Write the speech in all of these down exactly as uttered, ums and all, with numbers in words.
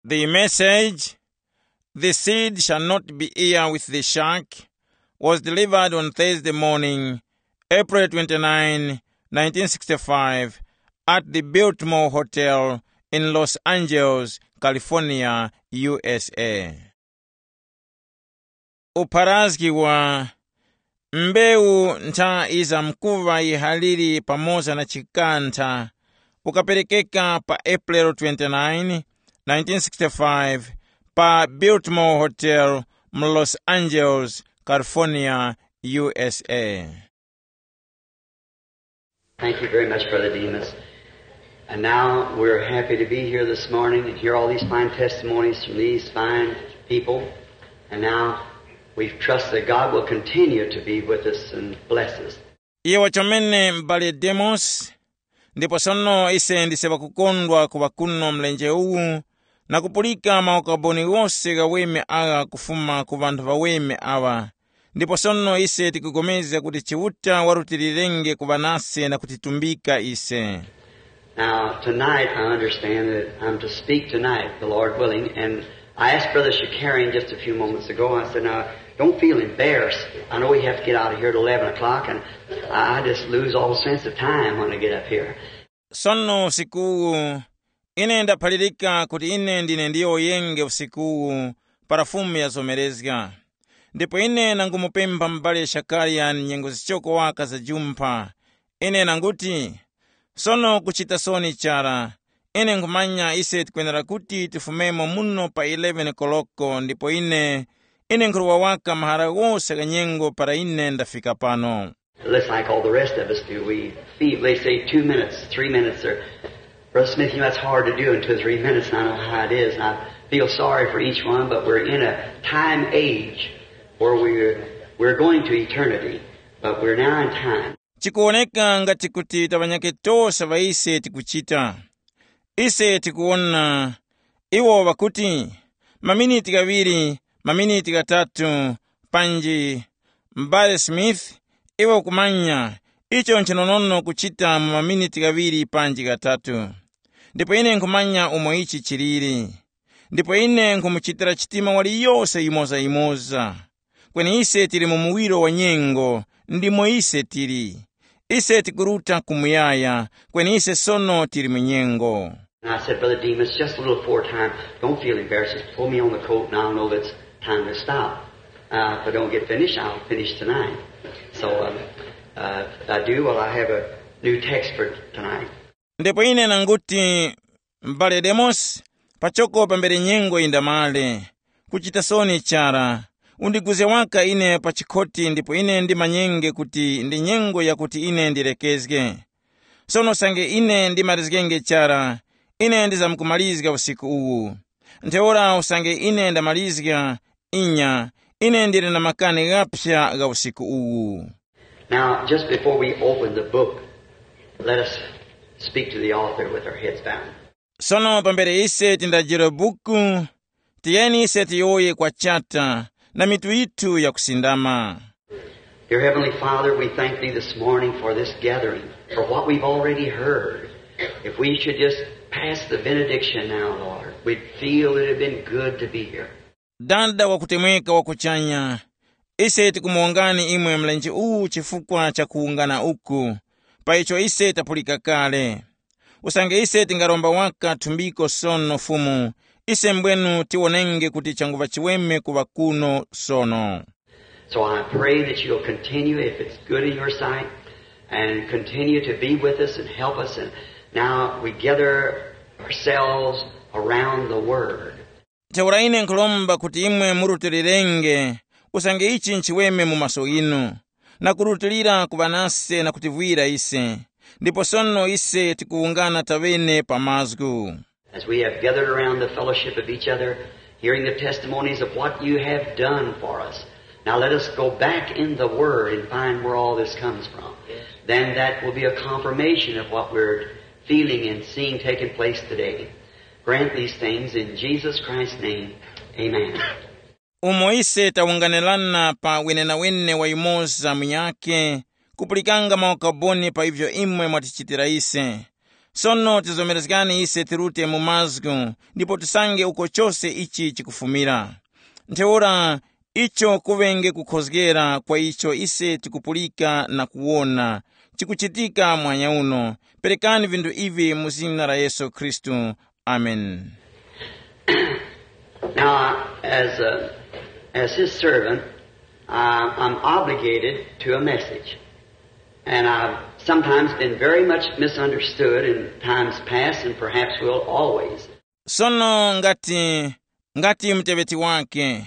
The message, "The seed shall not be here with the shark," was delivered on Thursday morning, April twenty-nine, nineteen sixty-five, at the Biltmore Hotel in Los Angeles, California, U S A. Upharazgi wa mbewu ntha iza mkuva yihaliri pamoza na chikantha ukaperekeka pa April twenty-nine, nineteen sixty-five, pa Biltmore Hotel mu Los Angeles, California, U S A. Thank you very much, Brother Demas. And now we're happy to be here this morning and hear all these fine testimonies from these fine people. And now we trust that God will continue to be with us and bless us. Iye wachomene m'bale Demos, ndipo sono ise ndise ŵakukondwa kuŵa kuno mlenje uwu na kupulika maukaboni ghose ghaweme agha kufuma ku ŵanthu ŵaweme aŵa. Ndipo sono ise tikupulikana kuti Chiuta warutilirenge kuŵa nase na kutitumbika ise. Now, tonight I understand that I'm to speak tonight, the Lord willing, and I asked Brother Shakarian just a few moments ago, I said, "Now, don't feel embarrassed. I know we have to get out of here at eleven o'clock, and I just lose all sense of time when I get up here." Sono usikuwu, ine ndaphalirika kuti ine ndine ndiyowoyenge usikuwu para Fumu yazomerezga. Ndipo ine nangumupempha m'bale Shakarian nyengo zichoko waka za jumpha. Ine nanguti, sono kuchita soni chara. Ine nkhumanya ise tikwenera kuti tifumemo muno pa eleven koloko ndipo ine, ine nkhuruwa waka mahara ghose gha nyengo para ine ndafika pano. Just like all the rest of us do, we feel, they say two minutes, three minutes, or, "Brother Smith, you know, that's hard to do in two or three minutes, and I know how it is, and I feel sorry for each one, but we're in a time age where we're, we're going to eternity, but we're now in time." Chikuwoneka ngati kuti taŵanyake tose ŵa ise tikuchita. Ise tikuwona iwo ŵakuti, maminiti ghaŵiri, maminiti ghatatu, panji, m'bale Smith, iwe ukumanya, icho nchinonono kuchita mu maminiti ghaŵiri panji ghatatu. Ndipo ine nkhumanya umo ichi chiliri. Ndipo ine nkhumuchitira chitima waliyose yimoza-yimoza. Kweni ise tili mu muwiro wa nyengo, ndimo ise tili. Ise tikuruta ku muyaya, kweni ise sono tili mu nyengo. And I said, "Brother Demas, just a little foretime. Don't feel embarrassed. Just pull me on the coat and I'll know that it's time to stop. Uh, if I don't get finished, I'll finish tonight." So, um, uh, if I do, well, I have a new text for tonight. Ndipo ine nanguti, m'bale Demosi, pachoko pambere nyengo yindamale. Kuchita soni chara. Undiguzge waka ine pa chikhoti ndipo ine ndimanyenge kuti ndi nyengo yakuti ine ndilekezge. Sono usange ine ndimalizgenge chara, ine ndizamkumalizga usiku uwu. Ntheura usange ine ndamalizga, inya, ine ndili na makani ghaphya gha usiku uwu. Now, just before we open the book, let us speak to the author with our heads bowed. Sono pambere ise tindajire buku, tiyeni ise tiyowoye kwa Chata na mitu yithu yakusindama. Dear Heavenly Father, we thank Thee this morning for this gathering, for what we've already heard. If we should just pass the benediction now, Lord, we'd feel it had been good to be here. Dada wakutemweka wa kuchanya, ise tikumuwongani imwe mlenje uwu chifukwa cha kuwungana uku, pa icho ise tapulika kale. Usange ise tingaromba waka thumbiko sono Fumu, ise mbwenu tiwonenge kuti changuŵa chiweme kuŵa kuno sono. So I pray that you'll continue, if it's good in your sight, and continue to be with us and help us. And now we gather ourselves around the Word. Ntheura ine nkhulomba kuti imwe murutilirenge, usange ichi nchiweme mu maso ghinu, na kurutilira kuŵa nase na kutivwira ise. Ndipo sono ise tikuwungana taŵene pa mazgu. As we have gathered around the fellowship of each other, hearing the testimonies of what you have done for us, now let us go back in the Word and find where all this comes from. Then that will be a confirmation of what we're feeling and seeing taking place today. Grant these things in Jesus Christ's name. Amen. Umo ise tawunganirana pa wenenawene wa yumoza munyakhe, kupulikanga maukaboni pa ivyo imwe mwatichitira ise. Sono tizomerezgani ise tirute mu mazgu, ndipo tisange uko chose ichi chikufumira. Ntheura, icho kuŵenge kukhozgera kwa icho ise tikupulika na kuwona chikuchitika mwanya uno. Perekani vinthu ivi mu zina la Yesu Khristu. Amen. Now, as, a, as his servant, I, I'm obligated to a message. And I've sometimes been very much misunderstood in times past and perhaps will always. Sono ngati ngati mteŵeti wake,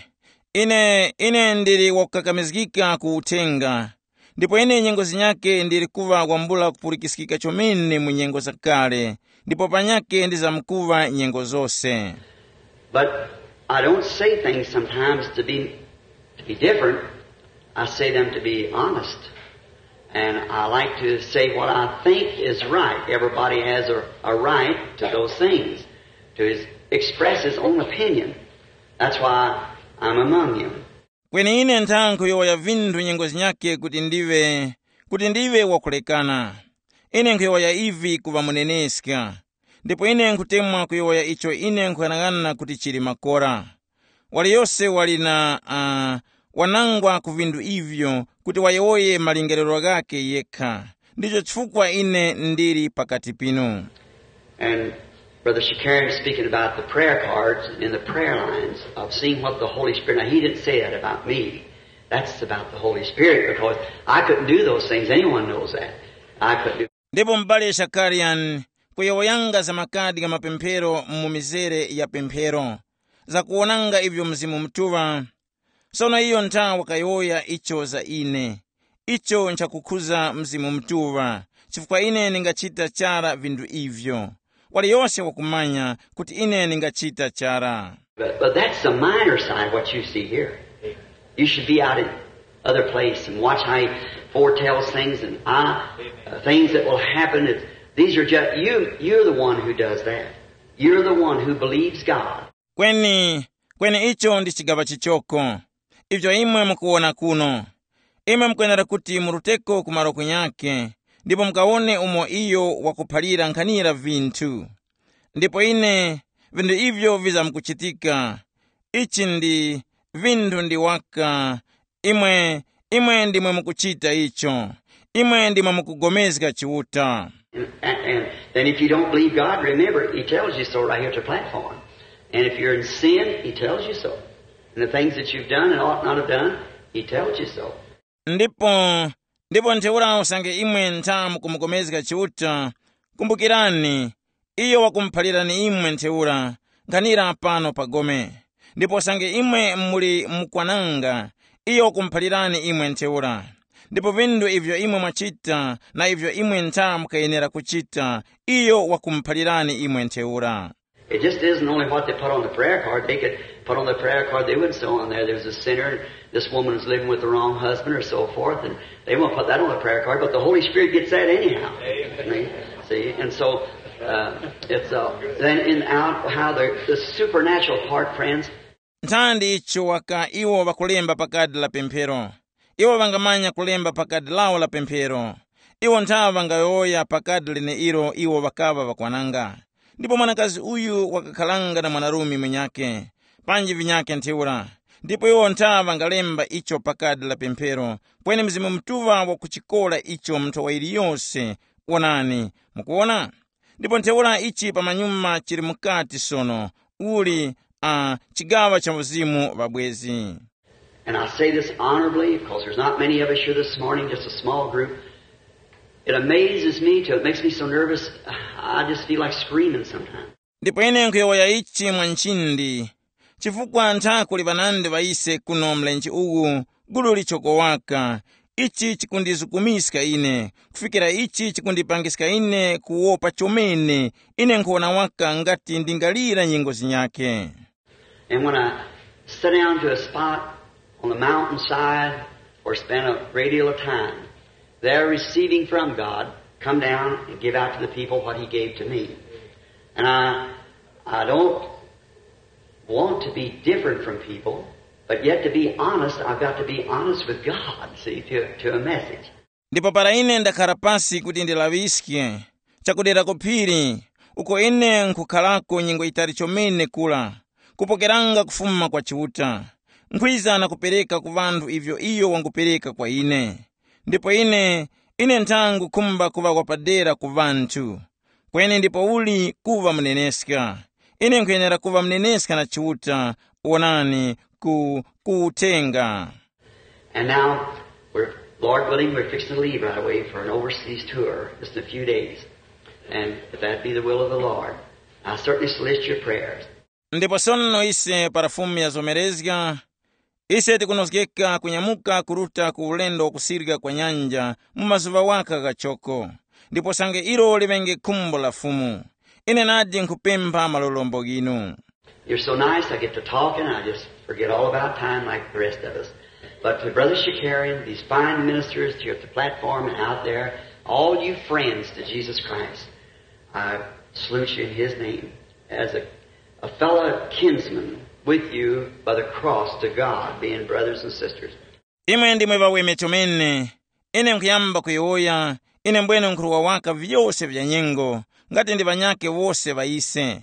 ine ine ndili wakukakamizgika ku uthenga. Ndipo ine nyengo zinyake ndili kuŵa wambula kupulikiskika chomene mu nyengo zakale, ndipo panyake ndizamkuŵa nyengo zose. But I don't say things sometimes to be, to be different. I say them to be honest. And I like to say what I think is right. Everybody has a, a right to those things, to his, express his own opinion. That's why I'm among you. Kweni ine nthankhuyowoya vinthu nyengo zinyake kuti ndive kuti ndive wakulekana. Ine nkhuyowoya ivi kuŵa muneneska. Ndipo ine nkhutemwa kuyowoya icho ine nkhuyang'ana kuti chili makora. Waliyose wali na uh, wanangwa ku vinthu ivyo kuti wayowoye malingaliro ghake yekha. Ndicho chifukwa ine ndili pakati pinu. And Brother Shakarian speaking about the prayer cards and the prayer lines of seeing what the Holy Spirit. Now, he didn't say that about me. That's about the Holy Spirit because I couldn't do those things. Anyone knows that. I couldn't do. Ndipo m'bale Shakarian kuyowoyanga za makadi gha mapemphero mu mizere ya pemphero, zakuwonanga ivyo Mzimu Mutuŵa. Sono iyo ntha wakayowoya icho za ine. Icho nchakukhuza Mzimu Mutuŵa, chifukwa ine ndingachita chara vinthu ivyo. Waliyose wakumanya kuti ine ndingachita chara. But, but that's the minor side of what you see here. You should be out in other place and watch how he foretells things and I, uh, things that will happen. It's, these are just, you, you're the one who does that. You're the one who believes God. Kweni kweni icho ndi chigaŵa chichoko. Ivyo imwe mukuwona kuno, imwe mukwenera kuti muruteko ku malo kunyakhe, ndipo mukawone umo iyo wakuphalira nkhanira vinthu. Ndipo ine, vinthu ivyo vizamkuchitika. Ichi ndi vinthu ndi waka. Imwe imwe ndimwe mukuchita icho. Imwe ndimwe mukugomezga Chiuta. And, and, and then if you don't believe God, remember, he tells you so right here at the platform. And if you're in sin, he tells you so. And the things that you've done and ought not have done, he tells you so. Ndipo ndipo ntheura usange imwe ntha mukumukomezga Chiuta, kumbukirani, iyo wakumuphalirani imwe ntheura, nkhanira pano pa gome. Ndipo usange imwe muli mukwananga, iyo wakumuphalirani imwe ntheura. Ndipo vinthu ivyo imwe mwachita na ivyo imwe ntha mukayenera kuchita, iyo wakumuphalirani imwe ntheura. It just isn't only what they put on the prayer card. They could put on the prayer card, they wouldn't say on there, there's a sinner, this woman is living with the wrong husband or so forth, and they won't put that on the prayer card, but the Holy Spirit gets that anyhow. See? See? And so, uh, it's uh, then in out how the, the supernatural part, friends. Nthandi icho waka iwo ŵakulemba pa kadi la pemphero. Iwo ŵangamanya kulemba pa kadi lawo la pemphero. Iwo nthawe ŵangayowoya pa kadi leneilo iwo ŵakaŵa ŵakwananga. Ndipo mwanakazi uyu wakakharanga na mwanarume mwenyakhe, panji vinyakhe ntheura. Ndipo iwo nthawe ŵangalemba icho pa kadi la pemphero, kweni Mzimu Mutuŵa wakuchikora icho mu nthowa yiliyose. Wonani, mukuwona? Ndipo ntheura ichi pamanyuma chili mukati sono, uli uh, chigaŵa cha uzimu ŵabwezi. And I say this honorably because there's not many of us here this morning, just a small group. It amazes me till it makes me so nervous, I just feel like screaming sometimes. Ndipo ine nkhuyowoya ichi mwa nchindi, chifukwa ntha kuli ŵanandi ŵa ise kuno mlenje uwu, gulu lichoko waka. Ichi chikundizukumiska ine, kufikira ichi chikundipangiska ine kuwopa chomene. Ine nkhuwona waka ngati ndingalira nyengo zinyakhe. And when I sit down to a spot on the mountainside or spend a great deal of time there receiving from God, come down and give out to the people what he gave to me. And I, I don't want to be different from people, but yet to be honest, I've got to be honest with God, see, to, to a message. Ndipo para ine ndakhara pasi kuti ndilaŵiske, chakudera ku phiri, uko ine nkhukharako nyengo yitali chomene kura, kupokeranga kufuma kwa Chiuta, nkhwiza na kupereka ku ŵanthu ivyo iyo wangupereka kwa ine. Ndipo ine, ine nthangu khumba kuŵa wapadera ku ŵanthu. Kweni ndipouli kuŵa muneneska? Ine nkhuyenera kuŵa muneneska na Chiuta. Wonani, ku, ku uthenga. And now, we're, Lord willing, we're fixing to leave right away for an overseas tour, just in a few days. And if that be the will of the Lord, I certainly solicit your prayers. Ndipo sono ise para Fumu yazomerezga, ise tikunozgeka kunyamuka kuruta ku ulendo wakusirika kwa nyanja mu mazuŵa waka ghachoko. Ndipo sange ilo liŵenge khumbo la Fumu, ine nadi nkhupempha malolombo ghinu. You're so nice, I get to talking, I just forget all about time like the rest of us. But to Brother Shakarian, these fine ministers here at the platform and out there, all you friends to Jesus Christ, I salute you in his name as a, a fellow kinsman with you by the cross to God, being brothers and sisters. Imwe ndimwe ŵaweme chomene. Ine nkhuyamba kuyowoya, ine mbwene nkhurwa waka vyose vya nyengo, ngati ndi ŵanyakhe wose ŵa ise.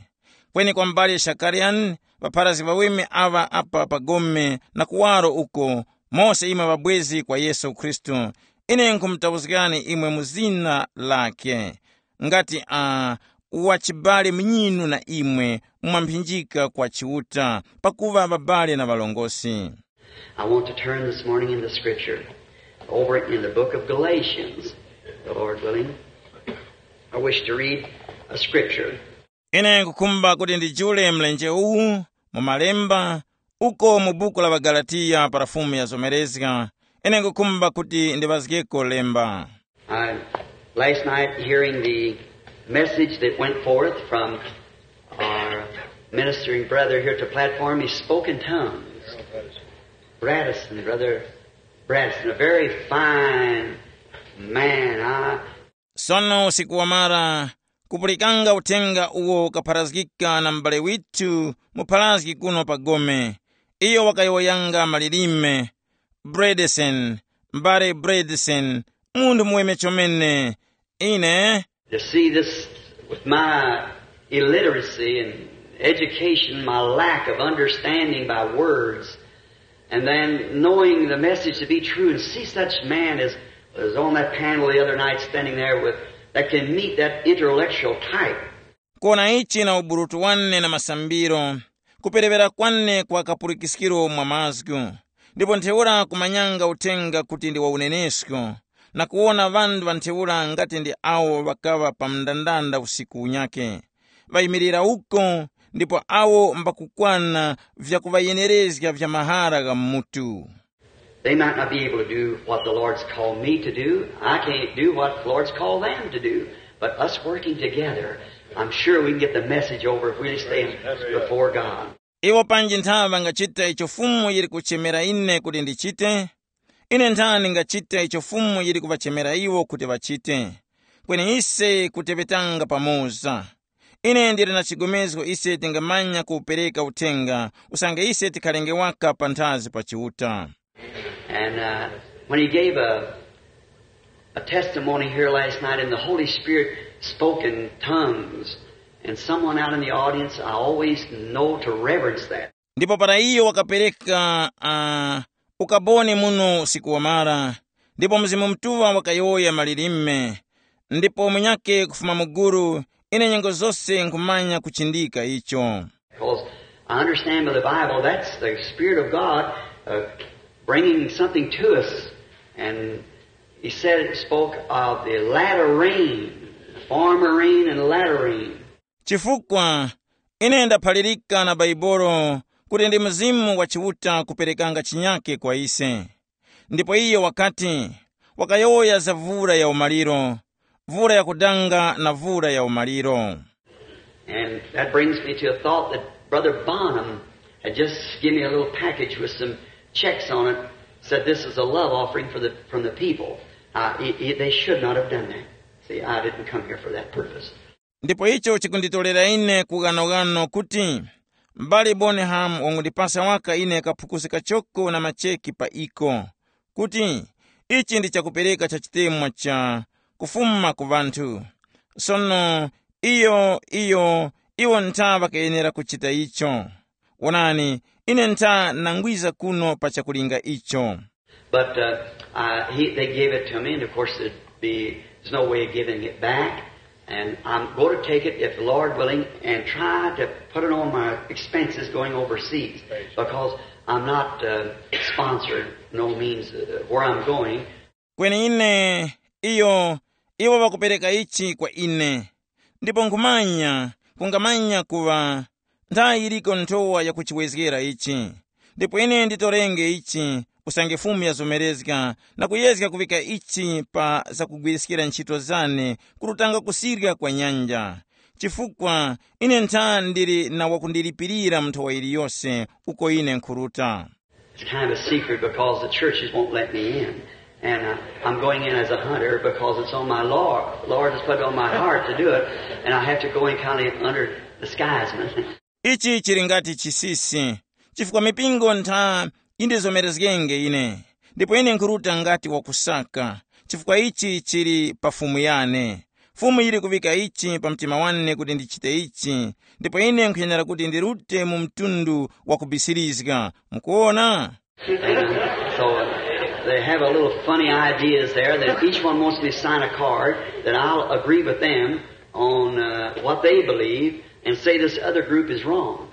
Kweni kwa m'bale Shakariyani, ŵapharazgi ŵaweme aŵa apa pa gome na kuwaro uko, mose imwe ŵabwezi kwa Yesu Khristu, ine nkhumutauzgani imwe mu zina lakhe, ngati a wachibale munyinu na imwe mwamphinjika kwa Chiuta, pakuŵa ŵabale na ŵalongosi. I want to turn this morning into Scripture, over in the book of Galatians, the Lord willing. I wish to read a scripture. Ine nkukhumba kuti ndijule mlenje uwu mu malemba, uko mu buku la ŵaGalatiya para Fumu yazomerezga. Ine nkukhumba kuti ndiŵazgeko lemba. I, last night, hearing the message that went forth from our ministering brother here at the platform, he spoke in tongues. Bradison, Brother Bradison, a very fine man. I Sono usiku wamara, kupulikanga uthenga uwo ukapharazgika na m'bale withu mupharazgi kuno pa gome. Iyo wakayowoyanga malilime. Bredesen, m'bale Bredesen, munthu muweme chomene. Ine To see this with my illiteracy and education, my lack of understanding by words, and then knowing the message to be true, and see such man as was on that panel the other night standing there with, that can meet that intellectual type. Kuona ichi na uburutu wane na masambiro, kuperewera kwane kwa kapulikiskiro mwa mazgu, ndipo ntheura kumanyanga uthenga kuti ndi wa unenesko, na kuwona ŵanthu ŵa ntheura ngati ndi awo ŵakaŵa pa mndandanda usiku unyakhe, ŵayimirira uko, ndipo awo mbakukwana vyakuŵayenerezga vya mahara gha mutu. They might not be able to do what the Lord's called me to do. I can't do what the Lord's called them to do. But us working together, I'm sure we can get the message over if we stay before God. Iwo panji nthaŵa ŵangachita icho Fumu yili kuchemera ine kuti ndichite? Ine nthani ndingachita icho Fumu yili kuŵachemera iwo kuti ŵachite? Kweni ise kuteŵetanga pamoza. Ine ndili na chigomezgo ise tingamanya kuwupereka uthenga, usange ise tikhalenge waka panthazi pa Chiuta. And uh, when he gave a, a testimony here last night, and the Holy Spirit spoke in tongues, and someone out in the audience, I always know to reverence that. Ndipo para iyo wakapereka uh, ukaboni muno usiku wamara, ndipo Mzimu Mutuŵa wakayowoya malilime, ndipo munyakhe kufuma mu gulu, ine nyengo zose nkhumanya kuchindika icho. Because I understand by the Bible that's the Spirit of God uh, bringing something to us. And he said, it spoke of the latter rain, the former rain and the latter rain. Chifukwa ine ndaphalirika na Baibolo kuti ndi Mzimu wa Chiuta kuperekanga chinyake kwa ise. Ndipo iyo wakati, wakayowoya za vura ya umaliro, vura yakudanga na vura ya umaliro. And that brings me to a thought that Brother Bonham had just given me a little package with some checks on it, said this is a love offering for the, from the people. Uh, he, he, they should not have done that. See, I didn't come here for that purpose. Ndipo icho chikunditolera ine kughanoghano kuti m'bale Bonham wangundipasa waka ine kaphukusi kachoko na macheki pa iko, kuti ichi ndi chakupereka cha chitemwa cha kufuma ku ŵanthu. Sono iyo, iyo, iwo ntha ŵakayenera kuchita icho. Wonani, ine ntha nangwiza kuno pa chakulinga icho. But uh, uh, he, they gave it to me, and of course, it'd be, there's no way of giving it back. And I'm going to take it, if the Lord willing, and try to put it on my expenses going overseas, because I'm not uh, sponsored, no means, uh, where I'm going. Kweni ine, iyo, iwo ŵakupereka ichi kwa ine. Ndipo nkhumanya, kungamanya kuŵa nthayi yiliko nthowa yakuchiwezgera ichi. Ndipo ine nditorenge ichi, usange Fumu yazomerezga, na kuyezga kuvika ichi pa zakugwiriskira nchito zane, kurutanga kusirya kwa nyanja. Chifukwa ine ntha ndili na wakundilipirira mu nthowa yiliyose uko ine nkhuruta. It's kind of a secret because the churches won't let me in. And uh, I'm going in as a hunter because it's on my Lord. Lord has put it on my heart to do it, and I have to go in kind of under disguisement. Ichi chili ngati chisisi, chifukwa mipingo ntha indizomerezgenge ine, ndipo ine nkhuruta ngati wakusaka, chifukwa ichi chili pa Fumu yane. Fumu yili kuvika ichi pa mtima wane kuti ndichite ichi, ndipo ine nkhuyenera kuti ndirute mu mtundu wa kubisirizga. Mukuona? So uh, they have a little funny ideas there that each one wants me to sign a card that I'll agree with them on uh, what they believe and say this other group is wrong.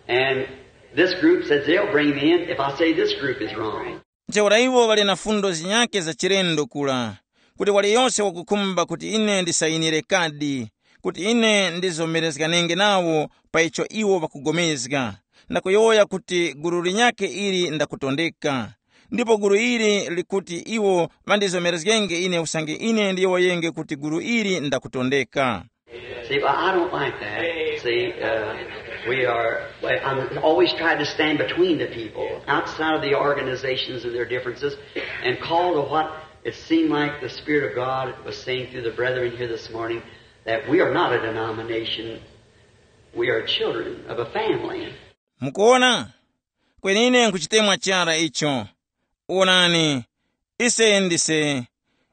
And this group says they'll bring me in if I say this group is wrong. Ntheura iwo ŵali na fundo zinyakhe za chilendo kula, kuti waliyose wakukhumba kuti ine ndisayinire kadi, kuti ine ndizomerezganenge nawo pa icho iwo ŵakugomezga, na kuyowoya kuti gulu linyakhe ili ndakutondeka. Ndipo gulu ili likuti iwo ŵandizomerezgenge ine usange ine ndiyowoyenge kuti gulu ili ndakutondeka. See, but I don't like that. See, uh, we are, I always try to stand between the people, outside of the organizations and their differences, and call to what it seemed like the Spirit of God was saying through the brethren here this morning, that we are not a denomination, we are children of a family. Mukuona? Kweni ine nkuchitemwa chara icho. Wonani, ise ndise,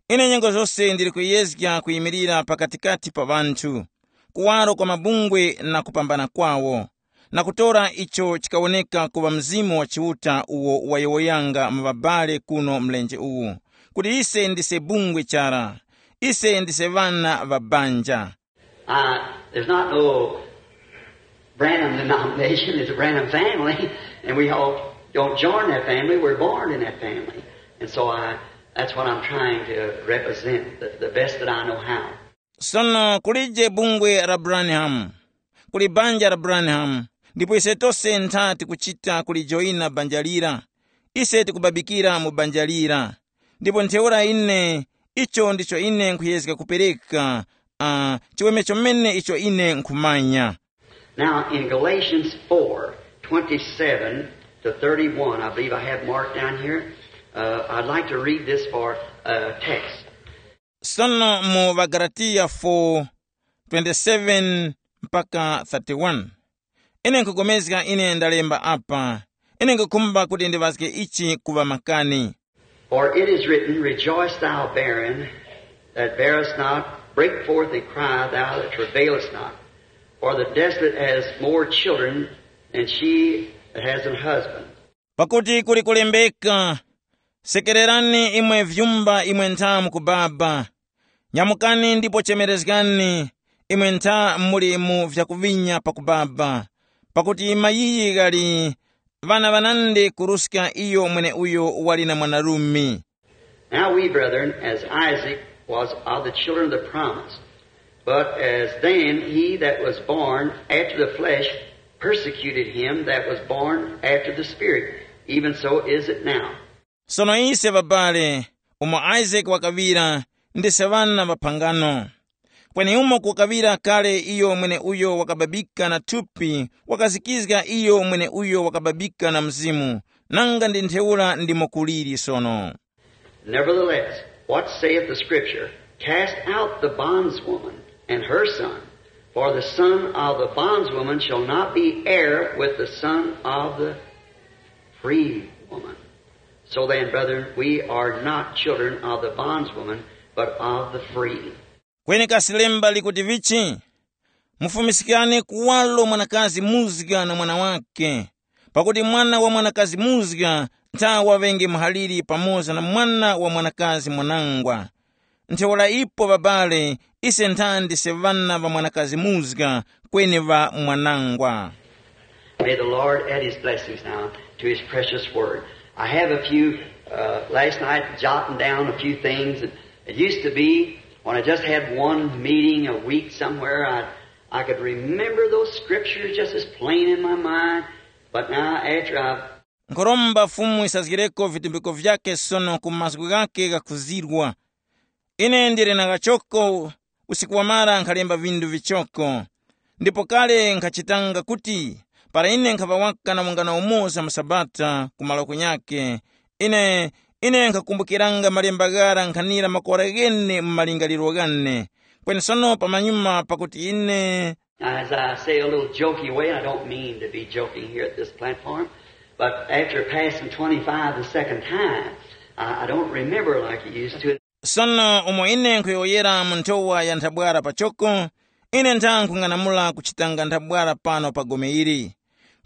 ine nyengo zose ndili kuyezga kuyimirira pakatikati pa ŵanthu, kuwaro kwa mabungwe na kupambana kwawo, na kutora icho chikawoneka kuŵa Mzimu wa Chiuta uwo wayowoyanga mu ŵabale kuno mlenje uwu, kuti ise ndise bungwe chara, ise ndise ŵana ŵa banja. Uh, there's not no Branham denomination, it's a Branham family, and we all don't join that family, we're born in that family. And so I, that's what I'm trying to represent, the, the best that I know how. Sono kulije bungwe la Branham, kuli banja la Branham, ndipo ise tose ntha tikuchita kulijoyina banja lira. Ise tikubabikira mu banja lira. Ndipo ntheura ine, icho ndicho ine nkhuyezga kupereka, uh, chiweme chomene icho ine nkhumanya. Now, in Galatians four twenty-seven to thirty-one, I believe I have marked down here. Uh, I'd like to read this for a text. Sono mu Ŵagalatiya four twenty-seven mpaka thirty-one. Ine nkugomezga ine ndalemba apa. Ine nkukhumba kuti ndiŵazge ichi kuŵa makani. For it is written, "Rejoice, thou barren that bearest not, break forth and cry, thou that travailest not. For the desolate has more children than she that has an husband." Pakuti kuli kulembeka, sekererani imwe vyumba imwe ntha mukubaba, nyamukani ndipo chemerezgani, imwe ntha muli mu vyakuvinya pakubaba, pakuti mayiyi ghali ŵana ŵanandi kuruska iyo mweneuyo wali na mwanarume. Now we, brethren, as Isaac was of the children of the promise, but as then he that was born after the flesh persecuted him that was born after the Spirit, even so is it now. Sono ise ŵabale, umo Isake wakaŵira, ndise ŵana ŵa phangano. Kweni umo kukaŵira kale iyo mweneuyo wakababika na thupi, wakazikizga iyo mweneuyo wakababika na Mzimu, nanga ndi ntheura ndimo kuliri sono. Nevertheless, what saith the Scripture? Cast out the bondswoman and her son, for the son of the bondswoman shall not be heir with the son of the free woman. So then, brethren, we are not children of the bondswoman, but of the free. Kweni kasi lemba likuti vichi? Mufumiskane kuwalo mwanakazi muzga na mwana wake, pakuti mwana wa mwanakazi muzga nthawa ŵenge muhaliri pamoza na mwana wa mwanakazi mwanangwa. Ntheura ipo ŵabale, ise nthandi se ŵana ŵa mwanakazi muzga, kweni ŵa mwanangwa. May the Lord add his blessings now to his precious word. I have a few, uh, last night, jotting down a few things. It used to be, when I just had one meeting a week somewhere, I, I could remember those scriptures just as plain in my mind. But now, after I've Nkhoromba Fumu isazgireko vitumbiko vyake sono ku mazgu ghake ghakuzirwa. Ine ndili na ghachoko, usiku wamara nkhalemba vindu vichoko. Ndipo kale nkhachitanga kuti, para ine nkhaŵa waka na ungano umoza mu Sabata ku malo kunyakhe, ine, ine nkhakumbukiranga malemba ghara nkhanira makora ghene mu malingaliro ghane. Kweni sono pamanyuma pakuti ine Now, as I say a little jokey way, and I don't mean to be joking here at this platform, but after passing twenty-five the second time, I, I don't remember like I used to. Sono umo ine nkhuyowoyera mu nthowa ya nthabwara pachoko, ine ntha nkhung'anamula kuchitanga nthabwara pano pa gome ili.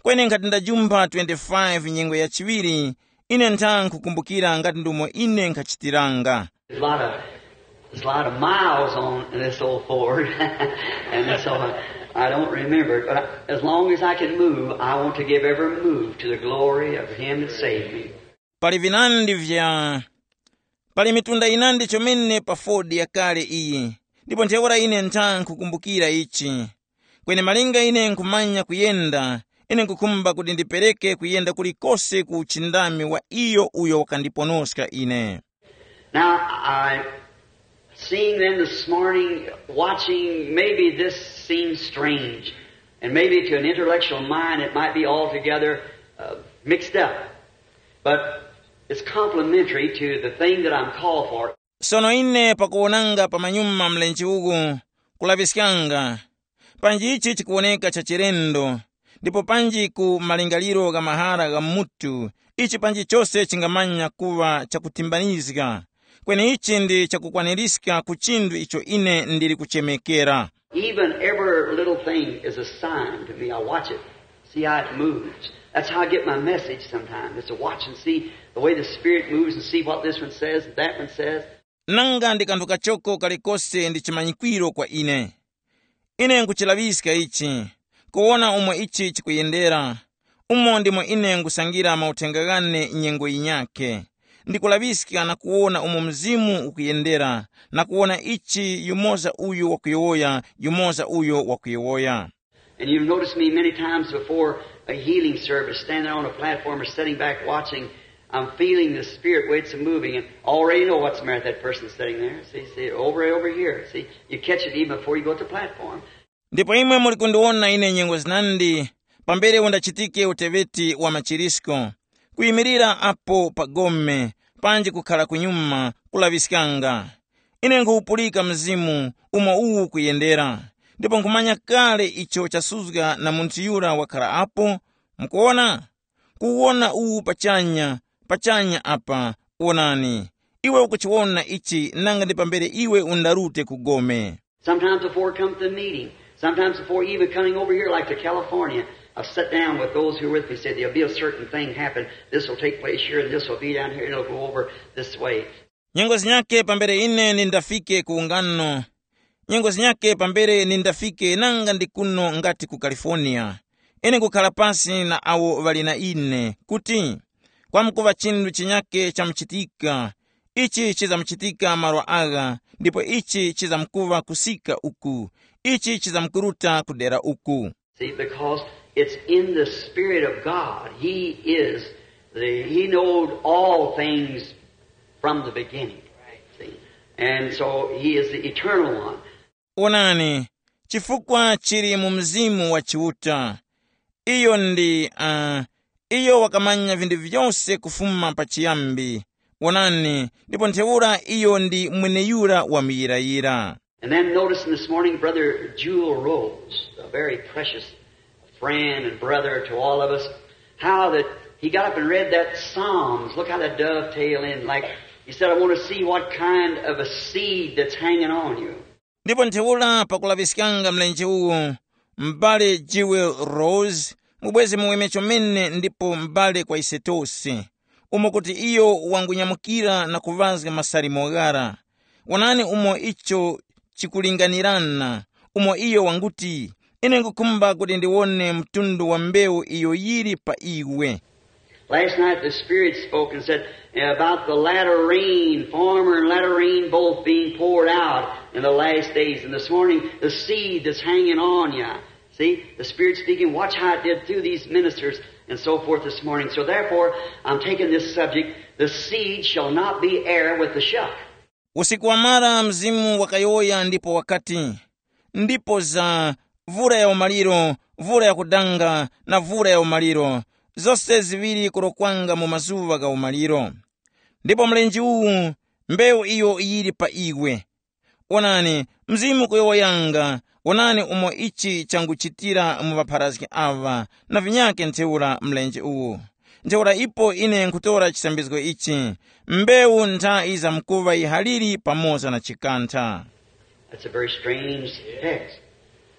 Kweni nkhati ndajumpha twenty-five nyengo ya chiŵiri, ine ntha nkhukumbukira ngati ndumo ine nkhachitiranga. There's a lot of, there's a lot of miles on this old Ford, and so I, I don't remember it. But I, as long as I can move, I want to give every move to the glory of Him that saved me. Pali vinandi vya pali mitunda inandi chomene pa Ford yakale iyi, ndipo ntheura ine ntha nkhukumbukira ichi. Kweni malinga ine nkhumanya kuyenda, ine nkhukhumba kuti ndipereke kuyenda kulikose ku uchindami wa iyo uyo wakandiponoska ine. Now, I, seeing then this morning, watching, maybe this seems strange, and maybe to an intellectual mind it might be altogether, uh, mixed up. But it's complementary to the thing that I'm called for. Sono ine pakuwonanga pamanyuma mlenje uwu, kulaŵiskanga, panji ichi chikuwoneka cha chilendo, ndipo panji ku malingaliro gha mahara gha mutu, ichi panji chose chingamanya kuŵa chakutimbanizga. Kweni ichi ndi chakukwanirizga ku chinthu icho ine ndili kuchemekera. Even every little thing is a sign to me. I watch it, see how it moves. That's how I get my message sometimes, is to watch and see the way the Spirit moves and see what this one says and that one says. Nanga ndi kanthu kachoko kalikose ndi chimanyikwiro kwa ine. Ine nkuchilaŵiska ichi, kuwona umo ichi chikuyendera, umo ndimo ine nkusangira mauthenga ghane nyengo yinyakhe. Ndikulaŵiska na kuwona umo Mzimu ukuyendera, na kuwona ichi yumoza uyo wakuyowoya, yumoza uyo wakuyowoya. And you've noticed me many times before a healing service, standing on a platform or sitting back watching. I'm feeling the Spirit way it's moving and already know what's the matter with that person sitting there. See, see, over and over here. See, you catch it even before you go to the platform. Ndipo imwe muli kundiwona ine nyengo zinandi, pambere undachitike uteŵeti wa machirisko, kuyimirira apo pa gome, panji kukhala kunyuma, kulaŵiskanga. Ine nkhupulika mzimu umo uwu kuyendera, ndipo nkhumanya kale icho chasuzga na munthu yura wakhala apo. Mukuwona? Kuwona uwu pachanya, pachanya apa. Wonani, iwe ukuchiwona ichi nanga ndi pambere iwe undarute ku gome. Sometimes before it comes to the meeting, sometimes before even coming over here, like to California, I've sat down with those who are with me, said there'll be a certain thing happen. This will take place here, and this will be down here, and it'll go over this way. Nyengo zinyakhe pambere ine nindafike ku ungano, nyengo zinyakhe pambere nindafike nanga ndi kuno ngati ku California, ine nkukhala pasi na awo ŵali na ine, kuti kwamkuŵa chinthu chinyakhe chamuchitika. Ichi chizamuchitika malo agha, ndipo ichi chizamkuŵa kusika uku, ichi chizamkuruta kudera uku. See, because it's in the Spirit of God. He is the, He knowed all things from the beginning. See? And so He is the eternal one. Onani, chifukwa chili mu Mzimu wa Chiuta. Iyo ndi, uh, iyo wakamanya vinthu vyose kufuma pachiyambi. Onani, ndipo ntheura iyo ndi mweneyura wa muyirayira. And then noticing this morning, Brother Jewel Rose, a very precious friend and brother to all of us, how that he got up and read that Psalms. Look how that dovetail in. Like he said, I want to see what kind of a seed that's hanging on you. Ndipo ntheura pakulaŵiskanga mlenje uwu, m'bale Jewel Rose, mubwezi muweme chomene ndipo m'bale kwa ise tose, umo kuti iyo wangunyamukira na kuŵazga masalimo ghara. Wonani umo icho chikulinganirana, umo iyo wanguti, ine ngukhumba kuti ndiwone mtundu wa mbewu iyo yili pa iwe. Last night the Spirit spoke and said about the latter rain, former and latter rain both being poured out in the last days. And this morning, the seed that's hanging on you. See, the Spirit speaking, watch how it did through these ministers and so forth this morning. So therefore, I'm taking this subject, the seed shall not be heir with the shuck. Usiku wamara Mzimu wakayowoya ndipo wakati, ndipo za vura ya umaliro, vura ya kudanga na vura ya umaliro, zose ziŵiri kurokwanga mu mazuŵa gha umaliro. Ndipo mlenje uwu, mbewu iyo yili pa iwe. Onani, Mzimu kuyowoyanga, onani umo ichi changuchitira mu ŵapharazgi aŵa na vinyakhe ntheura mlenje uwu. Ntheura ipo ine nkhutora chisambizgo ichi, mbewu nthayi za mkuŵa yihaliri pamoza na chikantha. That's a very strange text.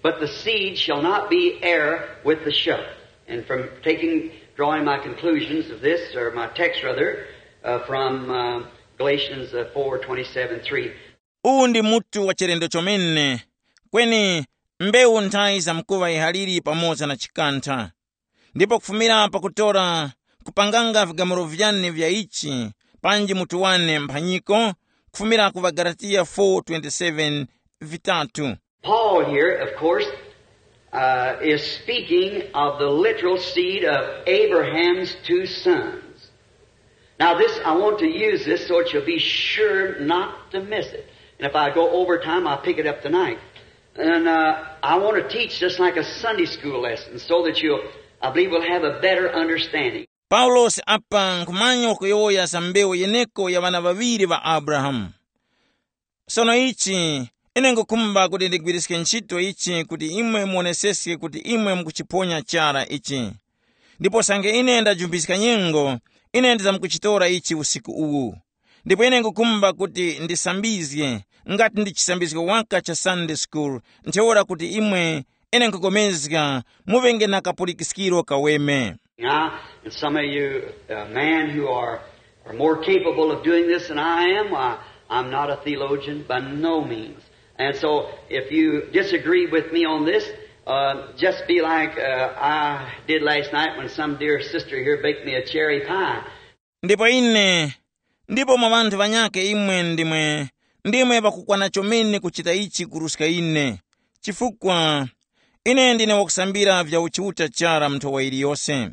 But the seed shall not be heir with the shepherd. And from taking, drawing my conclusions of this, or my text rather, uh, from uh, Galatians uh, four twenty-seven three. Uwu ndi mutu wa chilendo chomene. Kweni mbewu nthayi za mkuŵa yihaliri pamoza na chikantha. Ndipo kufumira pakutora, kupanganga vigamulo vyane vya ichi, panji mutu wane mphanyiko, kufumira ku ŵaGalatiya four twenty-seven vitatu. Paul here, of course, uh, is speaking of the literal seed of Abraham's two sons. Now, this, I want to use this so that you'll be sure not to miss it. And if I go over time, I'll pick it up tonight. And uh, I want to teach this like a Sunday school lesson so that you'll, I believe, will have a better understanding. Paulosi apa nkhumanya wakuyowoya za mbewu yeneko ya ŵana ŵaŵiri ŵa Abrahamu. Sono ichi, ine ngukhumba kuti ndigwiriske ntchito ichi kuti imwe muoneseske kuti imwe mukuchiphonya chara ichi. Ndipo sange ine ndajumbiska nyengo, ine ndizamkuchitora ichi usiku uwu. Ndipo ine ngukhumba kuti ndisambizge, ngati ndi chisambizgo waka cha Sunday school, ntheura kuti imwe, ine nkupulikana, muŵenge na kapulikiskiro kaweme. Now, and some of you uh, men who are, are more capable of doing this than I am, I, I'm not a theologian by no means. And so, if you disagree with me on this, uh, just be like uh, I did last night when some dear sister here baked me a cherry pie. Ndipo ine, ndipo mwa ŵanthu ŵanyakhe imwe ndimwe, ndimwe ŵakukwana chomene kuchita ichi kuruska ine, chifukwa ine ndine wakusambira vya uchiuta chara mu nthowa yiliyose.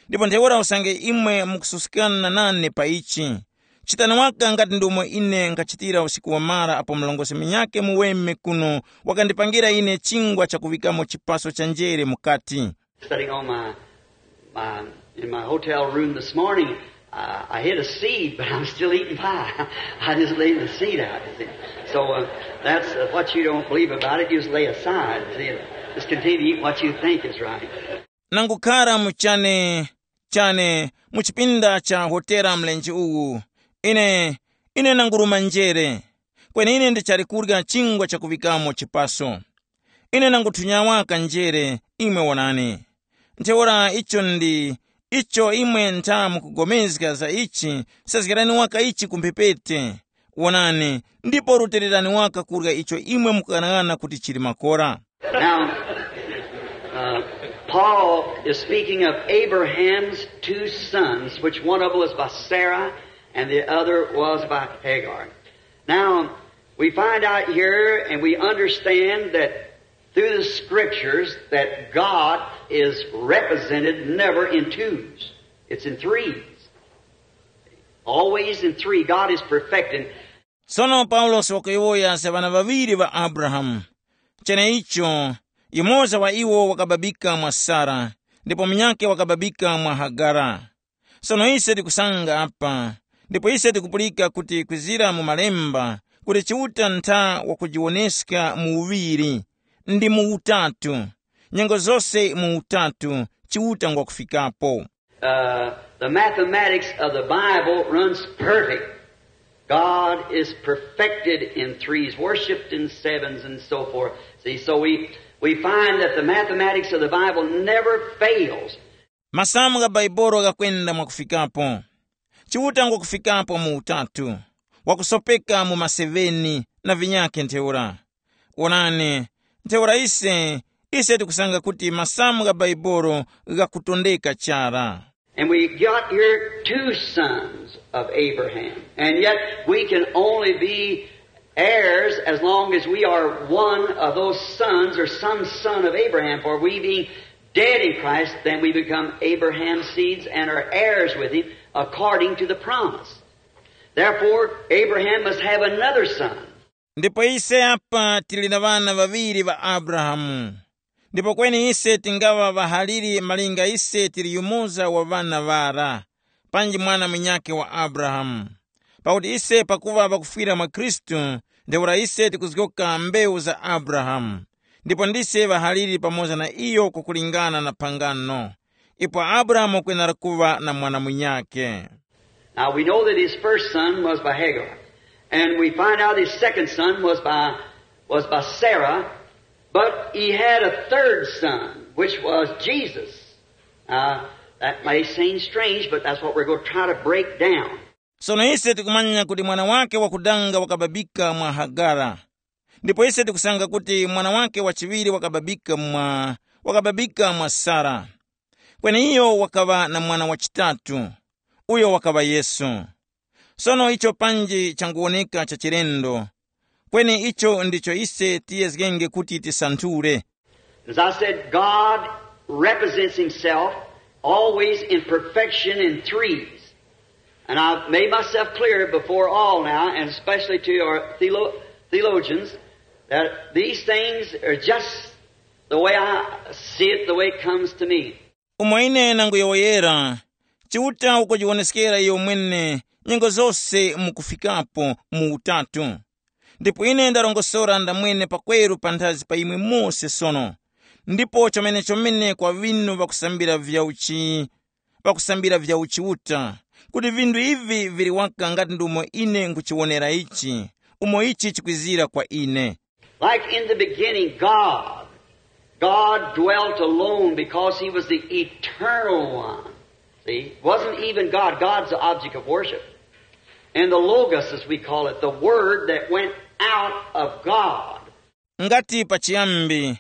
Ndipo ntheura usange imwe mukususkana nane pa ichi, chitani waka ngati ndomwe ine nkhachitira usiku wamara apo mlongosi munyakhe muweme kuno wakandipangira ine chingwa chakuŵikamo chipaso cha njere mukati. Sitting on my, my in my hotel room this morning, uh, I hid a seed, but I'm still eating pie. I just laid the seed out. You see. So uh, that's uh, what you don't believe about it. You just lay aside. See, just continue to eat what you think is right. Nangukhara mu chane chane mu chipinda cha hotela mlenje uwu, ine ine nanguruma njere, kweni ine ndichali kurya chingwa chakuŵikamo chipaso. Ine nanguthunya waka njere, imwe wonani. Ntheura icho ndi icho imwe ntha mukugomezga za ichi, sezgerani waka ichi ku mphepete. Wonani, ndipo rutilirani waka kurya icho imwe mukughanaghana kuti chili makora. Now, uh, Paul is speaking of Abraham's two sons, which one of them was by Sarah and the other was by Hagar. Now, we find out here and we understand that through the scriptures that God is represented never in twos. It's in threes. Always in three. God is perfecting. Sono Paulosi wakuyowoya za ŵana ŵaŵiri ŵa Abrahamu. Cheneicho, yumoza wa iwo wakababika mwa Sara, ndipo munyakhe wakababika mwa Hagara. Sono ise tikusanga apa, ndipo ise tikupulika kuti kwizira mu Malemba kuti Chiuta ntha wakujiwoneska mu uŵiri, ndi mu utatu. Nyengo zose mu utatu, Chiuta ngwakufikapo. Uh, the mathematics of the Bible runs perfect. God is perfected in threes, worshiped in sevens, and so forth. See, so we, we find that the mathematics of the Bible never fails. Masamu gha Baibolo ghakwenda mwakufikapo. Chiuta ngwakufikapo mu utatu, wakusopeka mu maseveni na vinyakhe ntheura. Onani, ntheura ise, ise tikusanga kuti masamu gha Baibolo ghakutondeka chara. And we got here two sons of Abraham. And yet we can only be heirs as long as we are one of those sons or some son of Abraham. For we being dead in Christ, then we become Abraham's seeds and are heirs with him according to the promise. Therefore, Abraham must have another son. Ndipo ise apa tili na ŵana ŵaŵiri ŵa Abrahamu. Ndipo kweni ise tingaŵa ŵahaliri malinga ise tili yumoza wa ŵana ŵara, panji mwana munyakhe wa Abrahamu. Pakuti ise pakuŵa ŵakufwira mwa Khristu, ntheura ise tikuzgoka mbewu za Abrahamu. Ndipo ndise ŵahaliri pamoza na iyo kukulingana na phangano. Ipo Abrahamu kwenera kuŵa na mwana munyakhe. Now we know that his first son was by Hagar, and we find out his second son was by, was by Sarah, but he had a third son, which was Jesus. Now, that may seem strange, but that's what we're going to try to break down. Sono ise tikumanya kuti mwana wake wakudanga wakababika mwa Hagara. Ndipo ise tikusanga kuti mwana wake wachiŵiri wakababika mwa, wakababika mwa Sara. Kweni iyo wakaŵa na mwana wachitatu, uyo wakaŵa Yesu. Sono icho panji changuwoneka cha chilendo, kweni icho ndicho ise tiyezgenge kuti tisanthule. As I said, God represents himself always in perfection in threes. And I've made myself clear before all now, and especially to our theolo- theologians, that these things are just the way I see it, the way it comes to me. Umo ine nanguyowoyera, Chiuta ukujiwoneskera iyo mwene nyengo zose mukufikapo mu utatu. Ndipo ine ndarongosora ndamwene pakweru panthazi pa imwe mose sono. Ndipo chomene-chomene kwa ŵinu ŵakusambira vya uchi, ŵakusambira vya uchiuta, kuti vinthu ivi vili waka ngati ndumo ine nkuchiwonera ichi, umo ichi chikwizira kwa ine. Like in the beginning, God, God dwelt alone because he was the eternal one. See, it wasn't even God. God's the object of worship. And the Logos, as we call it, the Word that went out of God. Ngati pachiyambi,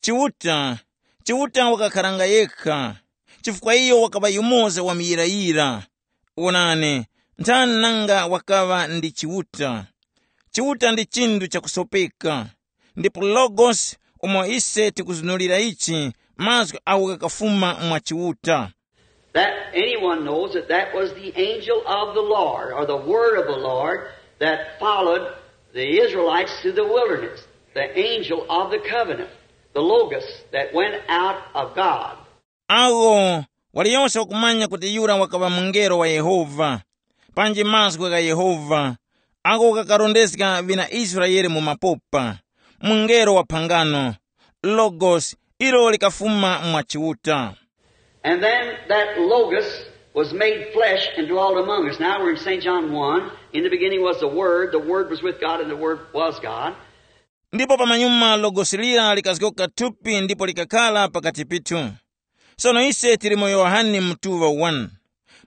Chiuta, Chiuta wakakharanga yekha, chifukwa iyo wakaŵa yumoza wa muyirayira. Wonani, nthani nanga wakaŵa ndi Chiuta? Chiuta ndi chinthu chakusopeka, ndipo Logos umo ise tikuzunulira ichi, mazgu agho ghakafuma mwa Chiuta. That anyone knows that that was the angel of the Lord, or the word of the Lord, that followed the Israelites through the wilderness. The angel of the covenant, the Logos that went out of God. Agho, waliyose wakumanya kuti yura wakaŵa mungelo wa Yehova, panji mazgu gha Yehova, agho ghakarondezga ŵina Israele mu mapopa, mungelo wa phangano, Logos, ilo likafuma mwa Chiuta. And then that Logos was made flesh and dwelt among us. Now we're in Saint John one. In the beginning was the Word, the Word was with God, and the Word was God. Ndipo pamanyuma Logosi lira likazgoka thupi ndipo likakhala pakati pithu. Sono ise tili mu Yohane mutuŵa one.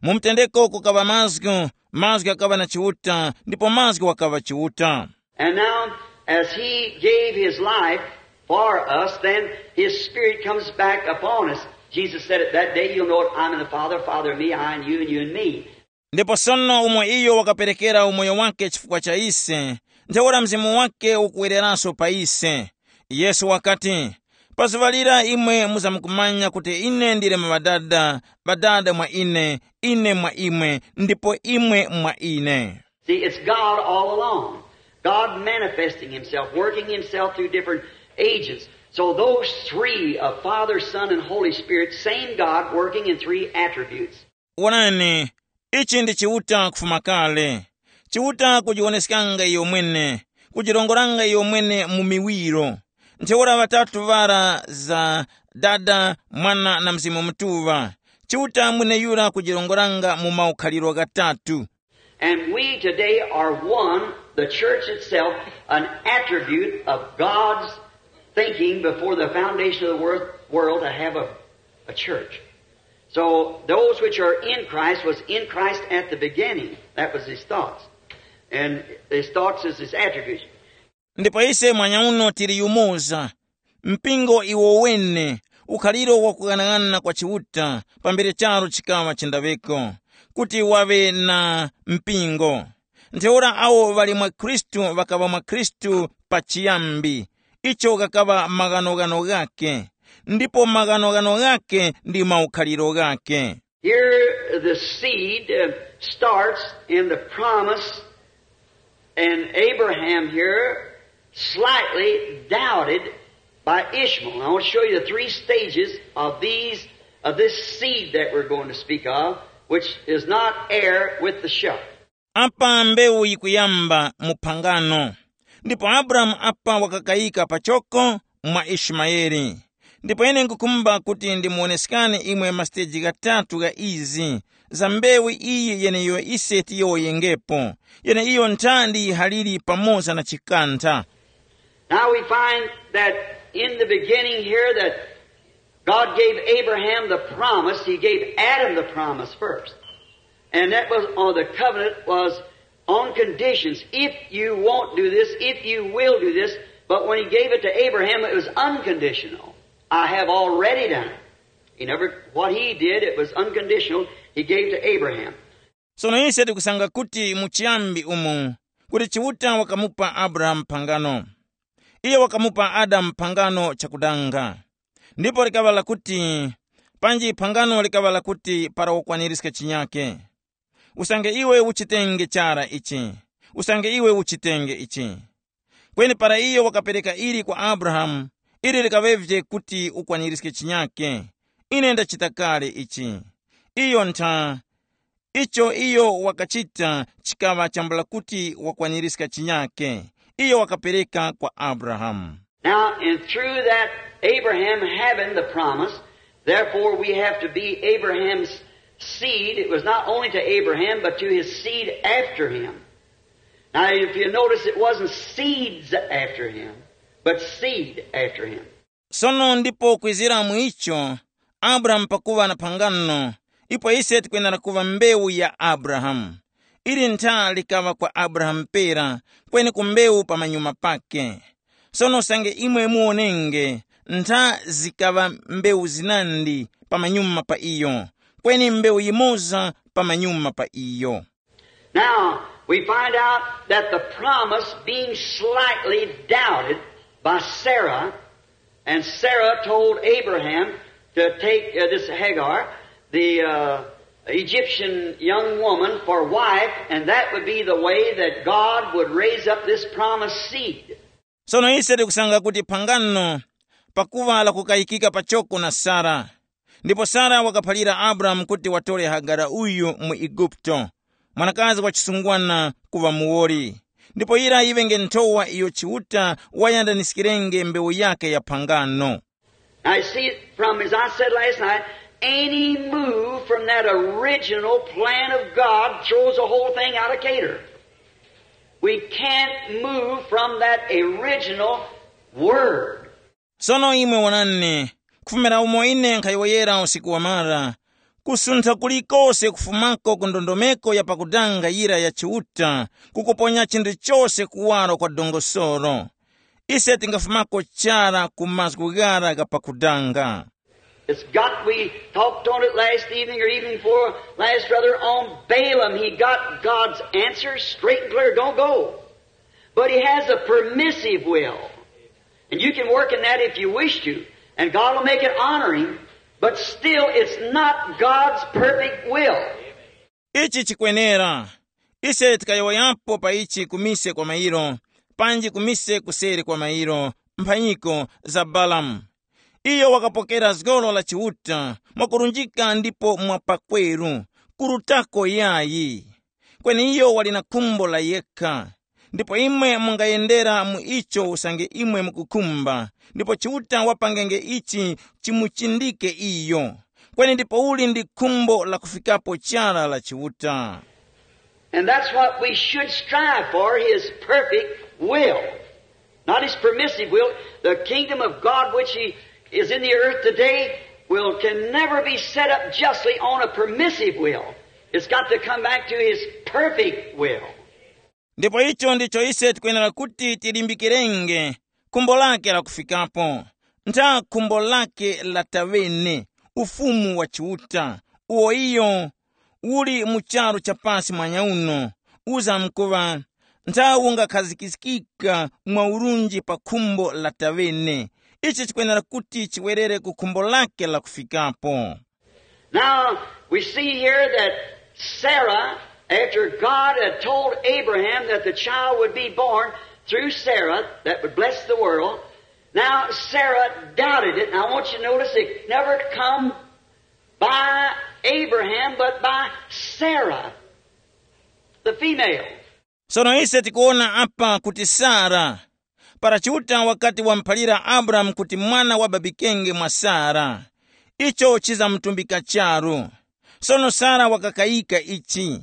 Mu mtendeko kukaŵa mazgu, mazgu ghakaŵa na Chiuta, ndipo mazgu wakaŵa Chiuta. And now, as he gave his life for us, then his spirit comes back upon us. Jesus said, "At that day you'll know that I'm in the Father, Father in me, I in you, and you in me." Ndipo sono umo iyo wakaperekera umoyo wake chifukwa cha ise, ntheura mzimu wake ukuwereranso pa ise. Yesu wakati, "Pa zuŵa lira imwe muzamkumanya kuti ine ndili mu Ŵadada, Ŵadada mwa ine, ine mwa imwe, ndipo imwe mwa ine." See, it's God all along. God manifesting himself, working himself through different agents. So those three of Father, Son, and Holy Spirit, same God working in three attributes. Wonani, ichi ndi Chiuta kufuma kale. Chiuta kujiwoneskanga iyo mwene, kujirongoranga iyo mwene mu miwiro. Ntheura ŵatatu ŵara za Dada, Mwana na Mzimu Mutuŵa. Chiuta mweneyura kujirongoranga mu maukhaliro ghatatu. And we today are one, the church itself, an attribute of God's thinking before the foundation of the wor- world to have a, a church. So those which are in Christ was in Christ at the beginning. That was his thoughts. And his thoughts is his attributes. Ndipo ise mwanyauno tili yumoza, mpingo iwo wene, ukhaliro wakughanaghanana kwa Chiuta pambere charo chikaŵa chindaweko, kuti waŵe na mpingo. Ntheura awo ŵali mwa Khristu ŵakaŵa mwa Khristu pachiyambi, icho ghakaŵa maghanoghano ghake, ndipo maghanoghano ghake ndi maukhaliro ghake. Here the seed uh, starts in the promise, and Abraham here slightly doubted by Ishmael. I want to show you the three stages of these of this seed that we're going to speak of, which is not heir with the shepherd. Apa mbewu yikuyamba mu phangano, ndipo Abrahamu apa wakakayika pachoko mwa Ishimayeli. Ndipo ine nkukhumba kuti ndimuwoneskani imwe masiteji ghatatu gha izi, za mbewu iyi yeneyo ise tiyowoyengepo, yeneiyo ntha ndi yihaliri pamoza na chikantha. Now we find that in the beginning here that God gave Abraham the promise, he gave Adam the promise first. And that was on the covenant was on conditions. If you won't do this, if you will do this, but when he gave it to Abraham, it was unconditional. I have already done it. He never, what he did, it was unconditional. He gave to Abraham. Sono ise tikusanga kuti mu chiyambi umu kuti Chiuta wakamupa Abrahamu phangano. Iye wakamupa Adamu phangano chakudanga. Ndipo likaŵa lakuti, panji phangano likaŵa lakuti para ukwanirizge chinyake. Usange iwe uchitenge chara ichi, usange iwe uchitenge ichi. Kweni para iyo wakapereka ili kwa Abrahamu, ili likaŵevye kuti ukwanirizge chinyake. Ine ndachita kale ichi. Iyo ntha, icho iyo wakachita chikaŵa chambula kuti wakwanirizga chinyake. Iyo wakapereka kwa Abrahamu. Now, and through that Abraham having the promise, therefore we have to be Abraham's seed. It was not only to Abraham, but to his seed after him. Now, if you notice, it wasn't seeds after him, but seed after him. Sono ndipo kwizira mu icho, Abrahamu pakuŵa na phangano, ipo ise tikwenera kuŵa mbewu ya Abrahamu. Ili ntha likaŵa kwa Abrahamu pera, kweni ku mbewu pamanyuma pake. Sono usange imwe muwonenge, ntha zikaŵa mbewu zinandi pamanyuma pa iyo, kweni mbewu yimoza pamanyuma pa iyo. Now, we find out that the promise being slightly doubted by Sarah, and Sarah told Abraham to take uh, this Hagar, the uh, Egyptian young woman, for wife, and that would be the way that God would raise up this promised seed. Sono ise tikusanga kuti phangano pakuŵa lakukayikika pachoko na Sara. Ndipo Sara wakaphalira Abrahamu kuti watore Hagara uyu mu Igupto, mwanakazi wa chisungwana, kuŵa muwoli. Ndipo yira yiŵenge nthowa iyo Chiuta wayandaniskirenge mbewu yake ya phangano. Now you see, from as I said last night, any move from that original plan of God throws the whole thing out of cater. We can't move from that original word. Sono imwe wonani, kufumira umo ine nkhayowoyera usiku wamara, kusuntha kulikose kufumako ku ndondomeko ya pakudanga yira ya Chiuta kukuponya chinthu chose kuwaro kwa dongosoro. Ise tingafumako chara ku mazgu ghara gha pakudanga. It's got, we talked on it last evening or evening before last, rather, on Balaam. He got God's answer straight and clear. Don't go. But he has a permissive will. And you can work in that if you wish to. And God will make it honoring. But still, it's not God's perfect will. Ichi chikwenera. Ise tikayowoyapo pa ichi kumise kwa mairo, panji kumise kuseri kwa mairo, mphanyiko za Balamu. Iyo wakapokera zgolo la Chiuta mwakurunjika ndipo mwapakweru, kurutako yayi. Kweni iyo wali na khumbo la yekha. Ndipo imwe mungayendera mu icho usange imwe mukukhumba, ndipo Chiuta wapangenge ichi chimuchindike iyo. Kweni ndipouli ndi khumbo la kufikapo chara la Chiuta. And that's what we should strive for, his perfect will. Not his permissive will. The kingdom of God which he is in the earth today will, can never be set up justly on a permissive will. It's got to come back to his perfect will. Ndipo icho ndicho ise tikwenera kuti tilimbikirenge, khumbo lake lakufikapo, ntha khumbo lake latawene, ufumu wa Chiuta, uwo iyo uli mu charu cha pasi mwanyauno, uzamkuŵa ntha ungakhazikikika mwa urunji pa khumbo latawene. Ichi chikwenera kuti chiwerere ku khumbo lake lakufikapo. Now, we see here that Sarah, after God had told Abraham that the child would be born through Sarah that would bless the world, now Sarah doubted it. And I want you to notice it never come by Abraham, but by Sarah, the female. Sono ise tikuwona apa kuti Sara, para Chiuta wakati wamuphalira Abrahamu kuti mwana wababikenge mwa Sara, icho chizamutumbika charu. Sono Sara wakakayika ichi.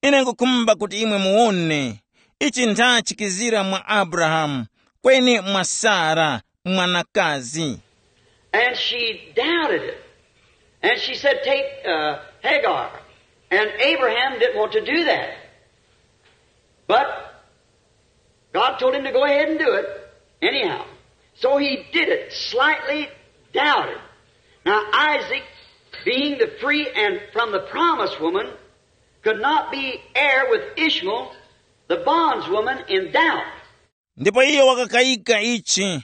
Ine nkukhumba kuti imwe muwone ichi ntha chikizira mwa Abrahamu, kweni mwa Sara, mwanakazi. And she doubted it. And she said, "Take uh, Hagar." And Abraham didn't want to do that. But God told him to go ahead and do it anyhow. So he did it, slightly doubted. Now, Isaac, being the free and from the promised woman, could not be heir with Ishmael, the bondswoman, in doubt. Ndipo iyo wakakayika ichi.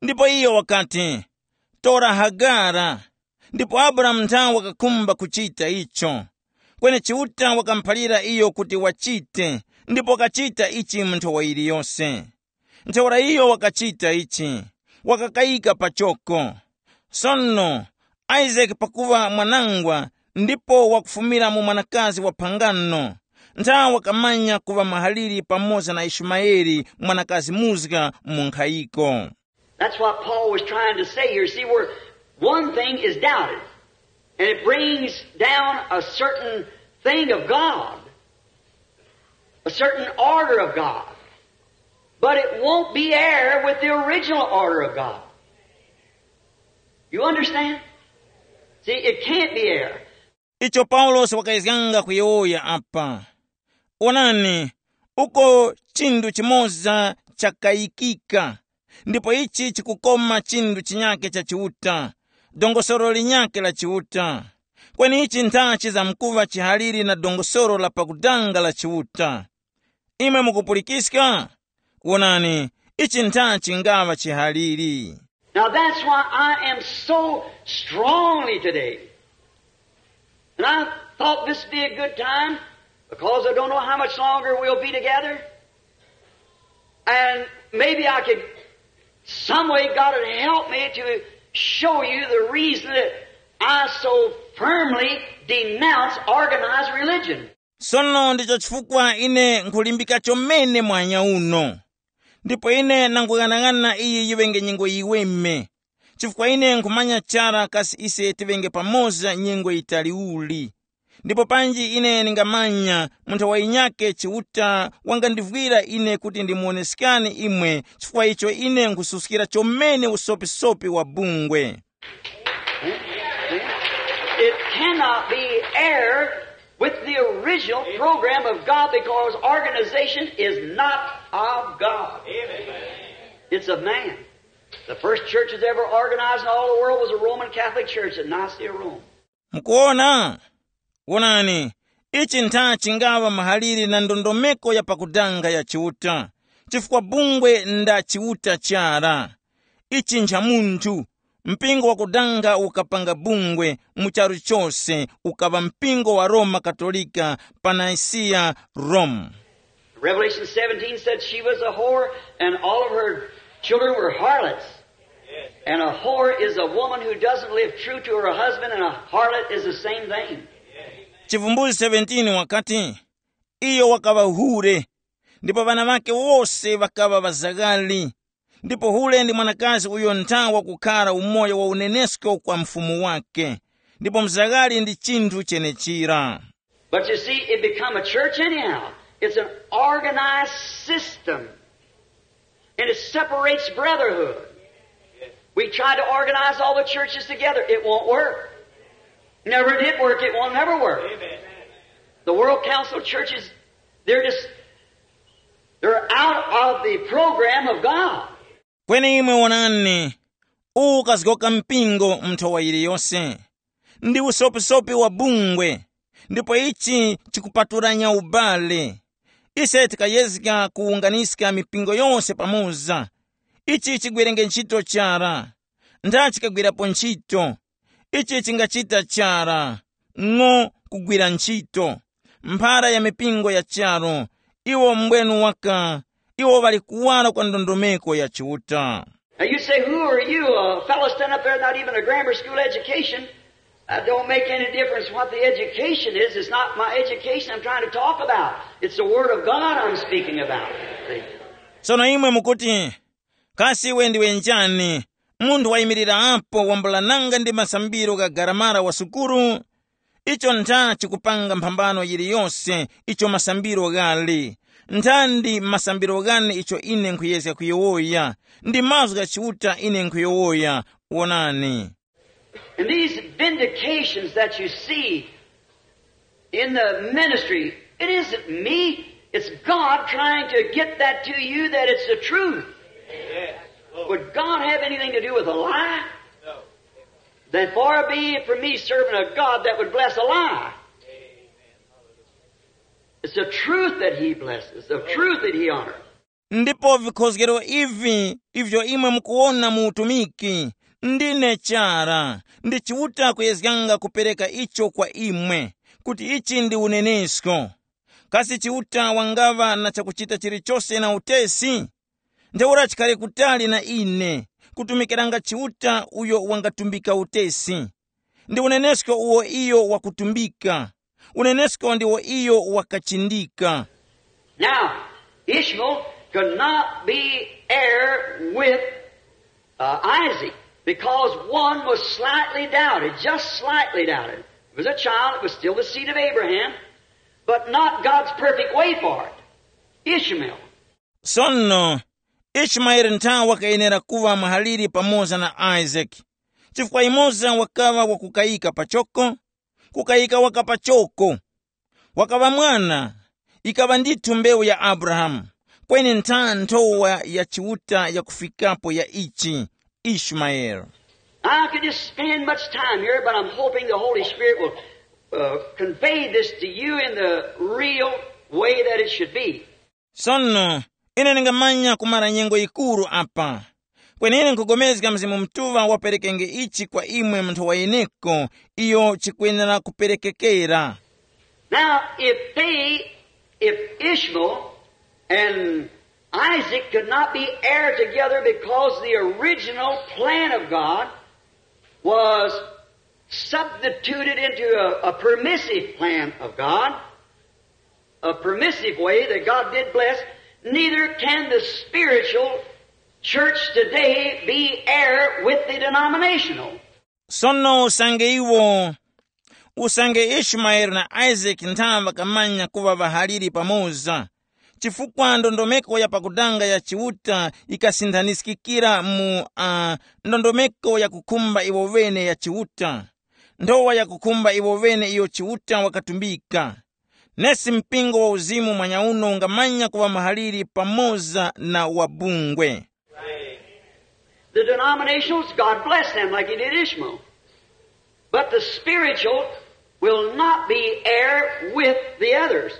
Ndipo iyo wakati, "Tora Hagara." Ndipo Abrahamu nthawe wakakhumba kuchita icho. Kweni Chiuta wakamuphalira iyo kuti wachite, ndipo wakachita ichi mu nthowa yiliyose. Ntheura iyo wakachita ichi, wakakayika pachoko. Sono, Isake pakuŵa mwanangwa ndipo wakufumira mu mwanakazi wa phangano, ntha wakamanya kuŵa mahaliri pamoza na Ishumayeli mwanakazi muzga mu nkhayiko. That's what Paul was trying to say here. See, where one thing is doubted, and it brings down a certain thing of God, a certain order of God, but it won't be heir with the original order of God. You understand? See, it can't be heir. Icho Paulosi wakayezganga kuyowoya apa. Onani, uko chinthu chimoza chakayikika, ndipo ichi chikukoma chinthu chinyake cha Chiuta, dongosolo linyake la Chiuta. Kweni ichi ntha chizamkuŵa chihaliri na dongosolo la pakudanga la Chiuta. Imwe mukupulikiska? Wonani, ichi ntha chingaŵa chihaliri. Now that's why I am so strongly today. And I thought this would be a good time because I don't know how much longer we'll be together. And maybe I could, some way, God would help me to show you the reason that I so firmly denounce organized religion. Sono ndicho chifukwa ine nkhulimbika chomene mwanya uno. Ndipo ine nanguyang'anang'ana iyi yiŵenge nyengo yiweme, chifukwa ine nkhumanya chara kasi ise tiŵenge pamoza nyengo yitali uli. Ndipo panji ine ndingamanya munthu wa yinyake Chiuta wangandivwira ine kuti ndimuwoneskani imwe, chifukwa icho ine nkhususkira chomene usopisopi wa bungwe. It cannot be heir with the original program of God because organization is not of God. It's of man. The first church that's ever organized in all the world was a Roman Catholic Church at Nicaea, Rome. Mukuona? Wonani, ichi ntha chingaŵa mahalire na ndondomeko ya pakudanga ya Chiuta, chifukwa bungwe nda Chiuta chara. Ichi ncha munthu, mpingo wakudanga ukapanga bungwe mu charu chose ukaŵa mpingo wa Roma Katolika pa Nicaea, Rome. Revelation seventeen said she was a whore and all of her children were harlots. And a whore is a woman who doesn't live true to her husband, and a harlot is the same thing. Chivumbulutso seventeen wakati, iyo wakaŵa hure, ndipo ŵana ŵake wose ŵakaŵa ŵazaghali, ndipo hure ndi mwanakazi uyo ntha wakukhara umoyo wa unenesko kwa mfumu wake, ndipo mzaghali ndi chinthu chenechira. But you see, it become a church anyhow. It's an organized system. And it separates brotherhood. We tried to organize all the churches together. It won't work. Never did work. It won't never work. The World Council of Churches, they're just, they're out of the program of God. Kweni imwe wonani, uwu ukazgoka mpingo mu nthowa yiliyose. Ndi usopisopi wa bungwe, ndipo ichi chikupatulanya ubale. Ise tikayezga kuwunganiska mipingo yose pamoza. Ichi chigwerenge ntchito chara. Ntha chikagwirapo ntchito. Ichi chingachita chara, ng'o kugwira ntchito. Mphara ya mipingo ya charu, iwo mbwenu waka, iwo ŵali kuwara kwa ndondomeko ya Chiuta. Now you say, who are you? A fellow standing up there, not even a grammar school education. Uh, don't make any difference what the education is. It's not my education I'm trying to talk about. It's the Word of God I'm speaking about. See? Sono imwe mukuti, kasi iwe ndiwe njani? Munthu wayimirirapo wambulananga ndi masambiro gha garamara wa sukulu? Icho ntha chikupanga mphambano yiliyose icho masambiro ghali. Ntha ndi masambiro ghani icho ine nkhuyezga kuyowoya, ndi mazgu gha Chiuta ine nkhuyowoya. Wonani. And these vindications that you see in the ministry, it isn't me. It's God trying to get that to you that it's the truth. Would God have anything to do with a lie? Then far be it from me serving a God that would bless a lie. It's the truth that he blesses, the truth that he honors. Ndipo vikhozgero ivi ivyo imwe mukuwona mu utumiki, ndine chara, ndi Chiuta kuyezganga kupereka icho kwa imwe, kuti ichi ndi unenesko. Kasi Chiuta wangaŵa na chakuchita chilichose na utesi? Ntheura chikhale kutali na ine, kutumikiranga Chiuta uyo wangatumbika utesi. Ndi unenesko uwo iyo wakutumbika. Unenesko ndiwo iyo wakachindika. Now, Ishmael could not be heir with uh, Isaac because one was slightly doubted, just slightly doubted. It was a child, it was still the seed of Abraham, but not God's perfect way for it. Ishmael. Sono, Ishimaeli ntha wakayenera kuŵa mwahaliri pamoza na Isaki, chifukwa yumoza wakaŵa wakukayika pachoko, kukayika waka pachoko. Wakaŵa mwana, ikaŵa ndithu mbewu ya Abrahamu, kweni ntha nthowa ya Chiuta yakufikapo ya ichi, Ishimaeli. I could just spend much time here, but I'm hoping the Holy Spirit will uh, convey this to you in the real way that it should be. Sono, ine ndingamanya kumara nyengo yikuru apa. Kwenene nkugomezga Mzimu Mutuŵa waperekenge ichi kwa imwe mu nthowa yeneko iyo chikwenera kuperekekera. Now, if they, if Ishmael and Isaac could not be heir together because the original plan of God was substituted into a, a permissive plan of God, a permissive way that God did bless, neither can the spiritual church today be heir with the denominational. Sono usange iwo, usange Ishimaeli na Isaki ntha ŵakamanya kuŵa ŵahaliri pamoza, chifukwa ndondomeko ya pakutanga ya Chiuta ikasinthanizgikira mu uh, ndondomeko yakukhumba iwo ŵene ya Chiuta, nthowa yakukhumba iwo ŵene iyo Chiuta wakatumbika. Nesi mpingo wa uzimu mwanyauno ungamanya kuŵa mahaliri pamoza na wabungwe. The denominationals, God bless them like he did Ishmael. But the spiritual will not be heir with the others.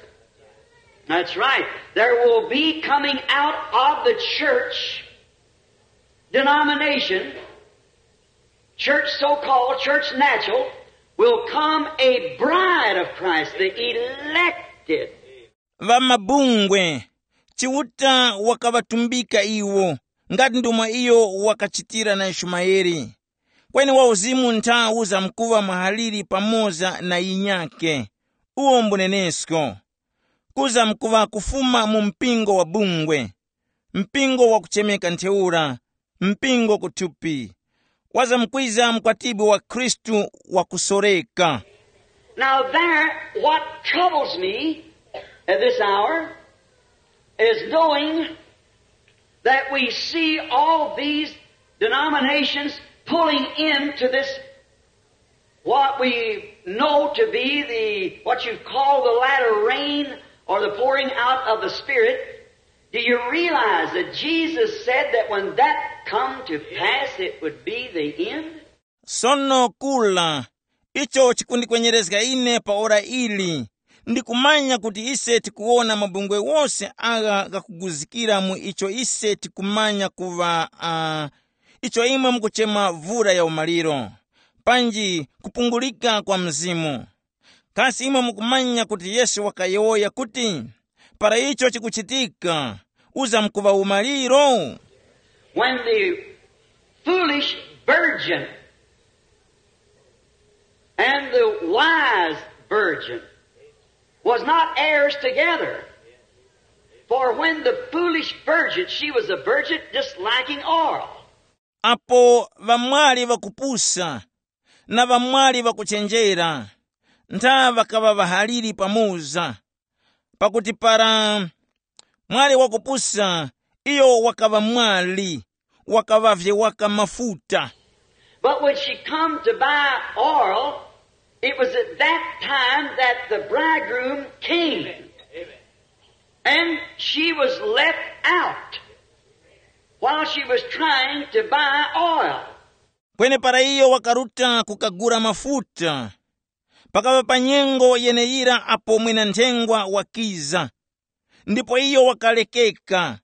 That's right. There will be coming out of the church denomination, church so-called, church natural, will come a bride of Christ, the elected. Ŵamabungwe, Chiuta wakaŵatumbika iwo, ngati ndomwe iyo wakachitira na Ishimaeli. Kweni wauzimu ntha uzamkuŵa mwahaliri pamoza na yinyake. Uwo mbunenesko. Kuzamkuŵa kufuma mu mpingo wa bungwe, mpingo wakuchemeka ntheura, mpingo kuthupi. Wazamkwiza mkwatibwi wa Khristu wakusoreka. Now, there, what troubles me at this hour is knowing that we see all these denominations pulling into this, what we know to be the, what you call the latter rain or the pouring out of the Spirit. Do you realize that Jesus said that when that come to pass, it would be the end? Sono kula, icho chikundikwenyerezga ine pa ora ili, ndikumanya kuti ise tikuwona mabungwe wose agha ghakuguzikira mu icho ise tikumanya kuŵa uh, icho imwe mukuchema vura ya umaliro, panji kupungulika kwa mzimu. Kasi imwe mukumanya kuti Yesu wakayowoya kuti, para icho chikuchitika, uzamkuŵa umaliro? When the foolish virgin and the wise virgin was not heirs together. For when the foolish virgin, she was a virgin just lacking oil. Apo ŵamwali ŵakupusa na ŵamwali ŵakuchenjera, ntha ŵakaŵa ŵahaliri pamoza, pakuti para mwali wakupusa, iyo wakaŵa mwali, wakaŵavye waka mafuta. But when she come to buy oil, it was at that time that the bridegroom came. And she was left out while she was trying to buy oil. Kwenepara iyo wakaruta kukagula mafuta, pakaŵa pa nyengo yeneyira apo mwina-nthengwa wakiza, ndipo iyo wakalekeka,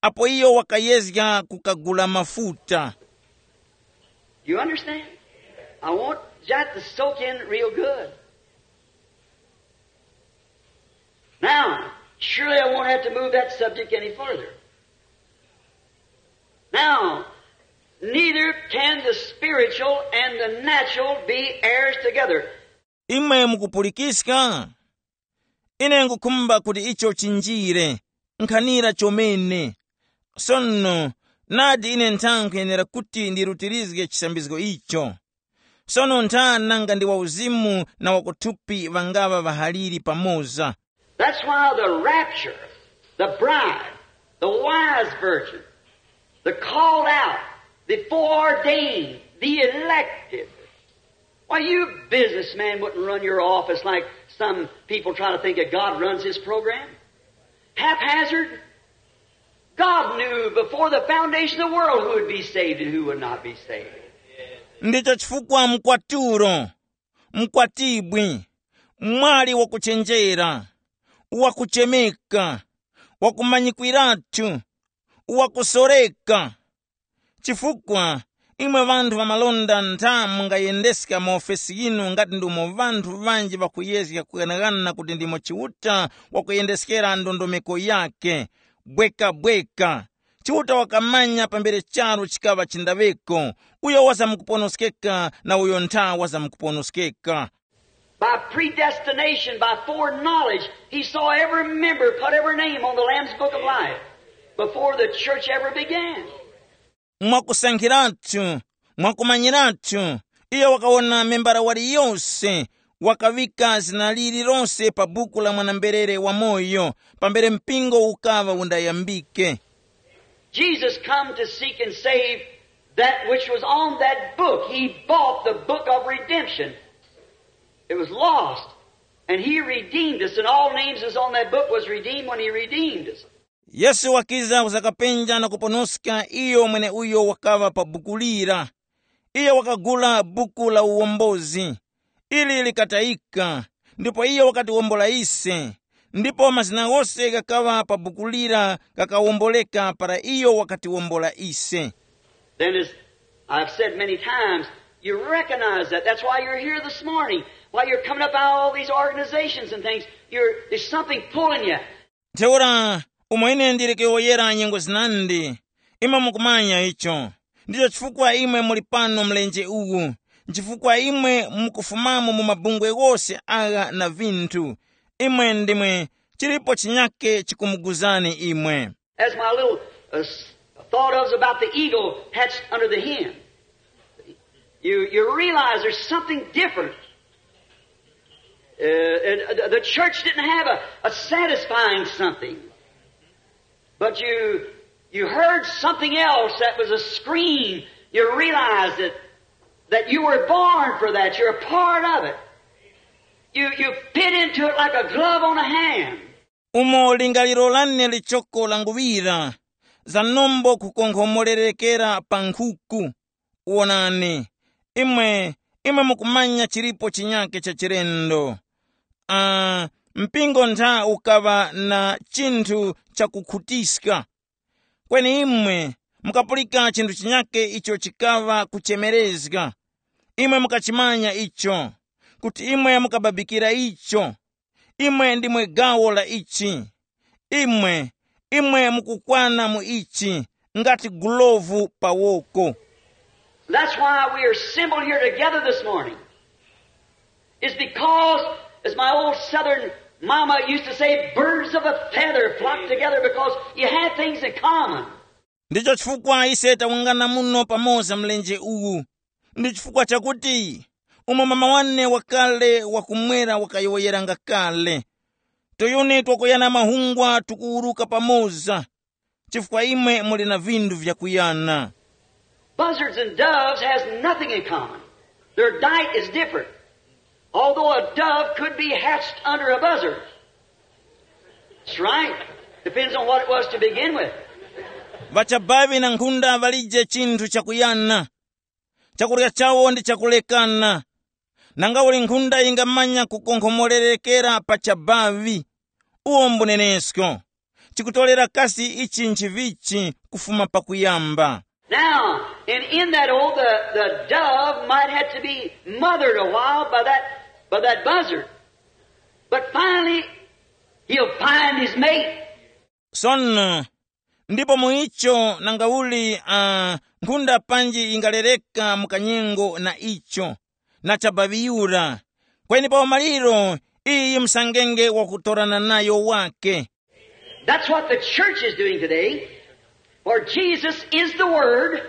apo iyo wakayezga kukagula mafuta. You understand? I want that to soak in real good. Now, surely I won't have to move that subject any further. Now, neither can the spiritual and the natural be heirs together. Imwe mukupulikiska? Ine ngukhumba kuti icho chinjire, nkhanira chomene. Sono, nadi ine ntha nkhuyenera kuti ndirutirizge chisambizgo icho. Sono ntha nanga ndi wauzimu na wakuthupi ŵangaŵa ŵahaliri pamoza. That's why the rapture, the bride, the wise virgin, the called out, the foreordained, the elected. Why, you businessman wouldn't run your office like some people try to think that God runs his program. Haphazard. God knew before the foundation of the world who would be saved and who would not be saved. Ndicho chifukwa mkwaturo, mkwatibwi, mwali wakuchenjera, wakuchemeka, wakumanyikwiratu, wakusoreka. Chifukwa imwe ŵanthu ŵamalonda ntha mungayendeska maofesi yinu ngati ndimo ŵanthu ŵanji ŵakuyezga kughanaghana kuti ndimo Chiuta wakuyendeskera ndondomeko yake. Bwekabweka, Chiuta wakamanya pambere charu chikaŵa chindaŵeko, uyo wazamkuponoskeka na uyo ntha wazamkuponoskeka. By predestination, by foreknowledge, he saw every member, put every name on the Lamb's Book of Life before the church ever began. Mwakusankhiratu, mwakumanyiratu, iyo wakawona membara waliyose, wakaŵika zina lililose pa buku la mwana-mberere wamoyo, pambere mpingo ukaŵa undayambike. Jesus come to seek and save that which was on that book. He bought the book of redemption. It was lost, and he redeemed us, and all names is on that book was redeemed when he redeemed us. Yesu wakiza kuzakapenja na kuponoska iyo mweneuyo wakaŵa pa buku lira. Iyo wakagula buku la uwombozi, ili likatayika, ndipo iyo wakatiwombola ise, ndipo mazina ghose ghakaŵa pa buku lira ghakawomboleka para iyo wakatiwombola ise. Then, as I've said many times, you recognize that. That's why you're here this morning. Why you're coming up out of all these organizations and things. You're, there's something pulling you. Ntheura, umo ine ndili kuyowoyera nyengo zinandi, imwe mukumanya icho. Ndicho chifukwa imwe muli pano mlenje uwu, nchifukwa imwe mukufumamo mu mabungwe ghose agha na vinthu. Imwe ndimwe, chilipo chinyake chikumuguzani imwe. As my little uh, s- thought of was about the eagle hatched under the hen. You, you realize there's something different. Uh, and the, the church didn't have a, a satisfying something. But you, you heard something else that was a scream. You realized it, that you were born for that. You're a part of it. You, you fit into it like a glove on a hand. Umo lingaliro lane lichoko languŵira, zanombo kukonkhomorereka pa nkhuku. Wonani, imwe, imwe mukumanya chilipo chinyake cha chilendo. Ah, mpingo ntha ukaŵa na chinthu chakukhutiska. Kweni imwe mukapulika chinthu chinyake icho chikaŵa kuchemerezga. Imwe mukachimanya icho, kuti imwe mukababikira icho. Imwe ndimwe gawo la ichi. Imwe, imwe mukukwana mu ichi, ngati gulovu pa woko. That's why we are assembled here together this morning. It's because, as my old southern mama used to say, birds of a feather flock together because you have things in common. Ndicho chifukwa ise tawungana muno pamoza mlenje uwu. Ndi chifukwa chakuti umo mama wane wakale wakumwera wakayowoyeranga kale, tuyuni twakuyana mahungwa tukuwuruka pamoza, chifukwa imwe muli na vinthu vyakuyana. Buzzards and doves has nothing in common. Their diet is different. Although a dove could be hatched under a buzzard. That's right. Depends on what it was to begin with. Ŵachabaŵi na nkhunda ŵalije chinthu chakuyana. Chakurya chawo ndi chakulekana. Nanga uli nkhunda yingamanya kukonkhomorerekera pa chabaŵi? Uwo mbunenesko. Chikutorera kasi ichi nchivichi kufuma pakuyamba? Now, and in that old, the, the dove might have to be mothered a while by that, by that buzzard. But finally, he'll find his mate. Sono, ndipo mu icho nangauli uh, nkhunda panji ingalereka mu kanyengo na icho, na chabaŵiyura. Kweni pa umaliro, iyi msangenge wakutorana nayo wake. That's what the church is doing today. For Jesus is the Word,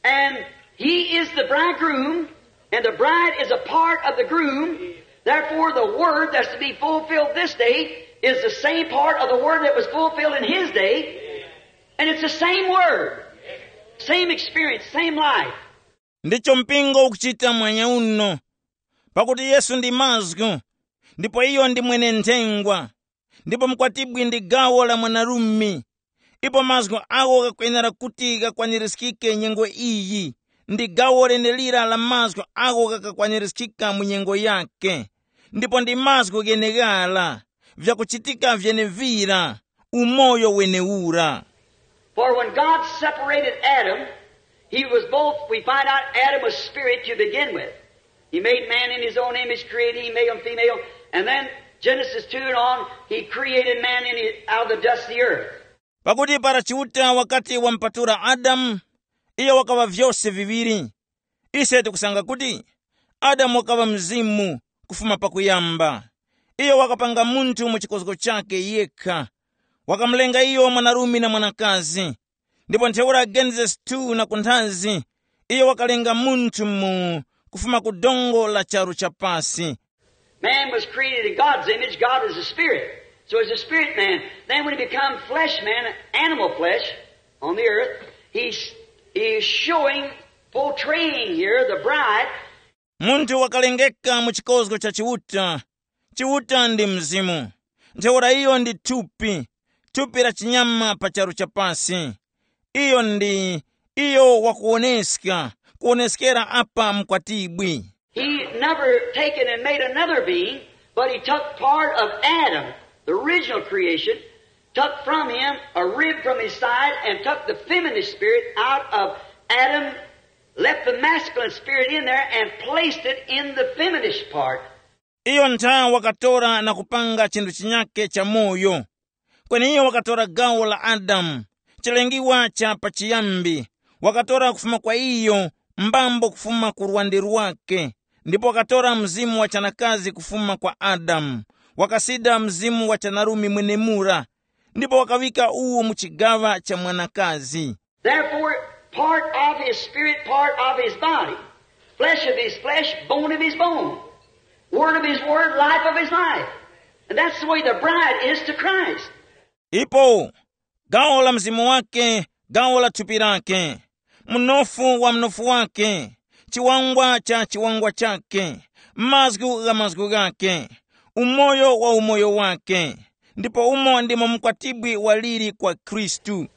and He is the bridegroom, and the bride is a part of the groom. Therefore, the Word that's to be fulfilled this day is the same part of the Word that was fulfilled in His day, and it's the same Word, same experience, same life. Ndicho mpingo ukuchita mwanya uno. Pakuti Yesu ndi mazgu, ndipo iyo ndi mwene nthengwa, ndipo mkwatibwi ndi gawo la mwanarume. Ipo mazgu agho ghakwenera kuti ghakwanirizgike nyengo iyi, ndi gawo lenelira la mazgu agho ghakakwanirizgika mu nyengo yake. Ndipo ndi mazgu gheneghara, vyakuchitika vyenevira, umoyo wenewura. For when God separated Adam, he was both, we find out Adam was spirit to begin with. He made man in his own image, created him male and female. And then Genesis two and on, he created man in his, out of the dust of the earth. Pakuti para Chiuta wakati wampatula Adamu, iyo wakaŵa vyose viŵiri. Ise tikusanga kuti Adamu wakaŵa mzimu kufuma pakuyamba. Iyo wakapanga munthu mu chikozgo chake yekha. Wakamulenga iyo mwanarume na mwanakazi. Ndipo ntheura Genesis two na kunthazi, iyo wakalenga munthu mu kufuma ku dongo la charu cha pasi. Man was created in God's image. God is a spirit. So he's a spirit man. Then when he become flesh man, animal flesh on the earth, he's, he's showing, portraying here the bride. Munthu wakalengeka mu chikozgo cha Chiuta. Chiuta ndi mzimu. Ntheura iyo ndi thupi, thupi la chinyama pa charu cha pasi. Iyo ndi, iyo wakuwoneska, kuwoneskera apa mkwatibwi. He never taken and made another being, but he took part of Adam, the original creation, took from him a rib from his side, and took the feminine spirit out of Adam, left the masculine spirit in there, and placed it in the feminine part. Iyo ntha wakatora na kupanga chinthu chinyake cha moyo. Kweni iyo wakatora gawo la Adamu, chilengiwa cha pachiyambi, wakatora kufuma kwa iyo, mbambo kufuma ku lwande lwake, ndipo wakatora mzimu wa chanakazi kufuma kwa Adamu, wakasida mzimu wa chanarumi mwenemura, ndipo wakaŵika uwu mu chigaŵa cha mwanakazi. Therefore, part of his spirit, part of his body, flesh of his flesh, bone of his bone. Word of his word, life of his life. And that's the way the bride is to Christ. Ipo gawo la mzimu wake, gawo la thupi lake, mnofu wa mnofu wake, chiwangwa cha chiwangwa chake, mazgu gha mazgu ghake, umoyo wa umoyo wake. Ndipo umo ndimo mkwatibwi waliri kwa Khristu.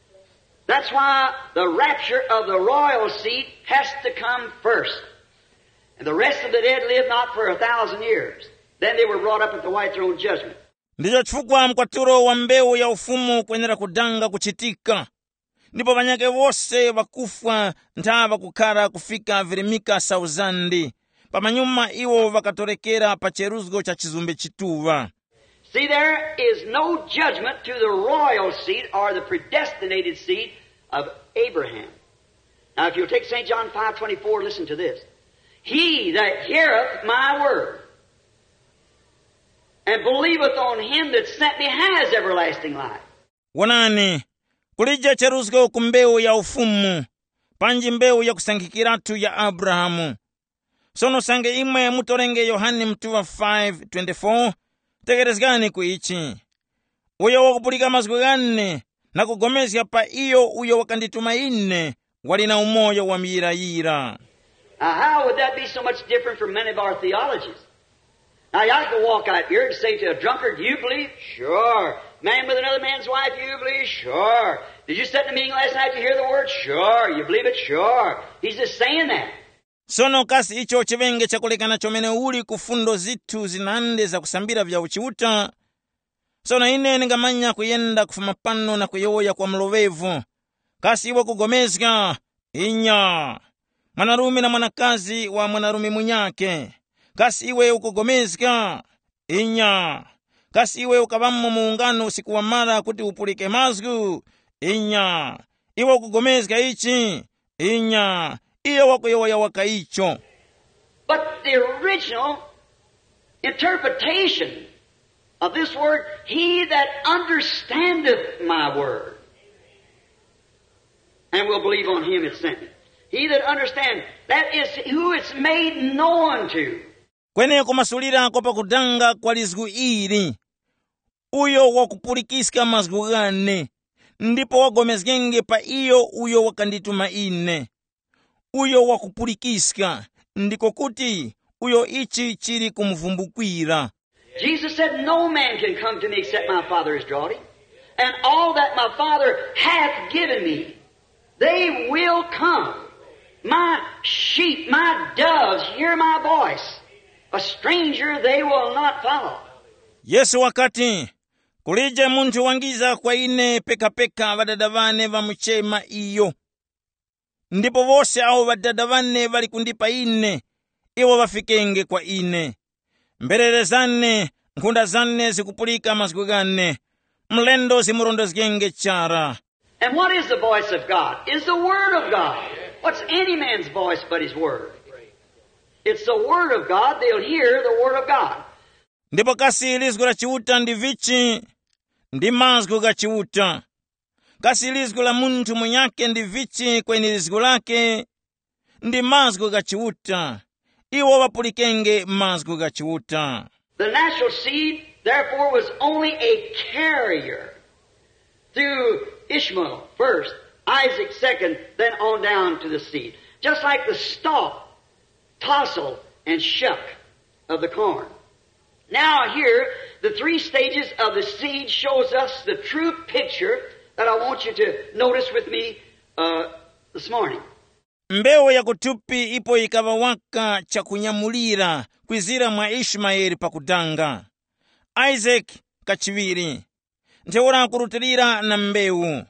That's why the rapture of the royal seed has to come first. And the rest of the dead live not for a thousand years. Then they were brought up at the white throne judgment. Ndicho chifukwa mkwatulo wa mbewu ya ufumu kwenera kudanga kuchitika, ndipo ŵanyakhe wose ŵakufwa ntha ŵakukhara kufika virimika sauzandi. Pamanyuma iwo ŵakatorekera pa cheruzgo cha chizumbe chituŵa. See, there is no judgment to the royal seed or the predestinated seed of Abraham. Now, if you'll take Saint John five twenty-four, listen to this. He that heareth my word and believeth on him that sent me has everlasting life. Wonani, kulije cheruzgo ku mbewu ya ufumu, panji mbewu yakusankhikiratu ya Abrahamu. Sono sange imwe mutorenge Yohane mtuŵa five twenty-four, tekerezgani ku ichi. Uyo wakupulika mazgu ghane na kugomezga pa iyo uyo wakandituma ine, wali na umoyo wa muyirayira. Now, how would that be so much different from many of our theologies? Now, I could walk out here and say to a drunkard, "You believe?" "Sure." "Man with another man's wife, you believe?" "Sure." "Did you sit in the meeting last night to hear the word?" "Sure." "You believe it?" "Sure." He's just saying that. Sono kasi icho chiŵenge chakulekana chomene uli ku fundo zithu zinandi zakusambira vya uchiuta? Sono ine ndingamanya kuyenda kufuma pano na kuyowoya kwa mloŵevu. Kasi iwe ukugomezga? Inya. Mwanarume na mwanakazi wa mwanarume munyakhe. Kasi iwe ukugomezga? Inya. Kasi iwe ukaŵamo mu ungano usiku wamara kuti upulike mazgu? Inya. Iwe ukugomezga ichi? Inya. Iyo wakuyowoya waka icho. But the original interpretation of this word, "He that understandeth my word and will believe on him that sent me." He that understands, that is who it's made known to. Kweni kumasulira kwa pakudanga kwa lizgu ili, uyo wakupulikiska mazgu ghane, ndipo wagomezgenge pa iyo uyo wakandituma ine. Uyo wakupulikiska, ndiko kuti uyo ichi chili kumuvumbukwira. Jesus said, "No man can come to me except my Father has drawn him. And all that my Father hath given me, they will come. My sheep, my doves, hear my voice. A stranger they will not follow." Yesu wakati, "Kulije munthu wangiza kwa ine pekapeka Ŵadada ŵane ŵamuchema iyo. Ndipo wose awo Ŵadada ŵane ŵali kundipa ine, iwo ŵafikenge kwa ine. Mberere zane, nkhunda zane zikupulika mazgu ghane. Mlendo zimurondezgenge chara." And what is the voice of God? Is the Word of God. What's any man's voice but His Word? It's the Word of God. They'll hear the Word of God. Ndipo kasi lizgu la Chiuta ndi vichi? Ndi mazgu gha Chiuta. Kasi lizgu la munthu munyakhe ndi vichi kweni lizgu lake? Ndi mazgu gha Chiuta. Iwo ŵapulikenge mazgu gha Chiuta. The natural seed, therefore, was only a carrier through Ishmael first, Isaac second, then on down to the seed. Just like the stalk, tassel, and shuck of the corn. Now here, the three stages of the seed shows us the true picture that I want you to notice with me, uh, this morning. Mbewu ya kuthupi ipo yikaŵa waka chakunyamulira kwizira mwa Ishimayeli pakudanga, Isaac kachiŵiri, ntheura kurutilira na mbewu,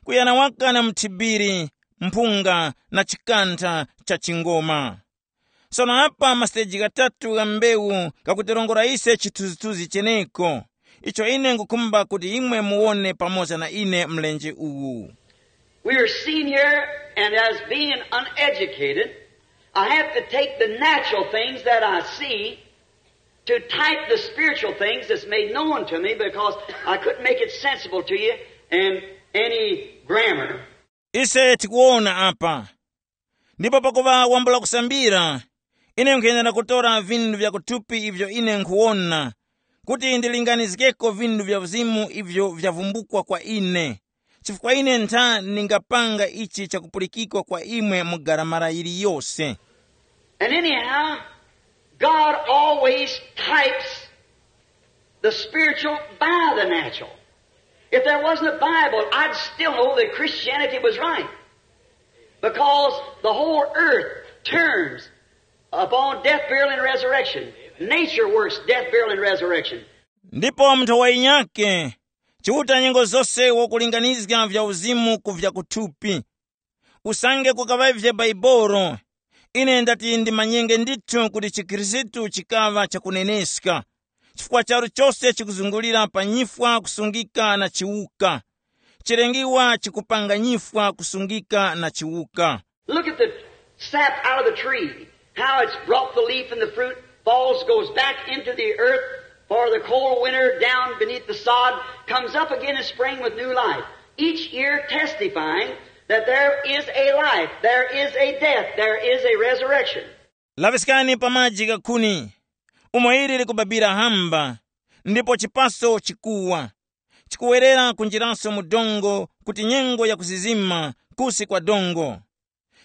kuyana waka na muthibiri, mphunga na chikantha cha chingoma. Sono apa masiteji ghatatu gha mbewu ghakutirongora ise chithunzithunzi cheneko, icho ine ngukhumba kuti imwe muwone pamoza na ine mlenje uwu. We are seen here, and as being uneducated, I have to take the natural things that I see to type the spiritual things that's made known to me, because I couldn't make it sensible to you in any grammar. Ise tikuwona apa. Ndipo pakuŵa wambula kusambira, Ine nkhuyenera kutora vinthu vya kuthupi ivyo ine nkhuwona, kuti ndilinganizgeko vinthu vya uzimu ivyo vyavumbukwa kwa ine, chifukwa ine ntha ningapanga ichi chakupulikikwa kwa imwe mu garamara yiliyose. And anyhow, God always types the spiritual by the natural. If there wasn't a Bible, I'd still know that Christianity was right. Because the whole earth turns upon death, burial, and resurrection. Nature works death, burial, and resurrection. Ndipo munthu wa inyake, Chiuta nyengo zose wakulinganizga vya uzimu ku vya kuthupi. Usange kukaŵavye Baibolo, ine ndati ndimanyenge ndithu kuti chikhristu chikaŵa chakuneneska, chifukwa charu chose chikuzungulira pa nyifwa kusungika na chiwuka. Chilengiwa chikupanga nyifwa kusungika na chiwuka. Look at the sap out of the tree, how it's brought the leaf and the fruit, falls, goes back into the earth for the cold winter down beneath the sod, comes up again in spring with new life. Each year testifying that there is a life, there is a death, there is a resurrection. Laviskani pa maji ghakhuni, umo ili likubabira hamba, ndipo chipaso chikuwa, chikuwerera kunjiraso mu dongo kuti nyengo yakuzizima kusi kwa dongo,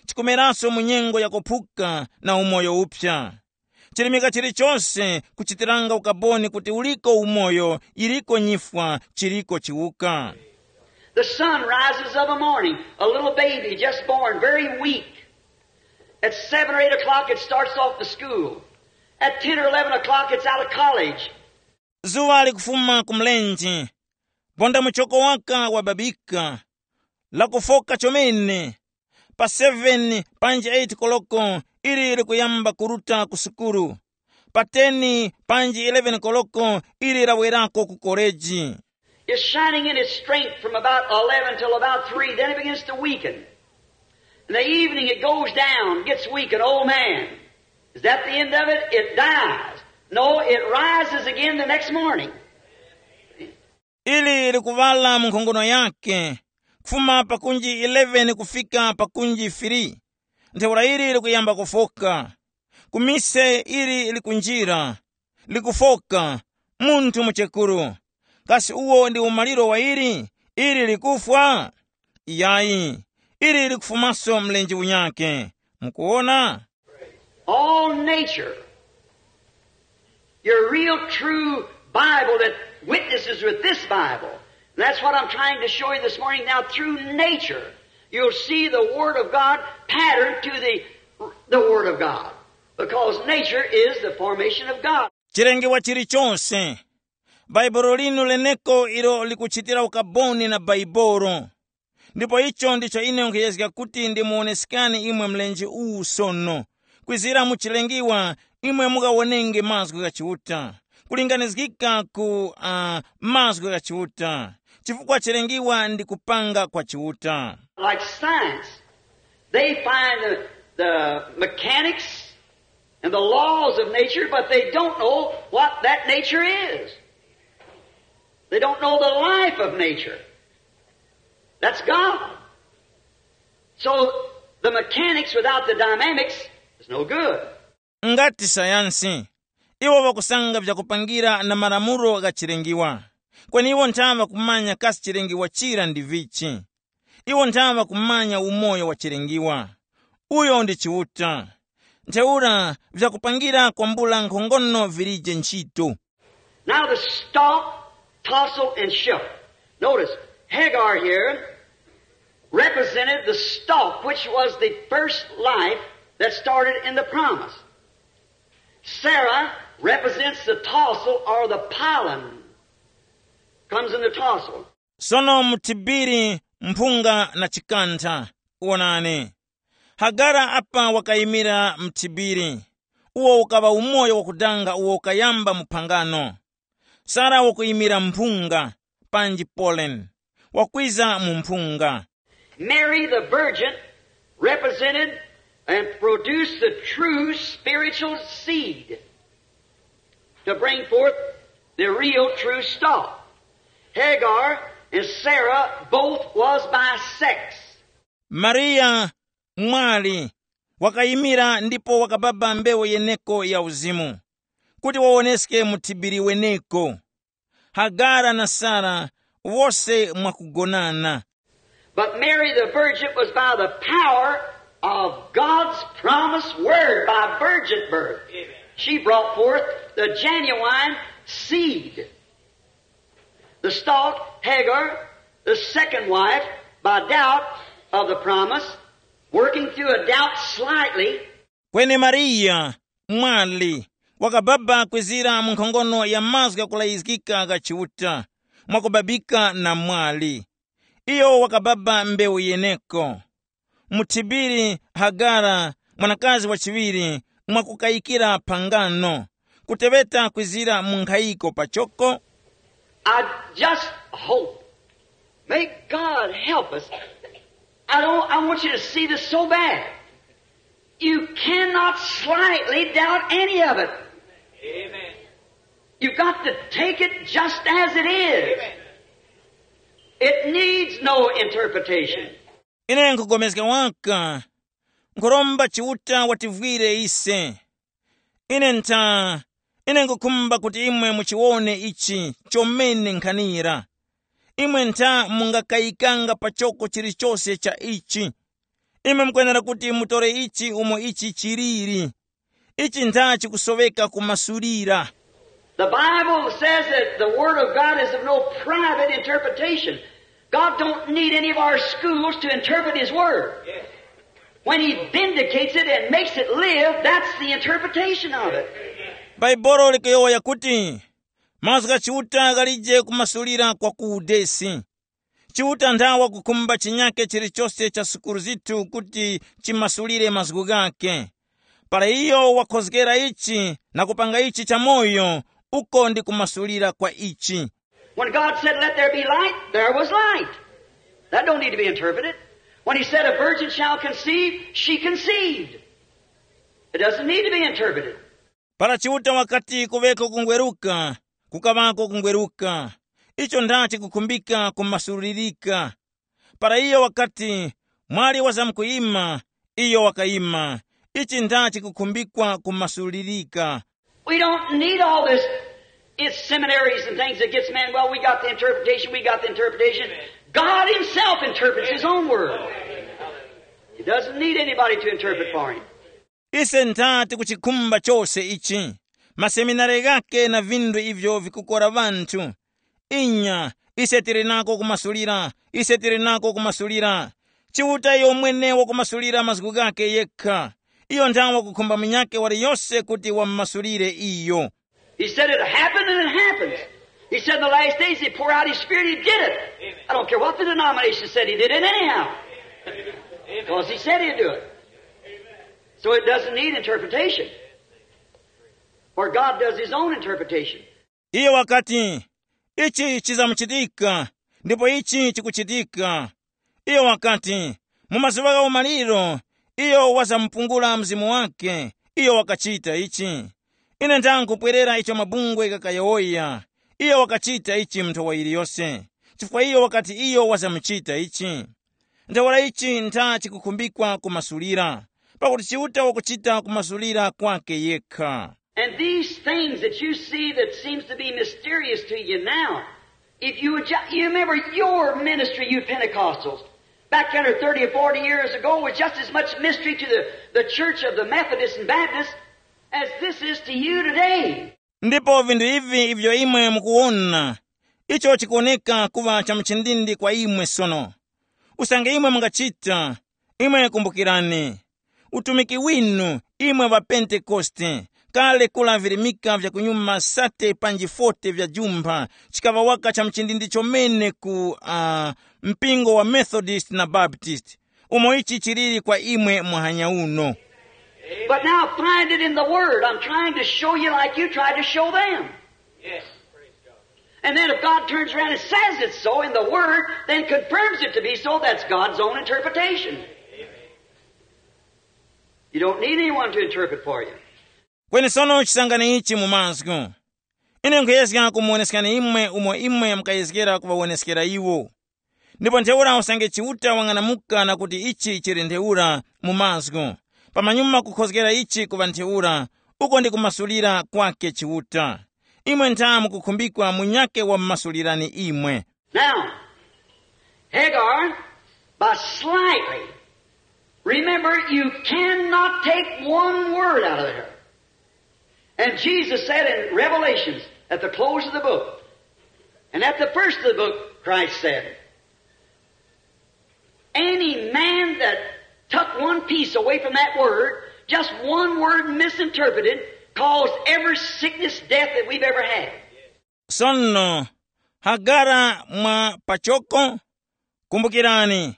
chikumeranso mu nyengo yakuphuka na umoyo uphya. Chirimika chilichose kuchitiranga ukaboni kuti uliko umoyo, iliko nyifwa, chiriko chiwuka. The sun rises of a morning, a little baby just born, very weak. At seven or eight o'clock, it starts off to school. At ten or eleven o'clock, it's out of college. Zuwa likufuma ku mlenje, ponda muchoko waka wababika, lakufoka chomene. Pa seven panji eight koloko ili likuyamba kuruta ku sukulu. Pa ten panji eleven koloko ili lawerako ku koleji. It's shining in its strength from about eleven till about three. Then it begins to weaken. In the evening, it goes down, gets weak, an old man. Is that the end of it? It dies. No, it rises again the next morning. Ili likuŵala mu nkhongono yake, kufuma pakunji eleven kufika pakunji three. Ntheura ili likuyamba kufoka. Ku mise ili likunjira, likufoka, munthu muchekuru. Kasi uwo ndi umaliro wa ili? Ili likufwa? Iyayi, ili likufumaso mlenje unyake. Mukuwona? All nature. Your real true Bible that witnesses with this Bible. And that's what I'm trying to show you this morning. Now, through nature, you'll see the Word of God patterned to the, the Word of God. Because nature is the formation of God. Chilengiwa chilichonse, bhaibolo linu leneko ilo likuchitira ukaboni na bhaibolo. Ndipo icho ndicho ine nkhuyezga kuti ndimuwoneskani imwe mlenje uwu sono. Kwizira mu chilengiwa, imwe mukawonenge mazgu gha Chiuta, kulinganizgika ku uh, mazgu gha Chiuta, chifukwa chilengiwa ndi kupanga kwa Chiuta. Like science, they find the, the mechanics and the laws of nature, but they don't know what that nature is. They don't know the life of nature. That's God. So the mechanics without the dynamics is no good. Ngati sayansi, iwo ŵakusanga vyakupangira na malamulo gha chilengiwa, kweni iwo nthaŵa kumanya kasi chilengiwa chira ndi vichi. Iwo nthaŵa kumanya umoyo wa chilengiwa, uyo ndi Chiuta. Ntheura vyakupangira kwambula nkhongono vilije ntchito. Now the stalk, tassel, and shook. Notice, Hagar here represented the stalk, which was the first life that started in the promise. Sarah represents the tassel or the pollen comes in the tassel. Sono mthibiri, mphunga na chikantha. Wonani, Hagara apa wakayimira mthibiri, uwo ukaŵa umoyo wakudanga uwo ukayamba mu phangano. Sara wakuyimira mphunga, panji pollen, wakwiza mu mphunga. Mary the virgin represented and produced the true spiritual seed to bring forth the real true stalk. Hagar and Sarah both was by sex. Mariya mwali wakayimira ndipo wakababa mbewu yeneko ya uzimu, kuti wawoneske muthibiri weneko. Hagara na Sara wose mwakugonana. But Mary the Virgin was by the power of God's promised word by virgin birth. She brought forth the genuine seed. The stalk, Hagar, the second wife, by doubt of the promise, working through a doubt slightly, Kweni Mariya, mwali, wakababa kwizira mu nkhongono ya mazgu ghakulayizgika gha Chiuta, mwakubabika na mwali. Iyo wakababa mbewu yeneko. Muthibiri Hagara, mwanakazi wa chiŵiri, mwakukayikira phangano, kuteŵeta kwizira mu nkhayiko pachoko. I just hope. May God help us. I don't, I want you to see this so bad. You cannot slightly doubt any of it. Amen. You've got to take it just as it is. Amen. It needs no interpretation. Ine nkhupulikana waka, nkhuromba Chiuta wativwire ise. Ine ntha, ine nkhukhumba kuti imwe muchiwone ichi chomene nkhanira. Imwe ntha mungakayikanga pachoko chilichose cha ichi. Imwe mukwenera kuti mutore ichi umo ichi chiliri. Ichi ntha chikusoweka kumasulira. The Bible says that the Word of God is of no private interpretation. God don't need any of our schools to interpret His Word. When He vindicates it and makes it live, that's the interpretation of it. Bhaibolo likuyowoya yakuti, mazgu gha Chiuta ghalije kumasulira kwa ku udesi. Chiuta ntha wakukhumba chinyake chilichose cha sukulu zithu kuti chimasulire mazgu ghakhe. Para iyo wakhozgera ichi na kupanga ichi chamoyo, uko ndi kumasulira kwa ichi. When God said, "Let there be light," there was light. That don't need to be interpreted. When He said, "A virgin shall conceive," she conceived. It doesn't need to be interpreted. Para Chiuta wakati, "Kuŵeko kungweruka," kukaŵako kungweruka. Icho ndachi kukhumbika kumasulirika. Para iyo wakati, "Mwali wazamkuyima," iyo wakayima. Ichi ndachi kukhumbikwa kumasulirika. We don't need all this. It's seminaries and things that gets men, "Well, we got the interpretation, we got the interpretation." God Himself interprets His own word. He doesn't need anybody to interpret for Him. Ise ntha tikuchikhumba chose ichi, maseminari ghake na vinthu ivyo vikukora ŵanthu. Inya, ise tili nako kumasulira, ise tili nako kumasulira. Chiuta iyo mwene wakumasulira mazgu ghake yekha. Iyo ntha wakukhumba munyakhe waliyose kuti wamumasulire iyo. He said it happened and it happens. He said in the last days He'd pour out His Spirit, He did it. I don't care what the denomination said, He did it anyhow. Because He said He'd do it. So it doesn't need interpretation. For God does His own interpretation. Iyo wakati, "Ichi chizamuchitika, ndipo ichi chikuchitika." Iyo wakati, "Mu mazuŵa gha umaliro, iyo wazamupungula Mzimu wakhe, iyo wakachita ichi. Ine ndangupwerera icho mabungwe ghakayowoya, iyo wakachita ichi mu nthowa yiliyose, chifukwa iyo wakati iyo wazamuchita ichi." Ntheura ichi ntha chikukhumbikwa kumasulira, pakuti Chiuta wakuchita kumasulira kwake yekha. And these things that you see that seems to be mysterious to you now, if you would ju- you remember your ministry, you Pentecostals, back ten or thirty or forty years ago was just as much mystery to the, the church of the Methodists and Baptists as this is to you today. Ndipo vinthu ivi ivyo imwe mukuwona, icho chikuwoneka kuŵa cha mchindindi kwa imwe sono. Usange imwe mungachita, imwe kumbukirani, utumiki winu imwe ŵa Pentekoste, kale kula virimika vya kunyuma sate panji forty vya jumpha, chikaŵa waka cha mchindindi chomene ku uh, mpingo wa Methodist na Baptist, umo ichi chiliri kwa imwe muhanya uno. But now find it in the Word. I'm trying to show you like you tried to show them. And then if God turns around and says it's so in the Word, then confirms it to be so, that's God's own interpretation. You don't need anyone to interpret for you. Kweni sono chisangani ichi mu mazgu. Ine nkhuyezga kumuwoneskani imwe umo imwe mukayezgera kuŵawoneskera iwo. Ndipo ntheura usange Chiuta wang'anamuka na kuti ichi chili ntheura mu mazgu, Pamanyuma kukhozgera ichi ku ŵa ntheura, uko ndi kumasulira kwake Chiuta. Imwe ntha mukukhumbikwa munyakhe wamumasulirani imwe. Now, Hagar, by slightly, remember, you cannot take one word out of there. And Jesus said in Revelations, at the close of the book, and at the first of the book, Christ said, any man that took one piece away from that word, just one word misinterpreted, caused every sickness, death that we've ever had. Sono, Hagara mwa pachoko, kumbukirani,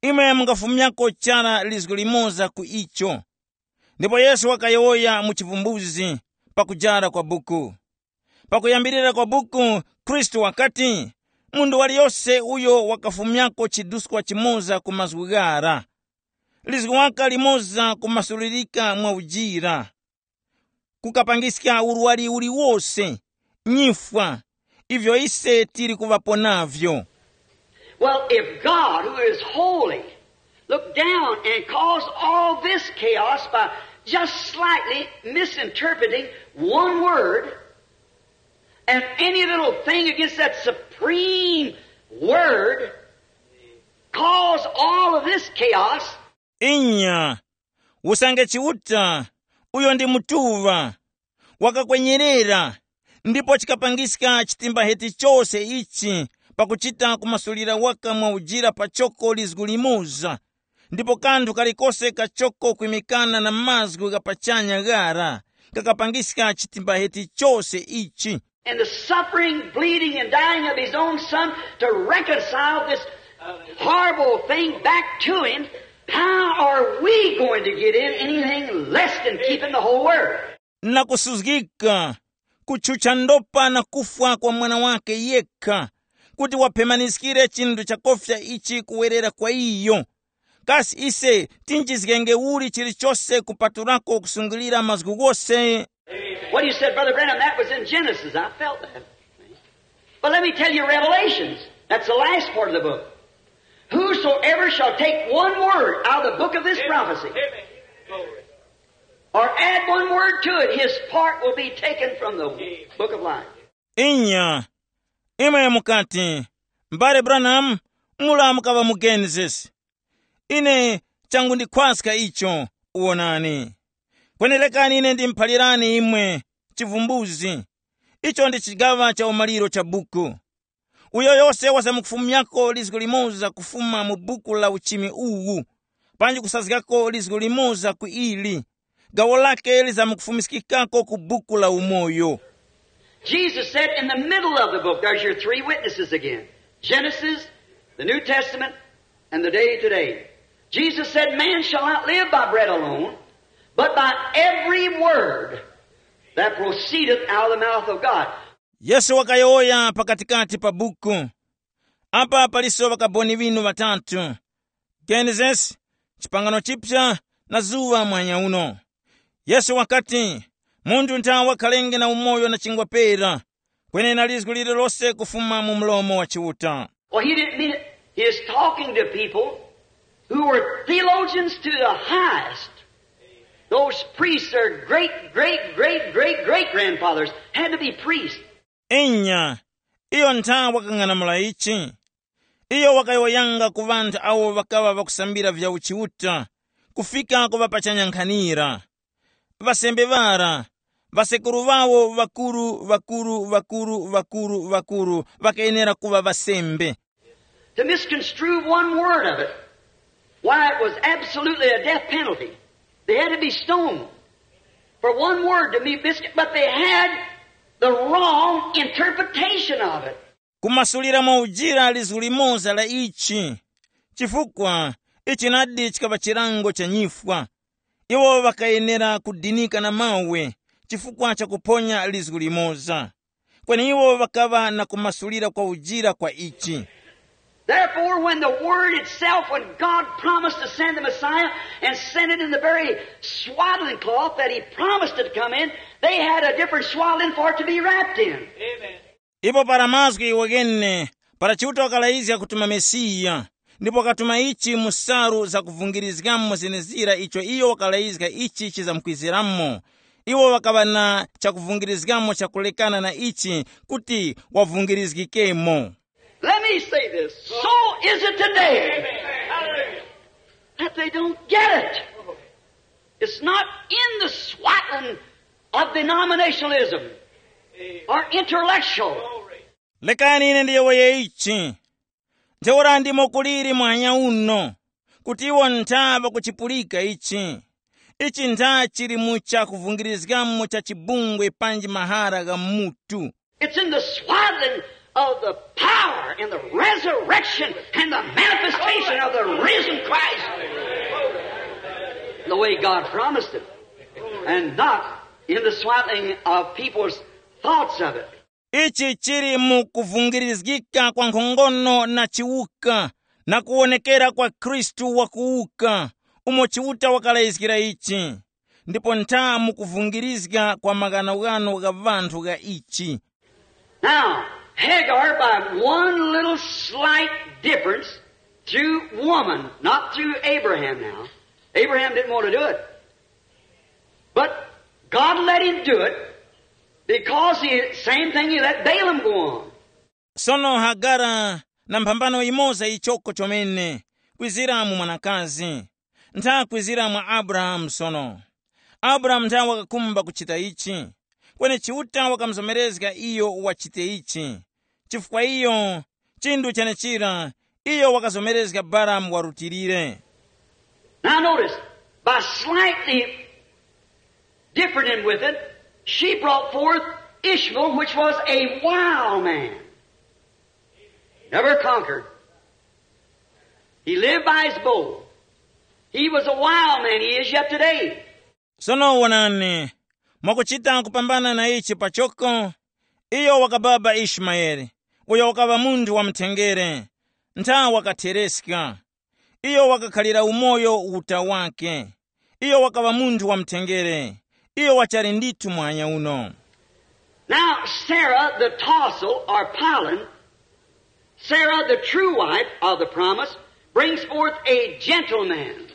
imwe mungafumyako chara lizgu limoza ku icho. Ndipo Yesu wakayowoya mu chivumbuzi pakujara kwa buku. Pakuyambirira kwa buku, Khristu wakati, munthu waliyose uyo wakafumyako chiduskwa chimoza ku mazgu ghara. Lizgu waka limoza kumasulirika mwa ujira, kukapangiska urwari uliwose, nyifwa, ivyo ise tili kuŵapo navyo. Well, if God, who is holy, looked down and caused all this chaos by just slightly misinterpreting one word, and any little thing against that supreme word, cause all of this chaos, inya, usange Chiuta, uyo ndi mutuŵa, wakakwenyerera, ndipo chikapangiska chitimbaheti chose ichi pakuchita kumasulira waka mwa ujira pachoko lizgu limoza, ndipo kanthu kalikose kachoko kwimikana na mazgu gha pachanya ghara, kakapangiska chitimbaheti chose ichi. And the suffering, bleeding, and dying of his own son to reconcile this horrible thing back to him, how are we going to get in anything less than keeping the whole word? Na kusuzgika, kutchutcha ndopa na kufwa kwa mwana wake yekha, kuti waphemaniskire chinthu chakofya ichi kuwerera kwa iyo. Kasi ise tinjizgenge uli chilichose kupatulako kusungilira mazgu ghose? What you said, Brother Branham, that was in Genesis. I felt that. But let me tell you, Revelations, that's the last part of the book. Whosoever shall take one word out of the book of this prophecy, or add one word to it, his part will be taken from the book of life. Inya, imwe mukati, M'bale Branham, mula mukaŵa mu Genesis. Ine changundikhwaska icho, wonani. Kwenerekani ine ndimuphalirani imwe chivumbuzi. Icho ndi chigaŵa cha umaliro cha buku. Uyo yose wasamukufumyako lizgu limoza kufuma mu buku la uchimi uwu, panji kusazgako lizgu limoza ku ili, gawo lake lizamukufumiskikako ku buku la umoyo. Jesus said in the middle of the book, there's your three witnesses again. Genesis, the New Testament, and the day today. Jesus said, man shall not live by bread alone, but by every word that proceedeth out of the mouth of God. Yesu wakayowoya pakatikati pa buku. Apa paliso ŵakaboni ŵinu ŵatatu, Genesis, Chipangano Chipya, na zuŵa mwanya uno. Yesu wakati, munthu ntha wakhalenge na umoyo na chingwa pera, kwenena lizgu lililose kufuma mu mlomo wa Chiuta. Well, he didn't mean it. He is talking to people who were theologians to the highest. Those priests, their great, great, great, great, great grandfathers had to be priests. Inya, iyo ntha wakang'anamula ichi. Iyo wakayowoyanga ku ŵanthu awo ŵakaŵa ŵakusambira vya uchiuta, kufika ku ŵapachanya nkhanira. Ŵasembe ŵara, ŵasekuru ŵawo ŵakuru, ŵakuru, ŵakuru, ŵakuru, ŵakuru, ŵakayenera kuŵa ŵasembe. To misconstrue one word of it, why, it was absolutely a death penalty. They had to be stoned for one word to be mis-, but they had the wrong interpretation of it. Kumasulira mwa ujira lizgu limoza la ichi, chifukwa ichi nadi chikaŵa chilango cha nyifwa. Iwo ŵakayenera kudinika na mawe chifukwa cha kuphonya lizgu limoza. Kweni iwo ŵakaŵa na kumasulira kwa ujira kwa ichi. Therefore, when the word itself, when God promised to send the Messiah and sent it in the very swaddling cloth that he promised it to come in, they had a different swaddling for it to be wrapped in. Ipo para mazgu iwo ghene, para Chiuta wakalayizga kutuma Mesiya, Ndipo wakatuma ichi mu salu zakuvungirizgamo zenezira icho iyo wakalayizga ichi chizamkwiziramo. Iwo ŵakaŵa na chakuvungirizgamo chakulekana na ichi kuti wavungirizgikemo. Let me say this. So is it today that they don't get it. It's not in the swaddling of denominationalism or intellectual. Lekani ine ndiyowoye ichi. Ntheura ndimo kuliri mwanya uno, kuti iwo ntha ŵakuchipulika ichi. Ichi ntha chili mu chakuvungirizgamo cha chibungwe panji mahara gha mutu. It's in the swaddling of the power and the resurrection and the manifestation of the risen Christ. The way God promised it. And not in the swaddling of people's thoughts of it. Ichi chili mu kuvungirizgika kwa nkhongono na chiwuka na kuwonekera kwa Khristu wakuwuka, umo Chiuta wakalayizgira ichi, ndipo ntha mu kuvungirizga kwa maghanoghano gha ŵanthu gha ichi. Now, Hagar, by one little slight difference through woman, not through Abraham now. Abraham didn't want to do it. But God let him do it because the same thing he let Balaam go on. Sono Hagara na mphambano imoza ichoko chomene, kwizira mu mwanakazi, ntha kwizira mwa Abrahamu sono. Abrahamu ntha wakakhumba kuchita ichi, kweni Chiuta wakamuzomerezga iyo wachite ichi. Chifukwa iyo, chinthu chenechira, iyo wakazomerezga Balamu warutilire. Now notice, by slightly different with it, she brought forth Ishmael, which was a wild man. Never conquered. He lived by his bow. He was a wild man, he is yet today. Sono wonani, mwakuchita kupambana na ichi pachoko, iyo wakababa Ishimayeli, uyo wakaŵa munthu wa mthengere, ntha wakathereska. Iyo wakakhalira umoyo uta wake. Iyo wakaŵa munthu wa mthengere. Iyo wachali ndithu mwanya uno. Now, Sarah the tassel or pollen, Sarah the true wife of the promise, brings forth a gentleman.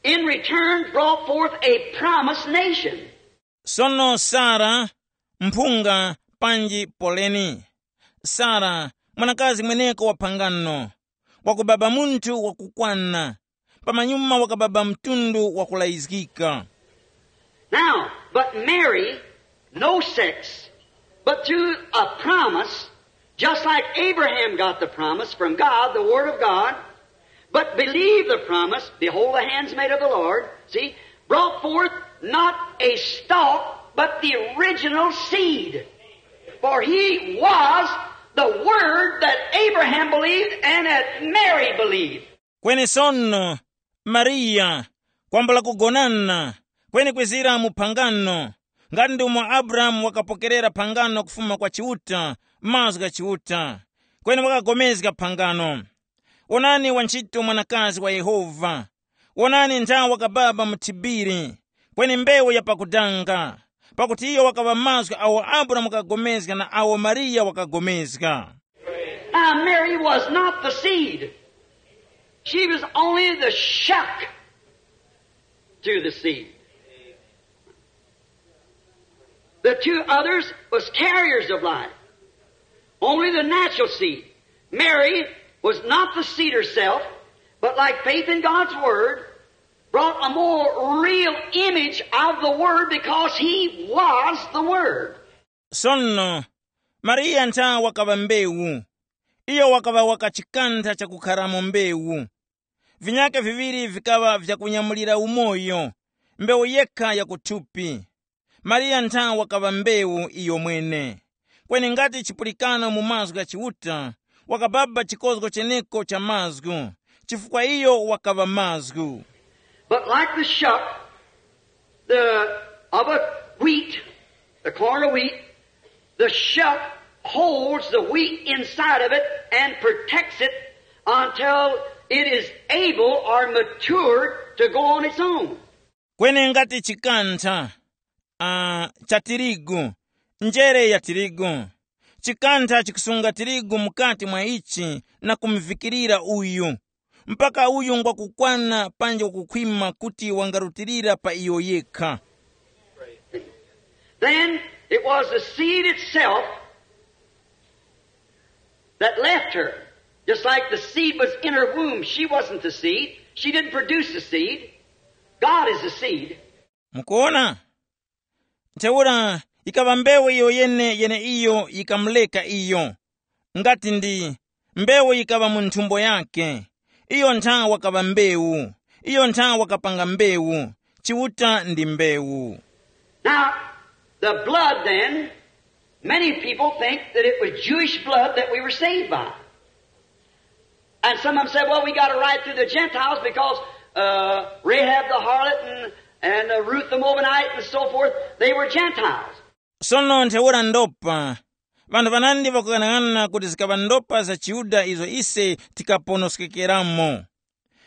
In return, brought forth a promised nation. Sono Sara, mphunga panji poleni. Sara, mwanakazi mweneko wa phangano, wakubaba munthu wakukwana, pamanyuma wakababa mtundu wakulayizgika. Now, but Mary, no sex, but through a promise, just like Abraham got the promise from God, the Word of God, but believed the promise, behold, the handsmaid of the Lord, see, brought forth not a stalk, but the original seed. For he was the Word that Abraham believed and that Mary believed. Kweni sono, Mariya, kwambula kugonana, kweni kwizira mu phangano, ngati ndi umo Abrahamu wakapokerera phangano kufuma kwa Chiuta, mazgu gha Chiuta, kweni wakagomezga phangano. Wonani wantchito mwanakazi wa Yehova. Wonani nthawe wakababa mu thibiri, kweni mbewu ya pakudanga, pakuti iyo wakaŵa mazgu awo Abrahamu wakagomezga na awo Mariya wakagomezga. Now, Mary was not the seed. She was only the shuck to the seed. The two others was carriers of life. Only the natural seed. Mary was not the seed herself, but like faith in God's Word, brought a more real image of the Word because he was the Word. Sono, Mariya ntha wakaŵa mbewu. Iyo wakaŵa wakachikantha chakukharamo mbewu. Vinyake viŵiri vikaŵa vyakunyamulira umoyo, mbewu yekha ya kuthupi. Mariya ntha wakaŵa mbewu iyomwene. Kweni ngati chipulikano mu mazgu gha Chiuta, wakababa chikozgo cheneko cha mazgu, chifukwa iyo wakaŵa mazgu. But like the shuck, the, of a wheat, the corn of wheat, the shuck holds the wheat inside of it and protects it until it is able or mature to go on its own. Kweni ngati chikantha, uh, cha tirigu, njere ya tirigu, Chikantha chikusunga tirigu mukati mwa ichi na kumuvikirira uyu, mpaka uyu ngwakukwana panji wakukhwima kuti wangarutilira pa iyo yekha. Then it was the seed itself that left her. Just like the seed was in her womb, she wasn't the seed. She didn't produce the seed. God is the seed. Mukuona? Ntheura yikaŵa mbewu iyo yene yeneiyo yikamuleka iyo. Ngati ndi mbewu yikaŵa mu nthumbo yake, iyo ntha wakaŵa mbewu, iyo ntha wakapanga mbewu. Chiuta ndi mbewu. Now, the blood then, many people think that it was Jewish blood that we were saved by. And some of them said, well, we got a right through the Gentiles because uh, Rahab the harlot and, and uh, Ruth the Moabite and so forth, they were Gentiles. Sono ntheura ndopa vanthu vanandi vakughanaghanana kuti zikaŵa ndopa za chiYuda izo ise tikaponoskekeramo.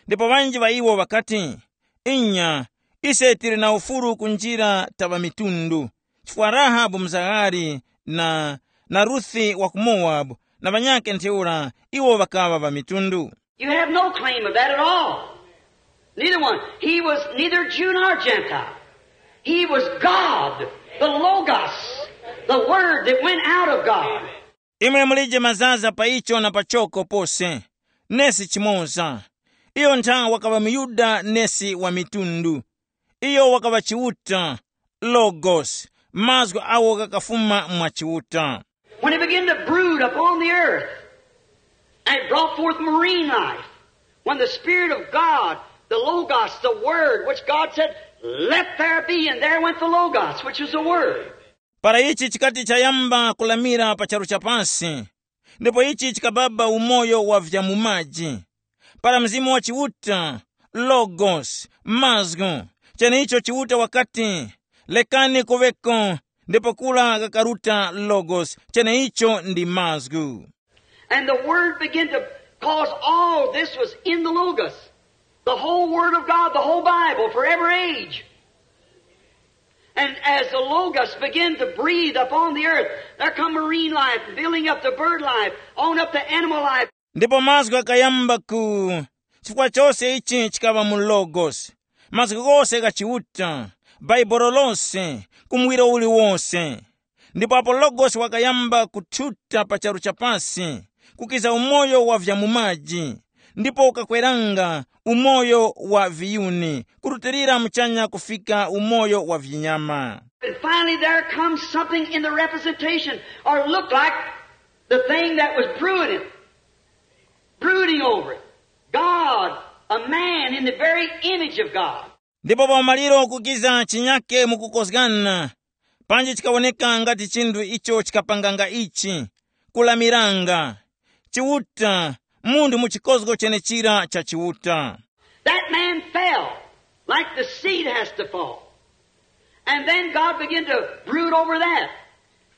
Ndipo ŵanji ŵa iwo ŵakati, inya, ise tili na ufulu kunjira ta ŵamitundu, chifukwa Rahabu mzaghali na, na Ruthi wa ku Mowabu na ŵanyakhe ntheura iwo ŵakaŵa ŵamitundu. You have no claim of that at all. Neither one. He was neither Jew nor Gentile. He was God, the Logos, the Word that went out of God. Imwe mulije mazaza pa icho na pachoko pose, nesi chimoza. Iyo ntha wakaŵa muyuda nesi wa mitundu. Iyo wakaŵa Chiuta, Logos, mazgu agho ghakafuma mwa Chiuta. When he began to brood upon the earth and brought forth marine life, when the Spirit of God, the Logos, the Word, which God said, let there be, and there went the Logos, which is the Word. Para ichi chikati chayamba kulamira pa charu cha pasi, ndipo ichi chikababa umoyo wa vya mu maji. Para Mzimu wa Chiuta, Logos, mazgu, cheneicho Chiuta wakati, lekani kuŵeko, ndipo kura ghakaruta Logos, cheneicho ndi mazgu. And the Word began to, cause all this was in the Logos. The whole Word of God, the whole Bible, for every age. And as the Logos began to breathe upon the earth, there come marine life, building up the bird life, on up the animal life. Ndipo mazgu ghakayamba ku, chifukwa chose ichi chikaŵa mu Logos. Mazgu ghose gha Chiuta, Bhaibuli lose, ku muwiro uliwose. Ndipo apo Logos wakayamba kuthuta pa charu cha pasi, kukiza umoyo wa vya mu maji, ndipo ukakweranga umoyo wa viyuni, kurutilira muchanya kufika umoyo wa vinyama. And finally, there comes something in the representation, or looked like the thing that was brewing it, brooding over it. God, a man in the very image of God. Ndipo pa umaliro kukiza chinyake mukukozgana, panji chikawoneka ngati chinthu icho chikapanganga ichi, kulamiranga, Chiuta, munthu mu chikozgo chenechira cha Chiuta. That man fell like the seed has to fall. And then God began to brood over that.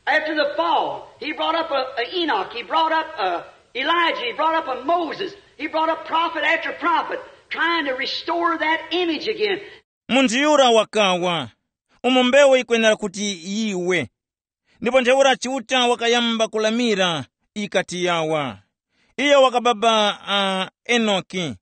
After the fall, he brought up a, a Enoch, he brought up a Elijah, he brought up a Moses, he brought up prophet after prophet, trying to restore that image again. Munthu yura wakawa, umo mbewu yikwenera kuti yiwe. Ndipo ntheura Chiuta wakayamba kulamira, ikati yawa. Iyo wakababa uh, Enoki.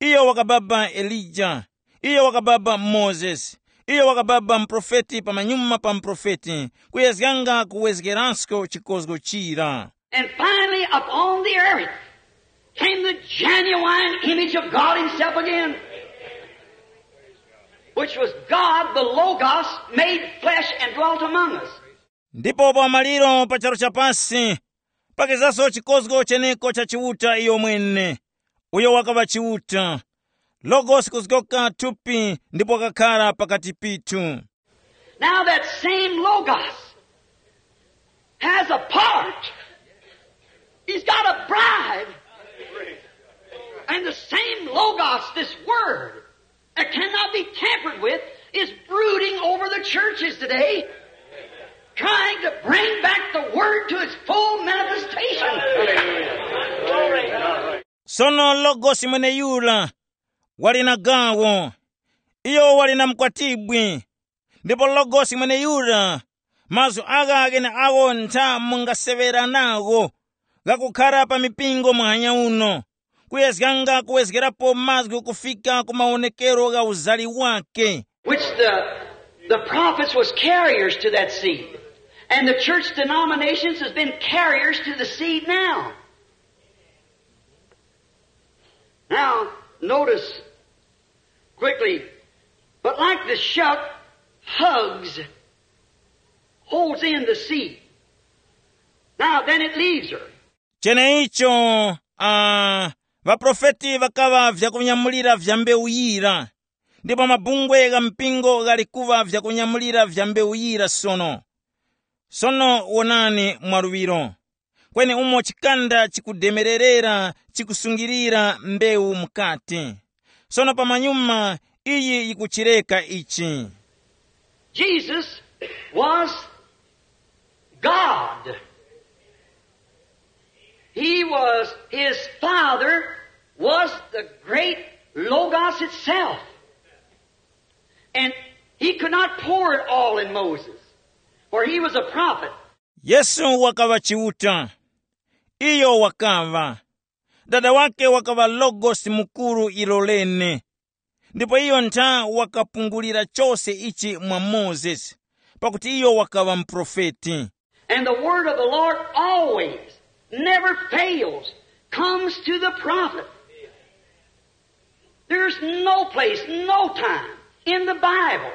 Iyo wakababa Elija. Iyo wakababa Mozesi. Iyo wakababa muprofeti pamanyuma pa muprofeti, kuyezganga kuwezgerasko chikozgo chira. And finally, upon the earth came the genuine image of God Himself again, which was God the Logos made flesh and dwelt among us. Ndipo pa maliro pa charu chapasi, pakezanso chikozgo cheneko cha Chiuta iyo mwene, uyo wakaŵa Chiuta, Logosi kuzgoka thupi ndipo wakakhara pakati pithu. Now that same Logos has a part. He's got a bride. And the same Logos, this word that cannot be tampered with, is brooding over the churches today, trying to bring back the word to its full manifestation. Sono Logosi mweneyura wali na gawo, iyo wali na mkwatibwi, ndipo Logosi mweneyura Mazgu agha gheneagho ntha mungaseŵera nagho ghakukhara pa mipingo muhanya uno, kuyezganga kuwezgerapo mazgu kufika ku mawonekero gha uzali wake. Which the, the prophets was carriers to that seed. And the church denominations has been carriers to the seed now. Now, notice quickly, but like the shuck hugs, holds in the seed. Now, then it leaves her. Cheneicho, uh, ŵaprofeti ŵakaŵa vyakunyamulira vya mbewu yira, ndipo mabungwe gha mpingo ghali kuŵa vyakunyamulira vya mbewu yira sono. Sono wonani mwaluŵiro, kweni umo chikanda chikudemererera chikusungirira mbewu mukati. Sono pamanyuma iyi yikuchireka ichi. Jesus was God. He was, his Father was the great Logos itself. And he could not pour it all in Moses, for he was a prophet. Yesu wakaŵa Chiuta. Iyo wakaŵa. Dada wake wakaŵa Logosi mukuru ilo lene. Ndipo iyo ntha wakapungulira chose ichi mwa Mozesi, pakuti iyo wakaŵa muprofeti. And the word of the Lord always, never fails, comes to the prophet. There's no place, no time in the Bible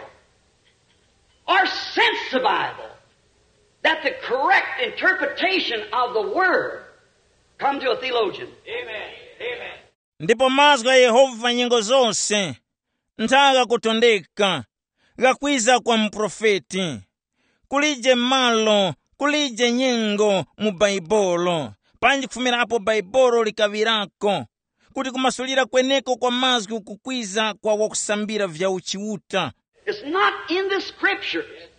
or since the Bible that the correct interpretation of the word come to a theologian. Amen. Amen. Ndipo mazgu gha Yehova nyengo zose ntha ghakutondeka, ghakwiza kwa muprofeti. Kulije malo, kulije nyengo mu Baibolo, panji kufumira apo Baibolo likaŵirako, kuti kumasulira kweneko kwa mazgu kukwiza kwa wakusambira vya uchiuta. It's not in the scriptures.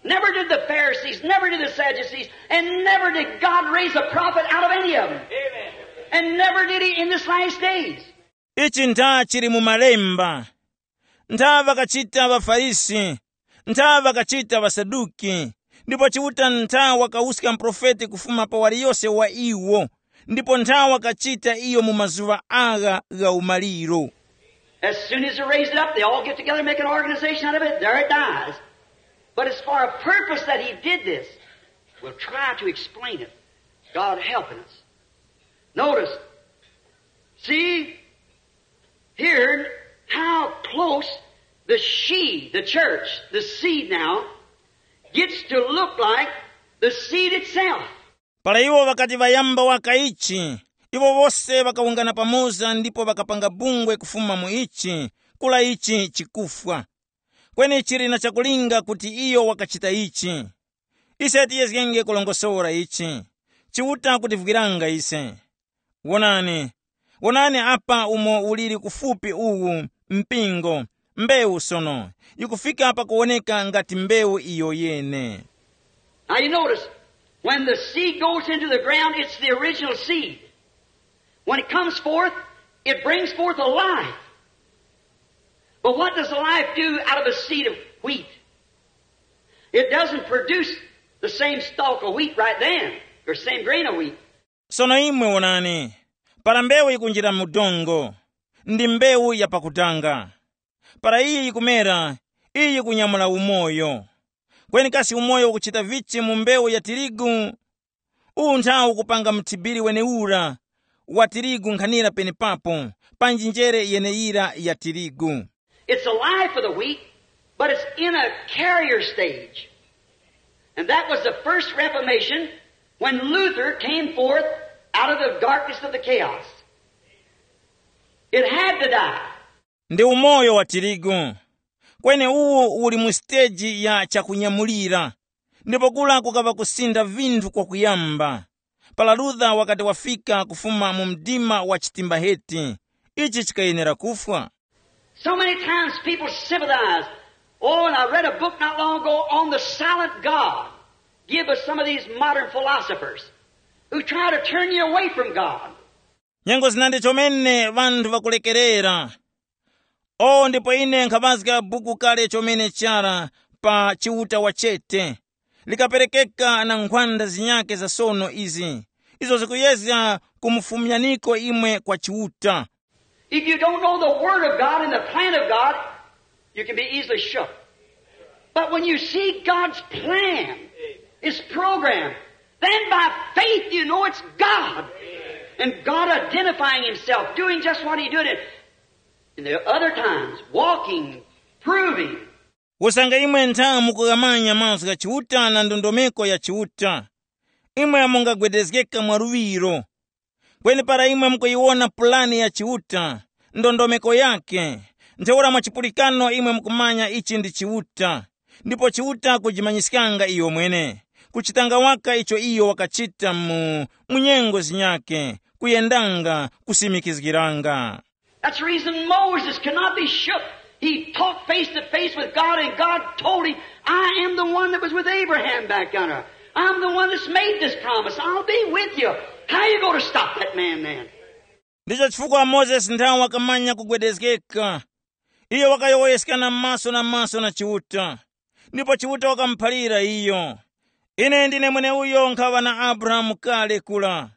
Never did the Pharisees, never did the Sadducees, and never did God raise a prophet out of any of them. And never did he in this last days. Ichi ntha chili mu malemba. Ntha ŵakachita ŵaFarisi, ntha ŵakachita ŵaSaduki, ndipo Chiuta ntha wakawuska muprofeti kufuma pa waliyose wa iwo, ndipo ntha wakachita iyo mu mazuŵa agha gha umaliro. As soon as he raised it up, they all get together and make an organization out of it. There it dies. But it's for a purpose that he did this. We'll try to explain it. God helping us. Notice, see, here, how close the she, the church, the seed now, gets to look like the seed itself. Para iwo ŵakati ŵayamba waka ichi, iwo wose ŵakawungana pamoza ndipo ŵakapanga bungwe kufuma mu ichi, kula ichi chikufwa. Kweni chili na chakulinga kuti iyo wakachita ichi. Ise tiyezgenge kulongosora ichi. Chiuta kutivwiranga ise. Wonani, wonani apa umo uliri kufupi uwu, mpingo, mbewu sono, yikufika pakuwoneka ngati mbewu iyo yene. Now you notice, when the seed goes into the ground, it's the original seed. When it comes forth, it brings forth a life. But what does the life do out of a seed of wheat? It doesn't produce the same stalk of wheat right then, or same grain of wheat. Sono imwe wonani, para mbewu yikunjira mu dongo, ndi mbewu ya pakutanga. Para iyi yikumera, iyi yikunyamula umoyo. Kweni kasi umoyo ukuchita vichi mu mbewu ya tirigu? Uwu nthawu ukupanga mthibiri wenewura wa tirigu nkhanira penepapo, panji njere yeneyira ya tirigu. It's the life of the wheat, but it's in a carrier stage. And that was the first reformation when Luther came forth out of the darkness of the chaos. It had to die. Ndi umoyo wa tirigu. Kweni uwu uli mu siteji ya chakunyamulira, ndipo kula kukaŵa kusinda vinthu kwakuyamba. Para Luther wakati wafika kufuma mu mdima wa chitimbaheti, ichi chikayenera kufwa. So many times people sympathize. Oh, and I read a book not long ago on the silent God. Give us some of these modern philosophers who try to turn you away from God. Nyengo zinandi chomene ŵanthu ŵakulekerera. O ndipo ine nkhaŵazga buku kale chomene chara pa Chiuta wachete, likaperekeka na nkhwanda zinyakhe za sono izi, izo zikuyezga kumufumyaniko imwe kwa Chiuta. If you don't know the Word of God and the plan of God, you can be easily shook. But when you see God's plan, His program, then by faith you know it's God. And God identifying Himself, doing just what He did. And there are other times, walking, proving. Usange imwe ntha mukughamanya mazgu gha Chiuta na ndondomeko ya Chiuta, imwe mungagwedezgeka mwaluŵiro. Kweni para imwe mukuyiwona pulani ya Chiuta, ndondomeko yakhe, ntheura mwa chipulikano imwe mukumanya ichi ndi Chiuta, ndipo Chiuta kujimanyiskanga iyomwene, kuchitanga waka icho iyo wakachita mu, mu nyengo zinyakhe, kuyendanga, kusimikizgiranga. That's the reason Moses could not be shook. He talked face to face with God, and God told him, "I am the one that was with Abraham back yonder. I'm the one that's made this promise. I'll be with you." How you going to stop that man then? Ndicho chifukwa Mozesi nthawi wakamanya kugwedezgeka. Iyo wakayowoyeskana maso na maso na Chiuta. Ndipo Chiuta wakamuphalira iyo, "Ine ndine mweneuyo nkhaŵa na Abrahamu kale kula.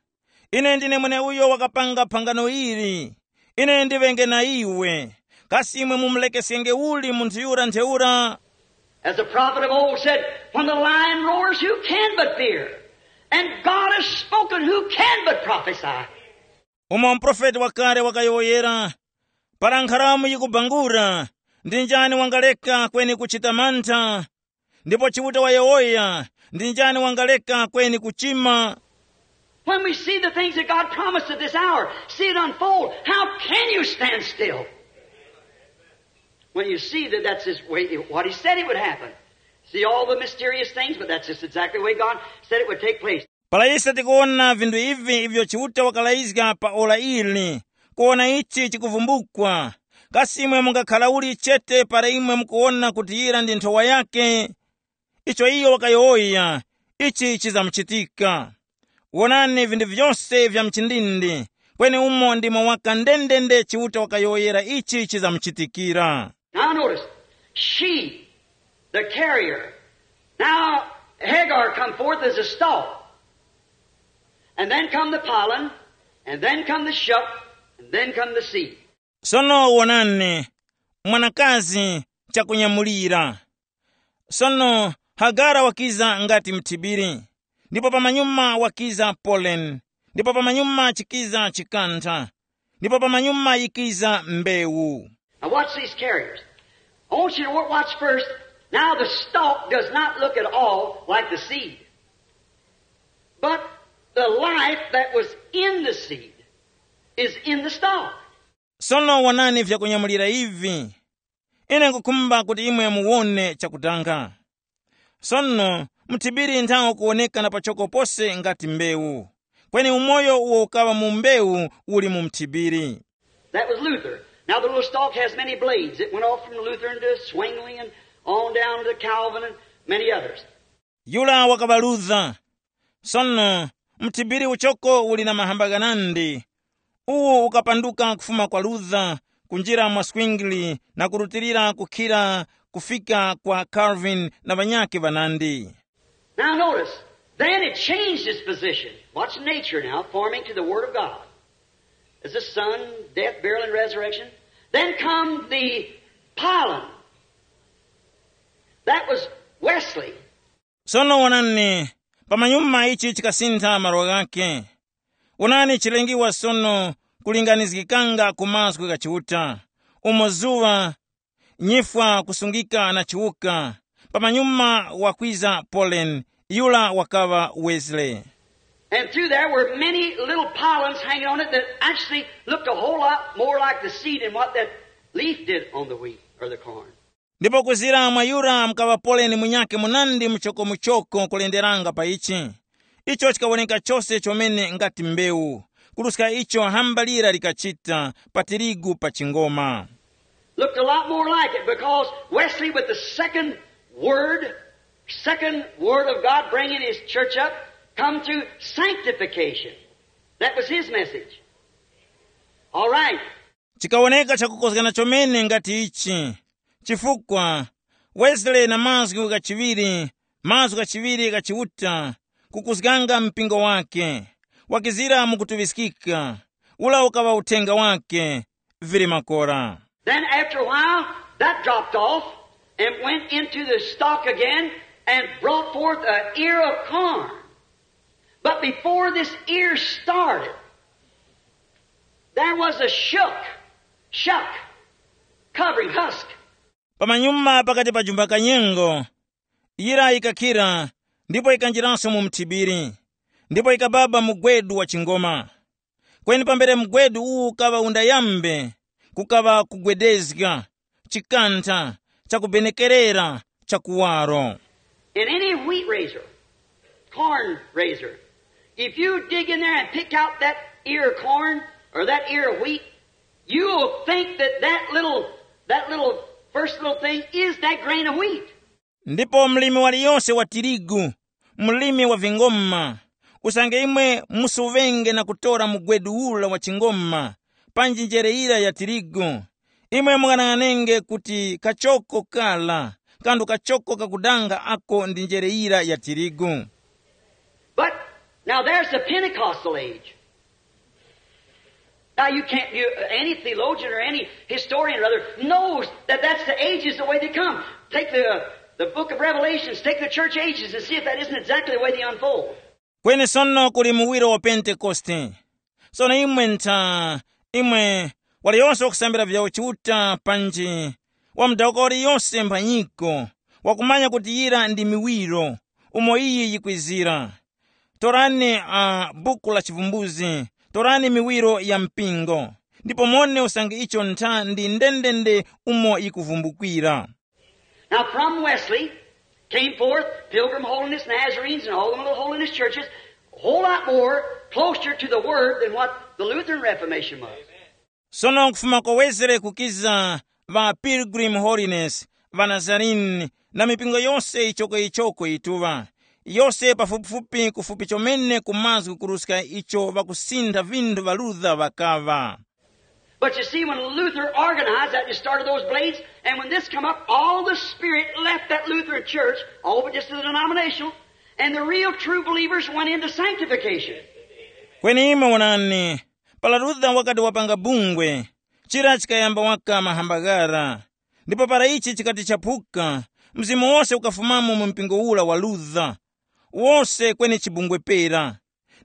Ine ndine mweneuyo wakapanga phangano ili. Ine ndiŵenge na iwe. Kasi imwe mumulekesyenge uli munthu yura ntheura?" As the prophet of old said, "When the lion roars, who can but fear? And God has spoken, who can but prophesy?" Umo muprofeti wakale wakayowoyera, "Para nkharamu yikubangura, ndi njani wangaleka kweni kuchita mantha? Ndipo Chiuta wayowoya, ndi njani wangaleka kweni kuchima?" When we see the things that God promised at this hour, see it unfold, how can you stand still? When you see that that's his way, what he said it would happen. See all the mysterious things, but that's just exactly the way God said it would take place. Para ise tikuwona vinthu ivi ivyo Chiuta wakalayizga pa ora ili, kuwona ichi chikuvumbukwa, kasi imwe mungakhala uli chete para imwe mukuwona kuti yira ndi nthowa yakhe? Icho iyo wakayowoya, ichi chizamuchitika. Wonani vinthu vyose vya mchindindi, kweni umo ndimo waka ndendende Chiuta wakayowoyera ichi chizamuchitikira. Now notice, she, the carrier. Now Hagar come forth as a stalk. And then come the pollen, and then come the shuck, and then come the seed. Sono wonani, mwanakazi chakunyamulira. Sono Hagara wakiza ngati mthibiri, ndipo pamanyuma wakiza pollen, ndipo pamanyuma chikiza chikantha, ndipo pamanyuma yikiza mbewu. Now watch these carriers. I want you to wa-, watch first. Now the stalk does not look at all like the seed. But the life that was in the seed is in the stalk. Sono wonani vyakunyamulira ivi. Ine nkukhumba kuti imwe muwone chakutanga. Sono mthibiri nthawo kuwoneka na pachoko pose ngati mbewu. Kweni umoyo uwo ukaŵa mu mbewu uli mu mthibiri. That was Luther. Now the little stalk has many blades. It went off from Luther into Zwingli and on down to Calvin and many others. Yura wakaŵa Luther. Sono mthibiri uchoko uli na mahamba ghanandi. Uwu ukapanduka kufuma kwa Luther, kunjira mwa Zwingli na kurutilira kukhira kufika kwa Calvin na ŵanyakhe ŵanandi. Now notice, then it changed its position. Watch nature now, forming to the Word of God. As the sun, death, burial, and resurrection. Then come the pollen. That was Wesley. Sono wonani, pamanyuma ichi chikasintha malo ghakhe. Wonani chilengiwa sono kulinganizgikanga ku mazgu gha Chiuta, umo zuŵa, nyifwa kusungika na chiwuka, pamanyuma wakwiza Polen, yura wakaŵa Wesley. And through there were many little pollens hanging on it that actually looked a whole lot more like the seed than what that leaf did on the wheat or the corn. Ndipo kuzira mwa yura mukaŵa Polen munyakhe munandi muchokomuchoko kulenderanga pa ichi. Icho chikawoneka chose chomene ngati mbewu, kuruska icho hamba lira likachita pa tirigu pa chingoma. Looked a lot more like it because Wesley, with the second word, second word of God bringing his church up, come to sanctification. That was his message. All right. Chikawoneka chakukozgana chomene ngati ichi, chifukwa Wesley na mazgu ghachiŵiri Mazgu ghachiŵiri gha Chiuta kukuzganga mpingo wake, wakizira mukutuŵiskika, ula ukaŵa uthenga wake, vili makora. Then after a while, that dropped off and went into the stalk again and brought forth an ear of corn. But before this ear started, there was a shook, shuck, covering, husk. Pamanyuma pakati pa jumba kanyengo, yira yikakhira, ndipo yikanjiranso mu mthibiri, ndipo yikababa mugwedu wa chingoma. Kweni pambere mugwedu uwu ukaŵa undayambe, kukaŵa kugwedezga, chikantha, chakubenekerera, chakuwaro. In any wheat raiser, corn raiser, if you dig in there and pick out that ear of corn or that ear of wheat, you will think that that little, that little first little thing is that grain of wheat. Ndipo mlimi waliyose wa tirigu, mlimi wa vingoma, usange imwe musuŵenge na kutora mugwedu ura wa chingoma, panji njere yira ya tirigu, imwe mung'anang'anenge kuti kachoko kara, kandu kachoko kakudanga ako ndi njere yira ya tirigu. But now there's the Pentecostal age. Now you can't, you, any theologian or any historian or other knows that that's the ages the way they come. Take the, the book of Revelations, take the church ages and see if that isn't exactly the way they unfold. Kweni sono kuli muwiro wa Pentekoste. Sono imwe ntha, imwe waliyonse wakusambira vya uchiuta panji wa mudawuka waliyonse mphanyiko, wakumanya kuti yira ndi miwiro umo iyi yikwizira. Torani uh, buku la chivumbuzi, torani miwiro ya mpingo, ndipo mone usange icho ntha ndi ndendende umo yikuvumbukira. Now from Wesley came forth Pilgrim Holiness, Nazarenes, and all the little holiness churches, a whole lot more closer to the Word than what the Lutheran Reformation was. Sono kufuma kwa Wesley kukiza ŵa Pilgrim Holiness, ŵa Nazarene, na mipingo yose ichoko-ichoko yituŵa, yose pafupifupi kufupi chomene ku mazgu kuruska icho ŵakusintha vinthu ŵa Luther ŵakaŵa. But you see, when Luther organized that, they started those blades, and when this come up, all the spirit left that Lutheran church, all but just the denominational, and the real true believers went into sanctification. Kweni imwe wonani, para Luther wakati wapanga bungwe, chira chikayamba waka mahamba ghara, ndipo para ichi chikati chaphuka, mzimu wose ukafumamo mu mpingo ura wa Luther, wose kweni chibungwe pera.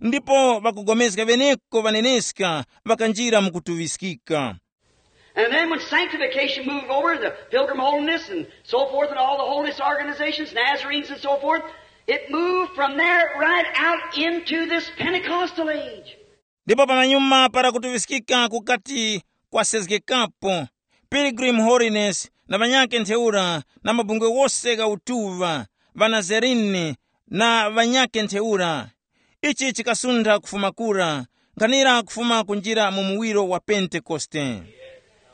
Ndipo ŵakupulikana ŵeneko ŵaneneska ŵakanjira mu kutuŵiskika. And then when sanctification moved over, the Pilgrim Holiness and so forth, and all the holiness organizations, Nazarenes and so forth, it moved from there right out into this Pentecostal age. Ndipo pamanyuma para kutuŵiskika kukati kwasezgekapo, Pilgrim Holiness na ŵanyakhe ntheura na mabungwe wose gha utuŵa, ŵanazarini na ŵanyakhe ntheura, ichi chikasuntha kufuma kura, nkhanira kufuma kunjira mu muwiro wa Pentekoste.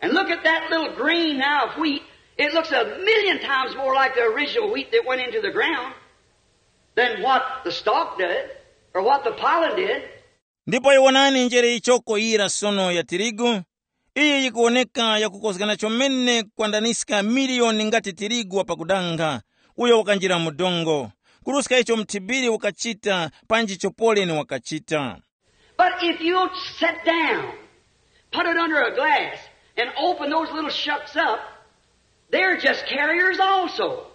And look at that little grain now of wheat. It looks a million times more like the original wheat that went into the ground than what the stalk did or what the pollen did. Ndipo iwonani njere ichoko yira sono ya tirigu, iyi yikuwoneka yakukozgana chomene kwandaniska miliyoni ngati tirigu wa pakudanga, uyo wakanjira mu dongo, kuruska icho mthibiri ukachita panji chopoleni wakachita. But if you'll sit down, put it under a glass, and open those little shucks up, they're just carriers also.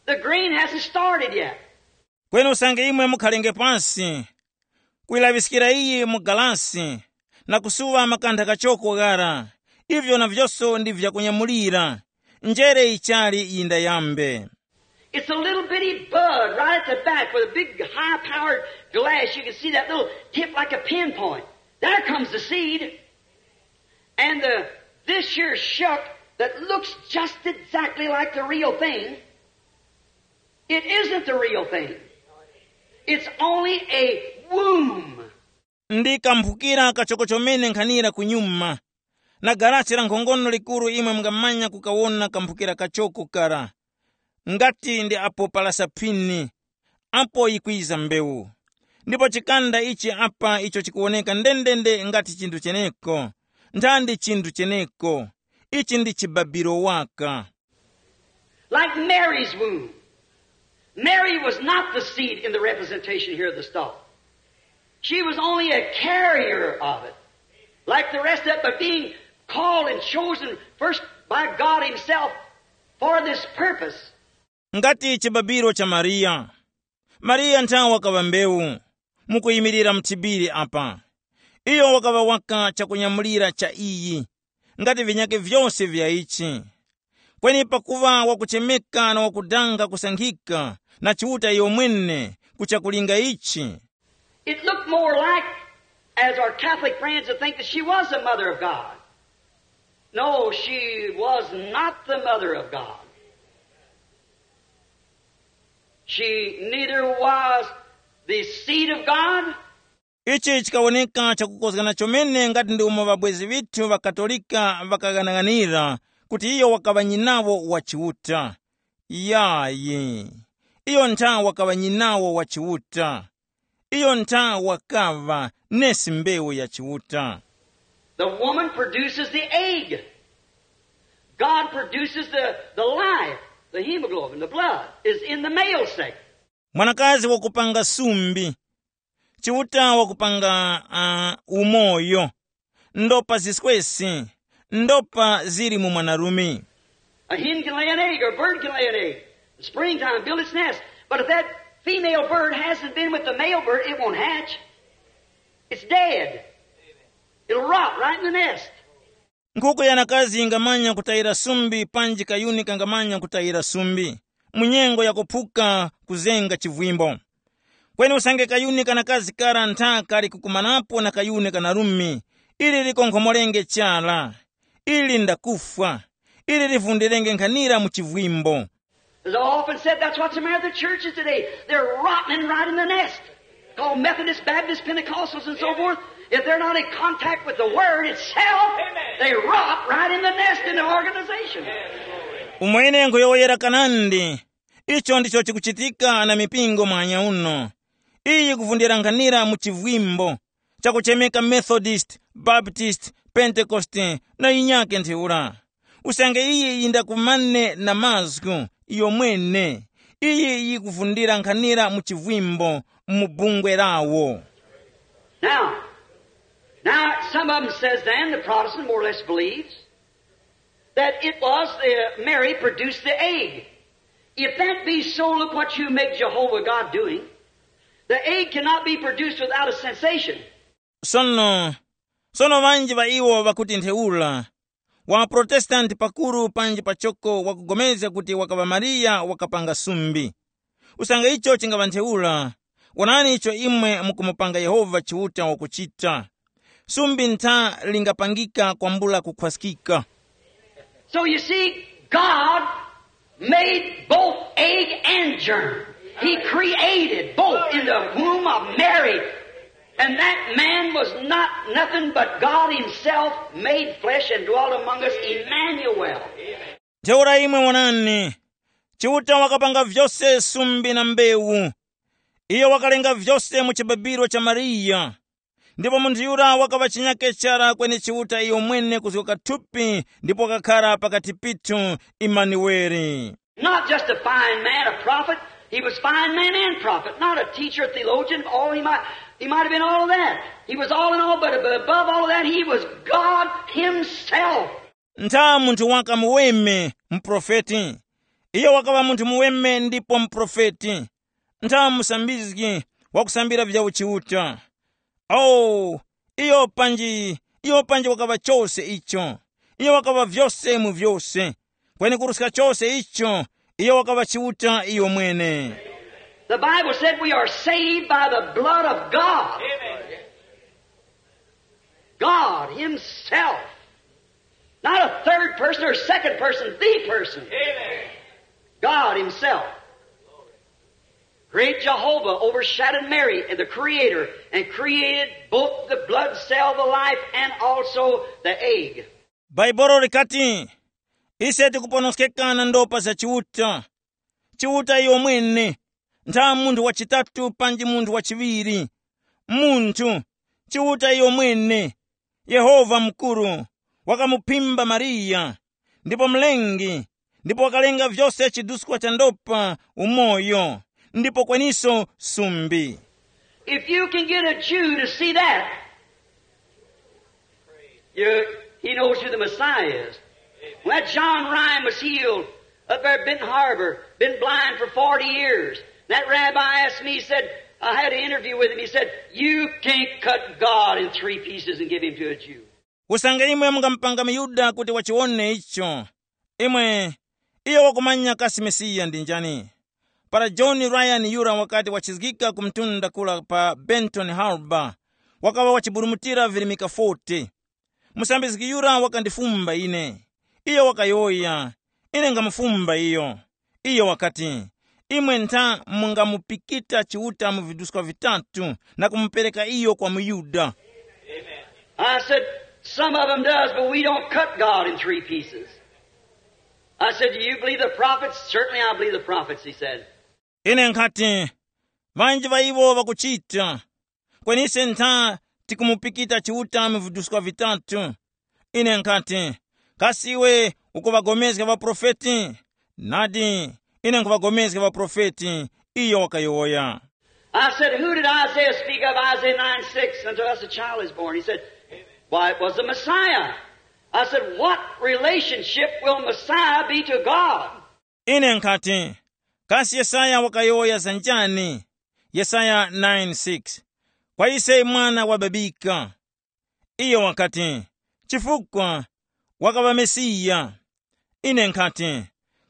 The grain hasn't started yet. Kweni usange imwe mukhalenge pansi, kuyilaŵiskira iyi mu galasi, na kusuŵa makantha kachoko ghara, ivyo na vyose ndi vyakunyamulira, njere yichali yindayambe. It's a little bitty bud right at the back with a big high-powered glass. You can see that little tip like a pinpoint. There comes the seed. And the, this here shuck that looks just exactly like the real thing, it isn't the real thing. It's only a womb. Ndi kamphukira kachoko chomene nkhanira kunyuma, na garachi la nkhongono likuru imwe mungamanya kukawona kamphukira kachoko kara, ngati ndi apo palasa phini, apo yikwiza mbewu. Ndipo chikanda ichi apa icho chikuwoneka ndendende ngati chinthu cheneko, nthandi chinthu cheneko, ichi ndi chibabiro waka. Like Mary's womb. Mary was not the seed in the representation here of the star. She was only a carrier of it. Like the rest of it, but being called and chosen first by God Himself for this purpose. Ngati chibabiro cha Mariya. Mariya nthawe wakaŵa mbewu, mukuyimirira mthibiri apa. Iyo wakaŵa waka chakunyamulira cha iyi, ngati vinyake vyose vya ichi. Kweni pakuŵa wakuchemeka na wakudanga kusankhika na Chiuta iyo mwene kuchakulinga ichi. It looked more like, as our Catholic friends would think, that she was the mother of God. No, she was not the mother of God. She neither was the seed of God. Ichi chikawoneka chakukozgana chomene ngati ndi umo ŵabwezi ŵithu ŵa Katolika ŵakaghanaghanira kuti iyo wakaŵa nyinawo wa Chiuta. Yayi, iyo ntha wakaŵa nyinawo wa Chiuta. Iyo ntha wakaŵa nesi mbewu ya Chiuta. The woman produces the egg. God produces the, the life, the hemoglobin, the blood is in the male sex. Mwanakazi wakupanga sumbi. Chiuta wakupanga uh, umoyo. Ndopa ziswesi. Ndopa zili mu mwanarume. A hen can lay an egg, or a bird can lay an egg. In springtime, build its nest. But if that female bird hasn't been with the male bird, it won't hatch. It's dead. It'll rot right in the nest. Nkhuku yanakazi ingamanya kutayira sumbi panji kayuni kangamanya kutayira sumbi mu nyengo yakuphuka kuzenga chivwimbo. Kweni usange kayuni kanakazi kara ntha kali kukumanapo na kayuni kanarume, ili likonkhomorenge chara. Ili ndakufwa. Ili livundirenge nkhanira mu chivwimbo. As I often said, that's what's the matter with the churches today. They're rotting right in the nest. Called Methodist, Baptist, Pentecostals, and so forth. If they're not in contact with the Word itself, they rot right in the nest in the organization. Umwene nkhuyowoyera kanandi. Icho ndicho chikuchitika na mipingo mwanya uno. Iyi kuvundira nkhanira mu chivwimbo chakuchemeka Methodist, Baptist, Pentekoste na yinyake ntheura. Usange iyi yindakumane na mazgu iyo mwene, iyi yikuvundira nkhanira mu chivwimbo mu bungwe lawo. Now, now some of them says then, the Protestant more or less believes, that it was the, Mary produced the egg. If that be so, look what you make Jehovah God doing. The egg cannot be produced without a sensation. Sono, sono ŵanji ŵa iwo ŵakuti ntheura, wa Protestanti pakuru panji pachoko wakugomezga kuti wakaŵa Mariya wakapanga sumbi. Usange icho chingaŵa ntheura, wonani icho imwe mukumupanga Yehova Chiuta wakuchita. Sumbi ntha lingapangika kwambula kukhwaskika. So you see, God made both egg and germ. He created both in the womb of Mary. And that man was not nothing but God Himself made flesh and dwelt among us, Emmanuel. Ntheura imwe wonani, Chiuta wakapanga vyose sumbi na mbewu. Iyo wakalenga vyose mu chibabiro cha Mariya. Ndipo munthu yura wakaŵa chinyake chara kweni Chiuta iyo mwene kuzgoka thupi ndipo wakakhara pakati pithu, Imanueli. Not just a fine man, a prophet. He was fine man and prophet. Not a teacher, theologian. All he might, he might have been all of that. He was all in all, but above all of that, he was God Himself. Ntha munthu waka muweme, muprofeti. Iyo wakaŵa munthu muweme ndipo muprofeti. Ntha musambizgi wakusambira vya uchiuta. Oh, iyo panji, iyo panji wakaŵa chose icho. Iyo wakaŵa vyose mu vyose. Kweni kuruska chose icho, iyo wakaŵa Chiuta iyo mwene. The Bible said we are saved by the blood of God. God Himself. Not a third person or second person, the person. God Himself. Great Jehovah overshadowed Mary and the Creator and created both the blood cell, the life, and also the egg. Bhaibolo likati, ise tikuponoskeka na ndopa za Chiuta. Chiuta iyo mwene, ntha munthu wachitatu panji munthu wachiŵiri. Munthu, Chiuta iyo mwene, Yehova mukuru, wakamuphimba Mariya, ndipo Mlengi, Ndipo wakalenga vyose chiduskwa cha ndopa, umoyo, ndipo kweniso sumbi. If you can get a Jew to see that, you, he knows who the Messiah is. When that John Ryan was healed up there at Benton Harbor, been blind for forty years. That rabbi asked me, he said, I had an interview with him. He said, you can't cut God in three pieces and give him to a Jew. Usange imwe mungamupanga muyuda kuti wachiwone icho, imwe, iyo wakumanya kasi Mesiya ndi njani. Para John Ryan yura wakati wachizgika ku mtunda kula pa Benton Harbor, wakaŵa wachiburumutira virimika forty. Musambizgi yura wakandifumba ine. Iyo wakayowoya, ine ngamufumba iyo. Iyo wakati, imwe ntha mungamupikita Chiuta mu viduska vitatu na kumupereka iyo kwa muYuda. I said, some of them does, but we don't cut God in three pieces. I said, do you believe the prophets? Certainly I believe the prophets, he said. Ine nkhati, vanji va iwo vakuchita, kwenise ntha tikumupikita Chiuta mu viduska vitatu. Ine nkhati, kasi iwe ukuŵagomezga ŵaprofeti? Nadi, ine nkhuŵagomezga ŵaprofeti, iyo wakayowoya. I said, who did Isaiah speak of? Isaiah nine six, unto us a child is born. He said, why, it was the Messiah. I said, what relationship will Messiah be to God? Ine nkhati, kasi Yesaya wakayowoya za njani? Yesaya nine six, kwa ise mwana wababika. Iyo wakati, chifukwa wakaŵa Mesiya. Ine nkhati,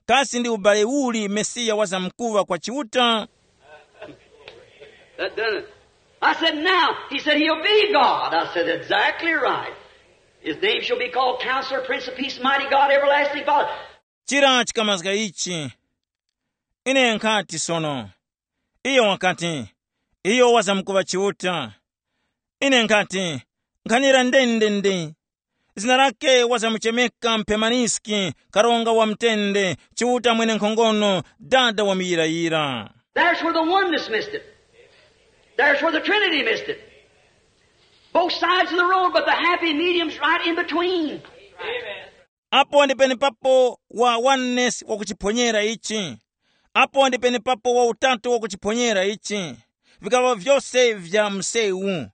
kasi ndi ubale uli Mesiya wazamkuŵa kwa Chiuta? That done it. I said, now, he said, he'll be God. I said, exactly right. His name shall be called Counselor, Prince of Peace, Mighty God, Everlasting Father. Chira chikamazga ichi. Ine nkhati sono. Iyo wakati, iyo wazamkuŵa Chiuta. Ine nkhati, nkhanira ndendende. Zina lake wazamuchemeka Mphemaniski, Karonga wa mtende, Chiuta mwenenkhongono, Dada wa muyirayira. There's where the oneness missed it. There's where the Trinity missed it. Both sides of the road, but the happy medium's right in between. Apo ndi penepapo wa oneness wakuchiphonyera ichi. Apo ndi penepapo wa utatu wakuchiphonyera ichi. Vikaŵa vyose vya msewu.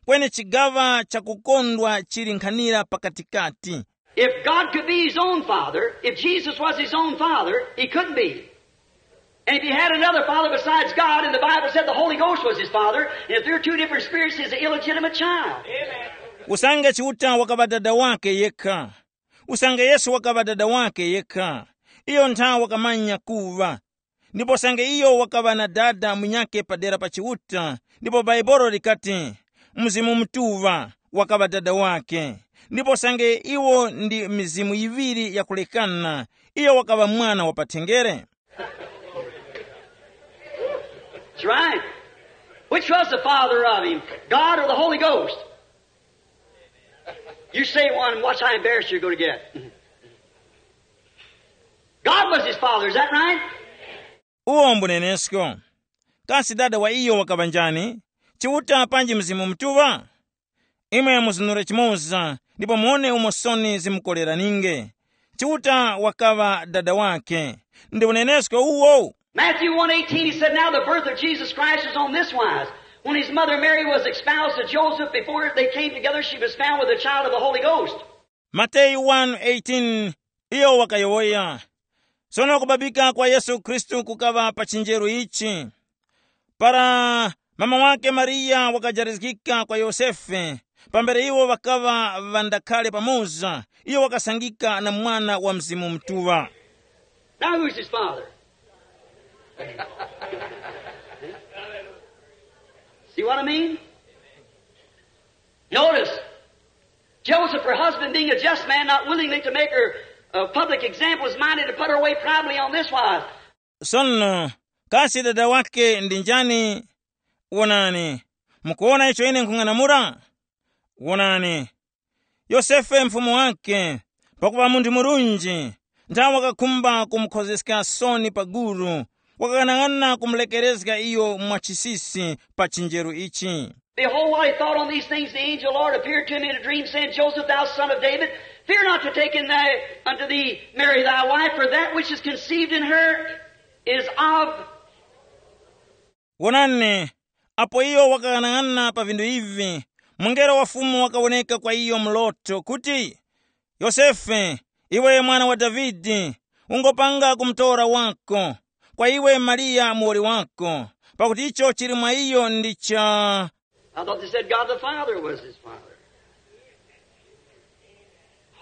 Kweni chigaŵa chakukondwa chili nkhanira pakatikati. If God could be his own father, if Jesus was his own father, he couldn't be. And if he had another father besides God, and the Bible said the Holy Ghost was his father, and if there are two different spirits, he's an illegitimate child. Usange Chiuta wakaŵa dada wake yekha. Usange Yesu wakaŵa dada wake yekha. Iyo ntha wakamanya kuŵa. Ndipo usange iyo wakaŵa na dada munyakhe padera pa Chiuta, ndipo Baibolo likati, Mzimu Mutuŵa wakaŵa dada wake. Ndipo usange iwo ndi mizimu yiŵiri yakulekana, iyo wakaŵa mwana wa pathenjere. That's right. Which was the father of him, God or the Holy Ghost? You say one, watch how embarrassed you're going to get. God was his father, is that right? Uwo mbunenesko. Kasi dada wa iyo wakaŵa njani? Chiuta panji Mzimu Mutuŵa? Imwe muzunure chimoza, ndipo muone umo soni zimukoreraninge. Chiuta wakaŵa dada wake. Ndi unenesko uwo. Matthew one eighteen, he said, now the birth of Jesus Christ was on this wise. When his mother Mary was espoused to Joseph, before they came together, she was found with a child of the Holy Ghost. Mateyu one eighteen, iyo wakayowoya. Sono kubabika kwa Yesu Khristu kukaŵa pa chinjeru ichi. Para mama wake Mariya wakajarizgika kwa Yosefe, pambere iwo ŵakaŵa ŵandakhale pamoza, iyo wakasangika na mwana wa Mzimu Mutuŵa. Now who's his father? See what I mean? Notice, Joseph, her husband, being a just man, not willingly to make her a public example, was minded to put her away privately on this wise. Sono, kasi dada wake ndi njani? Wonani, mukuwona icho ine nkhung'anamula? Wonani, Yosefe mfumu wake, pakuŵa munthu murunji, nthawe wakakhumba kumukhozeska soni pa gulu, wakang'anang'ana kumulekerezga iyo mwachisisi pa chinjeru ichi. Behold, while he thought on these things, the angel of the Lord appeared to him in a dream, saying, Joseph, thou son of David, fear not to take in thy, unto thee Mary thy wife, for that which is conceived in her is of. Wonani, apo iyo wakang'anang'ana pa vinthu ivi, mungelo wa Fumu wakawoneka kwa iyo mu loto kuti, Yosefe, iwe mwana wa Davide, ungopanga kumutora wako kwa iwe Mariya muwoli wako, pakuti icho chili mwa iyo ndi cha. I thought they said God the Father was his father.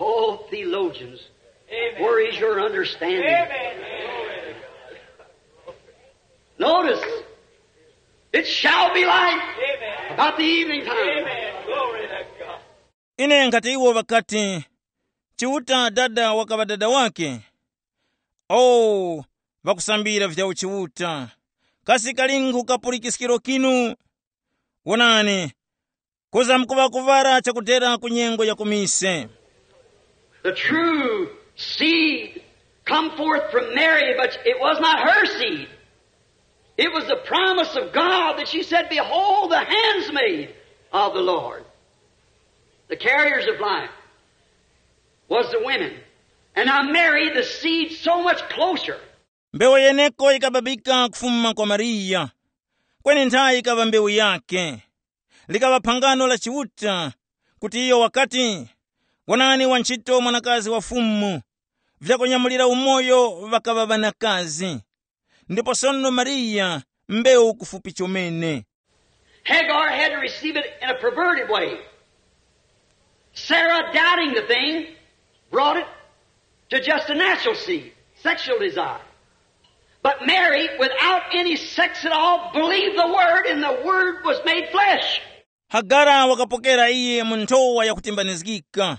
Oh, theologians, where is your understanding? Notice, it shall be light about the evening time. Ine nkhati iwo ŵakati, Chiuta dada wakaŵa dada wake. Oh, ŵakusambira vya uchiuta, kasi kalinkhu kapulikiskiro kinu? Wonani, kuza mkuŵa kuŵara chakutera ku nyengo ya kumise. The true seed come forth from Mary, but it was not her seed. It was the promise of God that she said, Behold the handsmaid of the Lord. The carriers of life was the women. And now Mary, the seed, so much closer. Mbewu yeneko yikababika kufuma kwa Mariya, kweni nthayi yikaŵa mbewu yake. Likaŵa phangano la Chiuta, kuti iyo wakati, wonani wantchito mwanakazi wa Fumu, vyakunyamulira umoyo ŵakaŵa ŵanakazi. Ndipo sono Mariya mbewu kufupi chomene. Hagar had to receive it in a perverted way. Sarah, doubting the thing, brought it to just a natural seed, sexual desire. But Mary, without any sex at all, believed the word, and the word was made flesh. Hagara wakapokera iye mu nthowa yakutimbanizgika.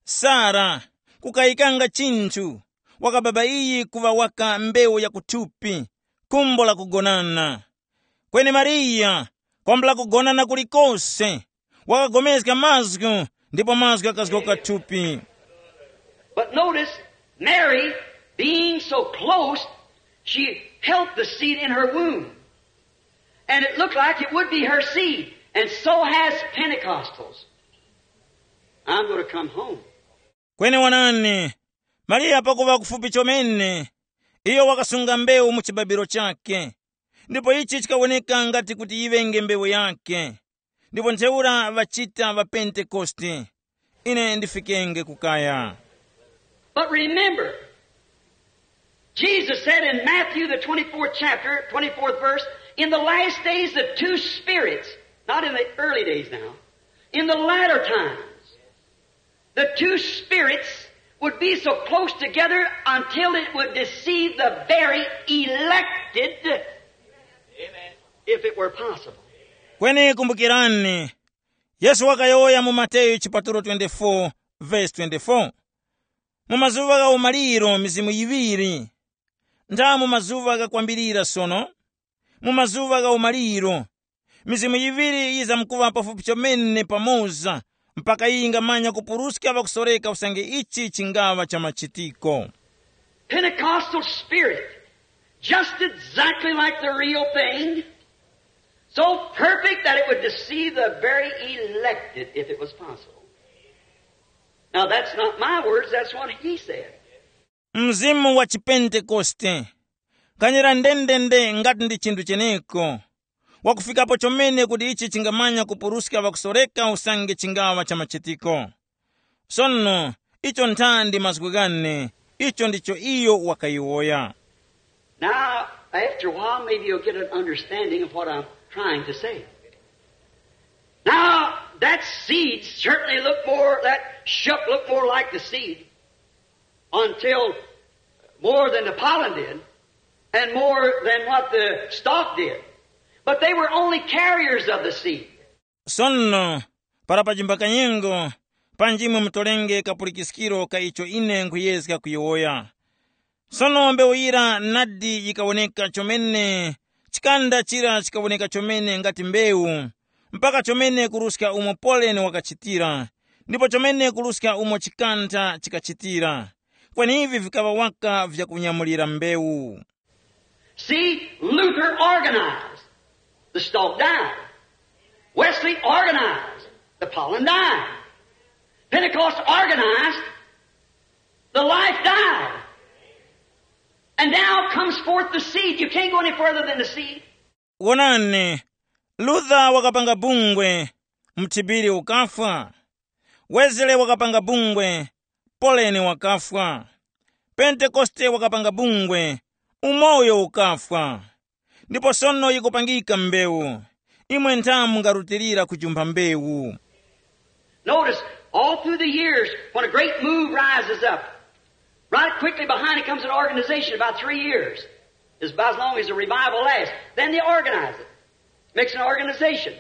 Sara, kukayikanga chinthu, wakababa iyi kuŵa waka mbewu ya kuthupi, khumbo la kugonana. Kweni Mariya, kwambula kugonana kulikose, wakagomezga mazgu, ndipo mazgu akazgoka thupi. But notice, Mary, being so close, she held the seed in her womb. And it looked like it would be her seed. And so has Pentecostals. I'm going to come home. Kweni wonani, Mariya pakuŵa kufupi chomene, iyo wakasunga mbewu mu chibabiro chake, ndipo ichi chikawoneka ngati kuti yiŵenge mbewu yake. Ndipo ntheura ŵachita ŵa Pentekoste. Ine ndifikenge kukaya. But remember, Jesus said in Matthew, the twenty-fourth chapter, twenty-fourth verse, in the last days, the two spirits, not in the early days now, in the latter times, the two spirits would be so close together until it would deceive the very elected, if it were possible. Kweni kumbukirani, Yesu wakayowoya mu Mateyu chipatulo twenty-four, verse twenty-four. Mu mazuŵa gha umaliro mizimu yiŵiri. Ntha mu mazuŵa ghakwambirira sono, mu mazuŵa gha umaliro, mizimu yiŵiri yizamkuŵa pafupi chomene pamoza, mpaka yingamanya kupuruska ŵakusoreka usange ichi chingaŵa cha machitiko. Pentecostal spirit, just exactly like the real thing, so perfect that it would deceive the very elected if it was possible. Now, that's not my words, that's what he said. Mzimu wa chipentekoste, kanyera ndendende ngati ndi chinthu cheneko, wakufikapo chomene kuti ichi chingamanya kupuruska ŵakusoreka usange chingaŵa cha machitiko. Sono, icho nthandi mazgu ghane, icho ndicho iyo wakayowoya. Now, after a while, maybe you'll get an understanding of what I'm trying to say. Now, that seed certainly looked more, that shook looked more like the seed until more than the pollen did and more than what the stalk did. But they were only carriers of the seed. Sono, para pajimba kanyengo, panji imwe mutolenge kapulikiskiro ka icho ine nkhuyezga kuyowoya. Sono mbewu yira nadi yikawoneka chomene, chikanda chira chikawoneka chomene ngati mbewu, mpaka chomene kuruska umo poleni wakachitira, ndipo chomene kuruska umo chikanda chikachitira. Kweni ivi vikaŵa waka vyakunyamulira mbewu. See, Luther organized. The stalk died. Wes They organized. The pollen died. Pentecost organized. The life died. And now comes forth the seed. You can't go any further than the seed. Wonani, Luther wakapanga bungwe, mthipiri ukafwa. Wesley wakapanga bungwe, Poleni wakafwa. Pentekoste wakapanga bungwe, umoyo ukafwa. Ndipo sono yikupangika mbewu. Imwe ntha mungarutilira kujumpha mbewu. Notice, all through the years, when a great move rises up, right quickly behind it comes an organization about three years. It's about as long as the revival lasts. Then they organize it. Makes an organization.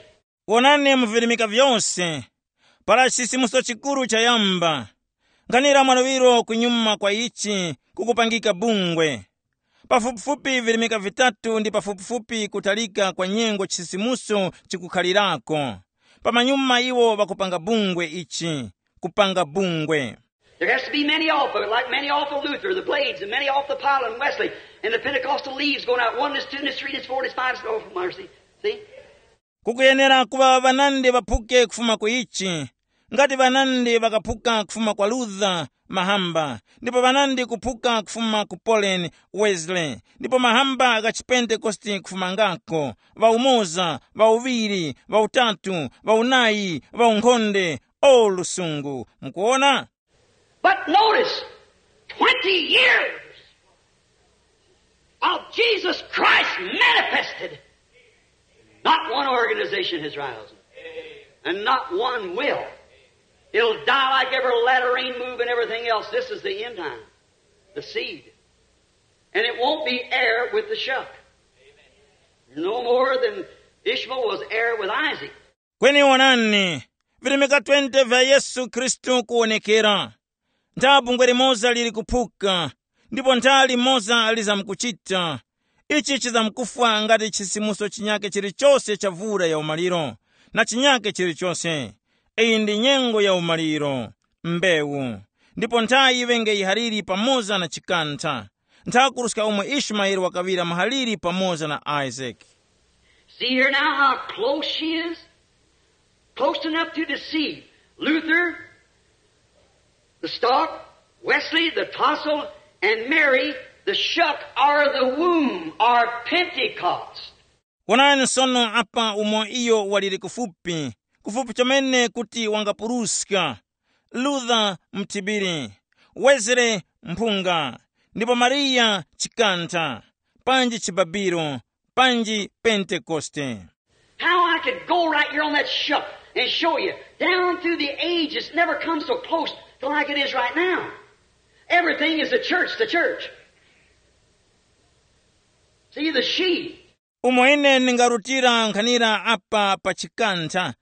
Wonani mu virimika vyose, para chisisimuso chikuru chayamba, nkhanira mwaluŵiro kunyuma kwa ichi kukupangika bungwe. Pafupifupi virimika vitatu ndi pafupifupi kutalika kwa nyengo chisisimuso chikukhalirako. Pamanyuma iwo ŵakupanga bungwe ichi, kupanga bungwe. There has to be many off of it, like many off of Luther, the blades, and many off the Pilate and Wesley, and the Pentecostal leaves going out one is two and is three and is four and is five and is oh, mercy. See? Kukuyenera kuŵa ŵanandi ŵaphuke kufuma ku ichi, ngati ŵanandi ŵakaphuka kufuma kwa Luther mahamba, ndipo ŵanandi kuphuka kufuma ku Pauline, Wesley, ndipo mahamba gha chipentekoste kufumangako, ŵaumoza, ŵauŵiri, ŵautatu, ŵaunayi, ŵaunkhonde, o lusungu. Mukuona? But notice, twenty years of Jesus Christ manifested. Not one organization has risen, and not one will. It'll die like every latter rain move and everything else. This is the end time, the seed. And it won't be heir with the shuck. No more than Ishmael was heir with Isaac. Kweni wonani, virimika twenty vya Yesu Khristu kuwonekera. Ntha bungwe limoza lili kuphuka, ndipo ntha limoza lizamkuchita. Ichi chizamkufwa ngati chisimuso chinyake chilichose cha vura ya umaliro, na chinyake chilichose. Iyi ndi nyengo ya umaliro, mbewu. Ndipo ntha yiŵenge yihaliri pamoza na chikantha, ntha kuruska umo Ishmaeli wakaŵira muhaliri pamoza na Isaac. See here now how close she is? Close enough to deceive. Luther, the stalk, Wesley, the tassel, and Mary, the shuck, are the womb, are Pentecost. Wonani sono apa umo iyo waliri kufupi, kufupi chomene kuti wangapuruska. Luther mthibiri, Wesley mphunga, ndipo Mariya chikantha, panji chibabiro, panji Pentekoste. How I could go right here on that shuck and show you, down through the ages, never come so close to like it is right now. Everything is the church, the church. See, the she. Umo ine ndingarutira nkhanira apa pa chikantha,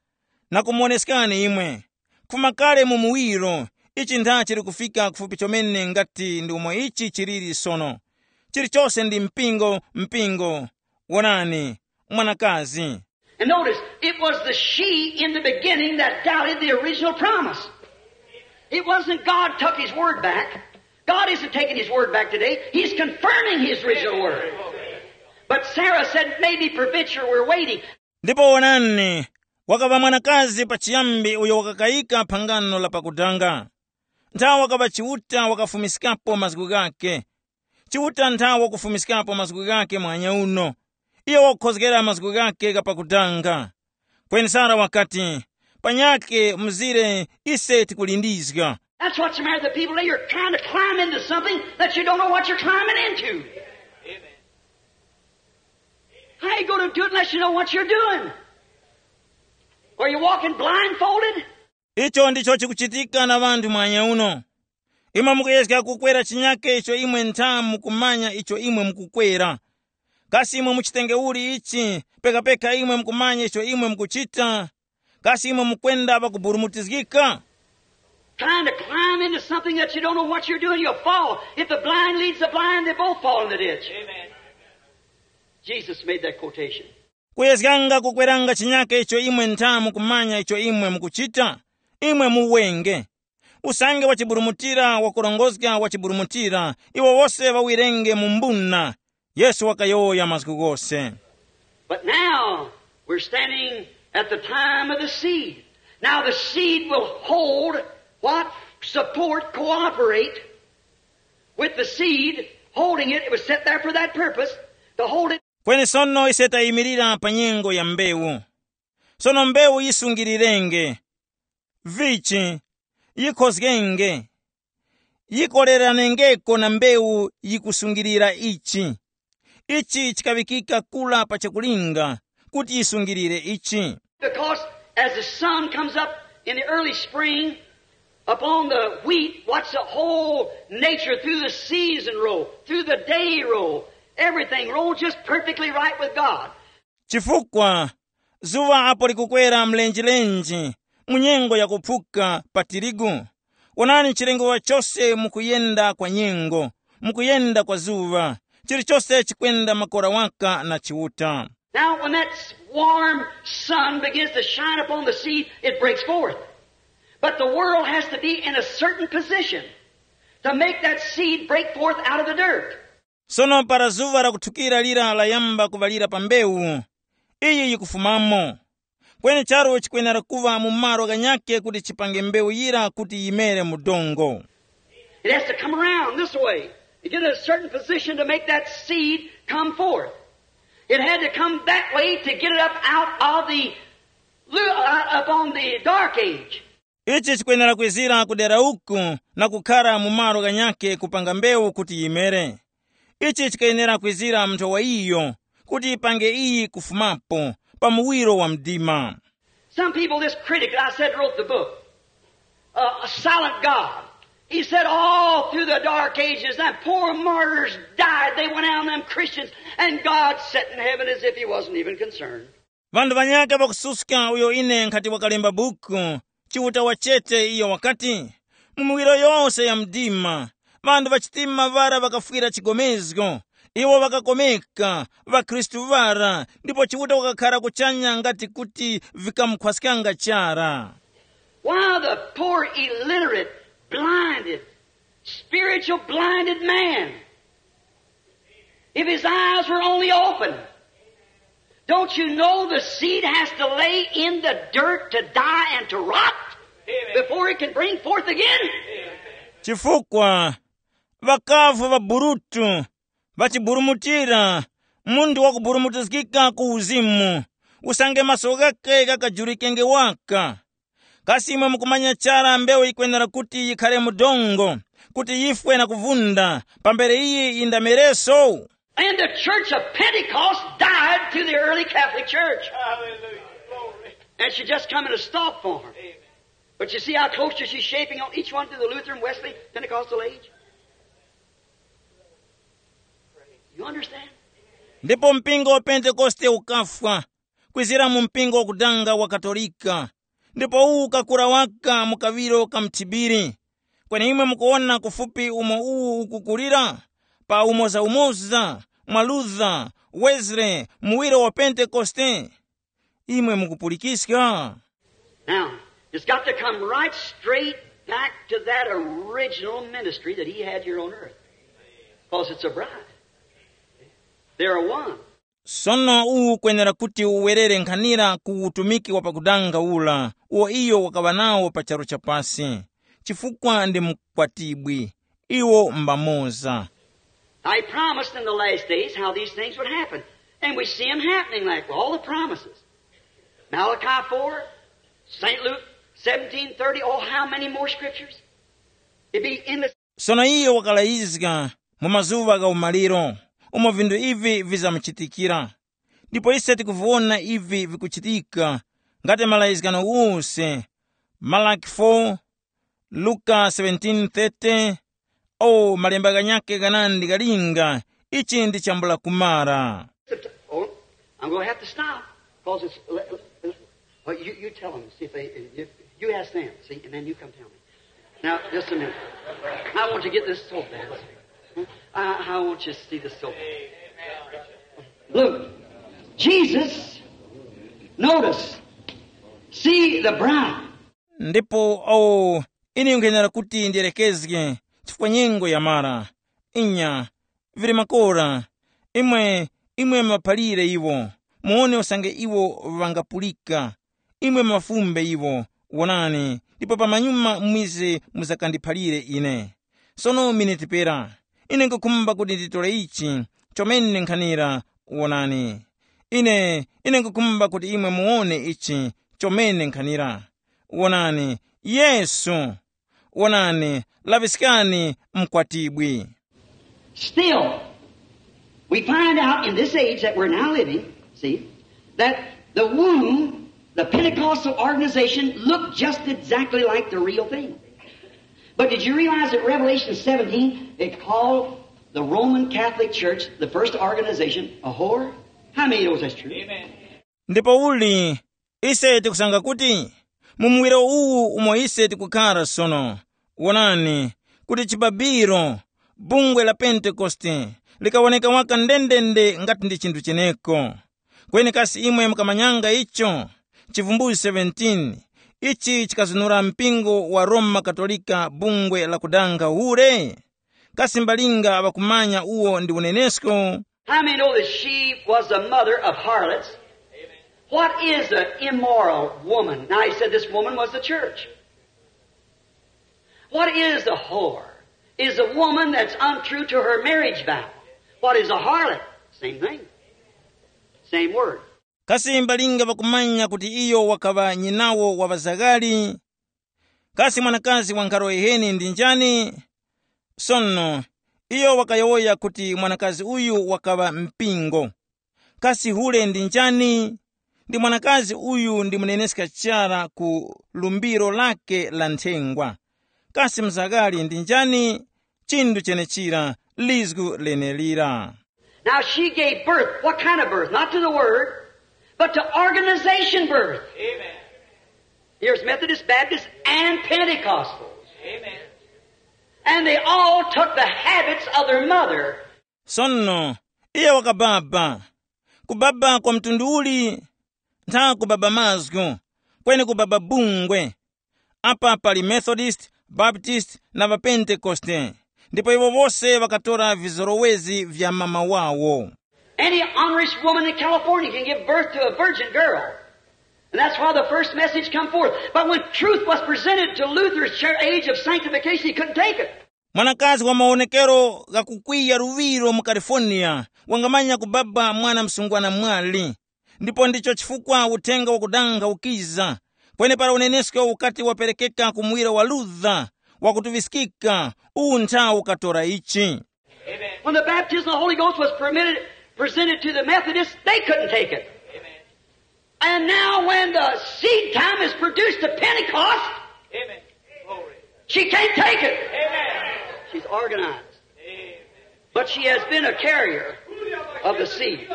na kumuwoneskani imwe. Kufuma kale mu muwiro, ichi ntha chili kufika kufupi chomene ngati ndi umo ichi chiliri sono. Chilichose ndi mpingo, mpingo. Wonani, mwanakazi. And notice, it was the she in the beginning that doubted the original promise. It wasn't God took his word back. God isn't taking his word back today. He's confirming his original word. But Sarah said, maybe, Provincial, we're waiting. Ndipo wonani, wakaŵa mwanakazi pachiyambi uyo wakakayika phangano la pakudanga. Nthawa wakaŵa Chiuta wakafumiskapo mazgu ghake. Chiuta nthawa wakufumiskapo mazgu ghake mwanya uno. Iyo wakukhozgera mazgu ghake ghapakudanga. Kweni Sara wakati, panyakhe mzire, ise tikulindizga. That's what's the matter with the people. You're trying to climb into something that you don't know what you're climbing into. How you going to do it unless you know what you're doing? Are you walking blindfolded? Icho ndicho chikuchitika na ŵanthu mwanya uno. Imwe mukuyezga kukwera chinyake icho imwe ntha mukumanya icho imwe mukukwera. Kasi imwe muchitenge uli ichi, pekapeka imwe mukumanya icho imwe mukuchita? Kasi imwe mukwenda pakuburumutizgika? Trying to climb into something that you don't know what you're doing, you'll fall. If the blind leads the blind, they both fall in the ditch. Amen. Jesus made that quotation. Kuyezganga kukweranga chinyake icho imwe ntha mukumanya icho imwe mukuchita, imwe muwenge. Usange wachiburumutira wakurongozga wachiburumutira, iwo wose ŵawirenge mu mbuna. Yesu wakayowoya mazgu ghose. But now we're standing at the time of the seed. Now the seed will hold what? Support, cooperate with the seed, holding it. It was set there for that purpose, to hold it. Kweni sono ise tayimirira pa nyengo ya mbewu. Sono mbewu yisungirirenge. Vichi? Yikhozgenge. Yikoleranengeko na mbewu yikusungilira ichi. Ichi chikaŵikika kura pa chakulinga kuti yisungilire ichi. Because as the sun comes up in the early spring upon the wheat, watch the whole nature through the season roll, through the day roll, everything rolls just perfectly right with God. Chifukwa zuŵa apo likukwera mlenjelenje mu nyengo yakuphuka pa tirigu, wonani chilengewa chose mukuyenda kwa nyengo, mukuyenda kwa zuŵa, chilichose chikwenda makora waka na Chiuta. Now, when that warm sun begins to shine upon the seed, it breaks forth. But the world has to be in a certain position to make that seed break forth out of the dirt. Sono para zuŵa lakuthukira lira layamba kuŵalira pa mbewu, iyi yikufumamo. Kweni charu chikwenera kuŵa mu malo ghanyakhe kuti chipange mbewu yira kuti yimere mu dongo. It has to come around this way to get in a certain position to make that seed come forth. It had to come that way to get it up out of the lu- uh, upon the dark age. Ichi chikwenera kwizira kudera uku na kukhara mu malo ghanyakhe kupanga mbewu kuti yimere. Ichi chikayenera kwizira mu nthowa iyo kuti yipange iyi kufumapo pa muwiro wa mdima. Some people, this critic that I said wrote the book, uh, a silent God. He said all through the dark ages, them poor martyrs died. They went down, them Christians, and God sat in heaven as if he wasn't even concerned. Ŵanthu ŵanyakhe ŵakususka uyo ine nkhati wakalemba buku, Chiuta wa chete iyo wakati, mu miwiro yose ya mdima, ŵanthu ŵachitima ŵara ŵakafwira chigomezgo, iwo ŵakakomeka, ŵakhristu ŵara, ndipo Chiuta wakakhara kuchanya ngati kuti vikamukhwaskanga chara. Why the poor illiterate, blinded, spiritual blinded man? If his eyes were only open, don't you know the seed has to lay in the dirt to die and to rot before it can bring forth again? Chifukwa ŵakavu ŵaburutu, ŵachiburumutira, munthu wakuburumutizgika ku uzimu, usange maso ghakhe ghakajurikenge waka. Kasi imwe mukumanya chara mbewu yikwenera kuti yikhare mu dongo, kuti yifwe na kuvunda, pambere iyi yindamereso? And the church of Pentecost died to the early Catholic Church. Hallelujah. Glory. And she just come in a stalk form. Amen. But you see how close she's shaping on each one to the Lutheran, Wesley, Pentecostal age? You understand? Ndipo mpingo wa Pentekoste ukafwa, kwizira mu mpingo wakudanga wa Katolika, ndipo uwu ukakura waka mu kaŵiro ka mthibiri. Kweni imwe mukuwona kufupi umo uwu ukukulira, pa umozaumoza mwa Luther, Wesley, muwiro wa Pentekoste. Imwe mukupulikiska? Now, it's got to come right straight back to that original ministry that he had here on earth. Because it's a bride. They're one. Sono uwu ukwenera kuti uwerere nkhanira ku utumiki wa pakudanga ura uwo iyo wakaŵa nawo pa charu cha pasi, chifukwa ndi mukwatibwi, iwo mbamoza. Now he promised in the last days how these things would happen. And we see them happening like all the promises. Malachi four, Saint Luke seventeen thirty, oh, how many more scriptures? It be endless. Sono iye wakalayizga mu mazuŵa gha umaliro umo vinthu ivi vizamuchitikira. Ndipo ise tikuviwona ivi vikuchitika ngati malayizgano ghose, Malaki four, Luka seventeen thirty. O malemba ghanyakhe ghanandi ghalinga, ichi ndi chambula kumara. Oh, I'm going to have to stop. Because it's, well, you, you tell them, see if they, if you ask them, see, and then you come tell me. Now, just a minute. I want you to get this so bad. I, I want you to see this so bad. Look, Jesus, notice, see the bride. Ndipo awo ine nkhenera kuti ndiyerekezge, chifukwa nyengo yamara. Inya, vili makora. Imwe, imwe maphalire iwo, muwone usange iwo ŵangapulika. imwe mafumbe iwo, wonani, ndipo pamanyuma mwize muzakandiphalire ine. Sono miniti pera, ine nkukhumba kuti nditore ichi chomene nkhanira, wonani. Ine, ine nkukhumba kuti imwe muwone ichi chomene nkhanira. Wonani, Yesu. Wonani, laŵiskani mkwatibwi. Still, we find out in this age that we're now living, see, that the womb, the Pentecostal organization, looked just exactly like the real thing. But did you realize that Revelation seventeen, it called the Roman Catholic Church, the first organization, a whore? How many knows that's true? Amen. Ndipo uli, ise tikusanga kuti mu muwiro uwu umo ise tikukhara sono, wonani, kuti chibabiro, bungwe la Pentekoste, likawoneka waka ndendende ngati ndi chinthu cheneko. Kweni kasi imwe mukamanyanga icho? Chivumbulutso seventeen, ichi chikazunura mpingo wa Roma Katolika bungwe la kudanga hure? Kasi mbalinga ŵakumanya uwo ndi unenesko? How many know that she was the mother of harlots? What is an immoral woman? Now, he said this woman was the church. What is a whore? Is a woman that's untrue to her marriage vow. What is a harlot? Same thing. Same word. Kasi mbalinga ŵakumanya kuti iyo wakaŵa nyinawo wa ŵazaghali? Kasi mwanakazi wa nkharo yiheni ndi njani? Sono, iyo wakayowoya kuti mwanakazi uyu wakaŵa mpingo. Kasi hule ndi njani? Ndi mwanakazi uyu ndi muneneska chara ku lumbiro lake la nthengwa. Kasi mzaghali ndi njani? Chinthu chenechira, lizgu lenelira. Now she gave birth. What kind of birth? Not to the word, but to organization birth. Amen. Here's Methodist, Baptist, and Pentecostals. Amen. And they all took the habits of their mother. Sono, iye wakababa. Kubaba kwa mtundu uli? Ntha kubaba mazgu, kweni kubaba bungwe. Apa pali Methodist, Baptist na ŵaPentekoste, ndipo iwo wose ŵakatora vizorowezi vya mama wawo. Any honest woman in California can give birth to a virgin girl. And that's why the first message come forth. But when truth was presented to Luther's church age of sanctification, he couldn't take it. Mwanakazi wa maonekero ghakukwiya luŵiro mu California wangamanya kubaba mwana msungwana mwali, ndipo ndicho chifukwa uthenga wakudanga ukiza. Kweni para unenesko ukati waperekeka ku muwiro wa Luther wakutuŵiskika, uwu ntha ukatora ichi. When the baptism of the Holy Ghost was permitted, presented to the Methodists, they couldn't take it. And now when the seed time is produced to Pentecost, she can't take it. She's organized. But she has been a carrier of the seed.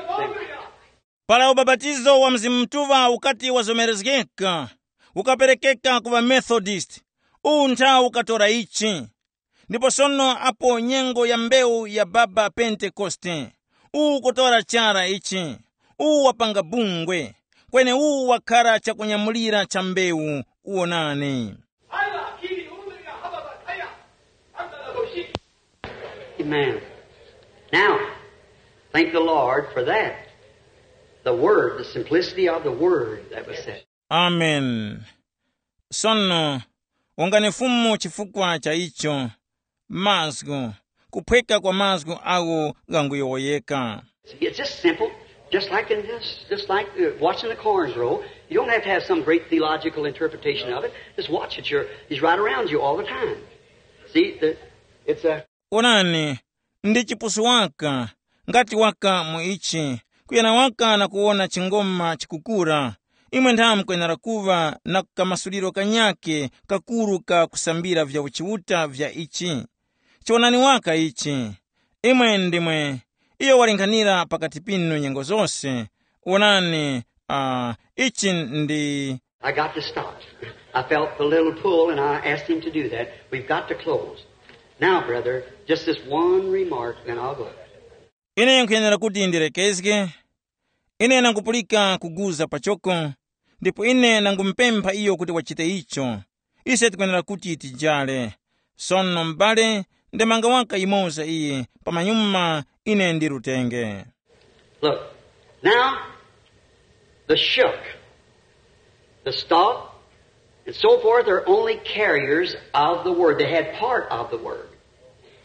Para ubapatizo wa Mzimu Mutuŵa ukati wazomerezgeka, ukaperekeka ku ŵaMethodist, uwu ntha ukatora ichi. Ndipo sono apo nyengo ya mbewu ya baba Pentekoste, uwu ukutora chara ichi, uwu wapanga bungwe, kweni uwu wakhara chakunyamulira cha mbewu. Wonani. Amen. Now, thank the Lord for that. The word, the simplicity of the word that was said. Amen. Sono, wongani Fumu chifukwa cha icho. Mazgu, kuphweka kwa mazgu agho ghanguyowoyeka. See, it's just simple, just like in this, just like uh, watching the corn grow. You don't have to have some great theological interpretation of it. Just watch it. You're, he's right around you all the time. See, the, it's a Onani, ndi chipusu waka, ngati waka mu ichi, kuyana waka na kuwona chingoma chikukura. Imwe nthawe mukwenera kuŵa na kamasuliro kanyake kakuru ka kusambira vya uchiuta vya ichi. Chiwonani waka ichi. Imwe ndimwe, iyo walinghanira pakati pinu nyengo zose. Wonani, uh, ichi ndi I got to stop. I felt the little pull, and I asked him to do that. We've got to close. Now, brother, just this one remark, then I'll go. Ine nkhuyenera kuti ndirekezge. Ine nangupulika kuguza pachoko, ndipo ine nangumupempha iyo kuti wachite icho. Ise tikwenera kuti tijale. Sono m'bale, ndemanga waka yimoza iyi, pamanyuma ine ndirutenge. Look, now, the shook. The stalk and so forth are only carriers of the word. They had part of the word.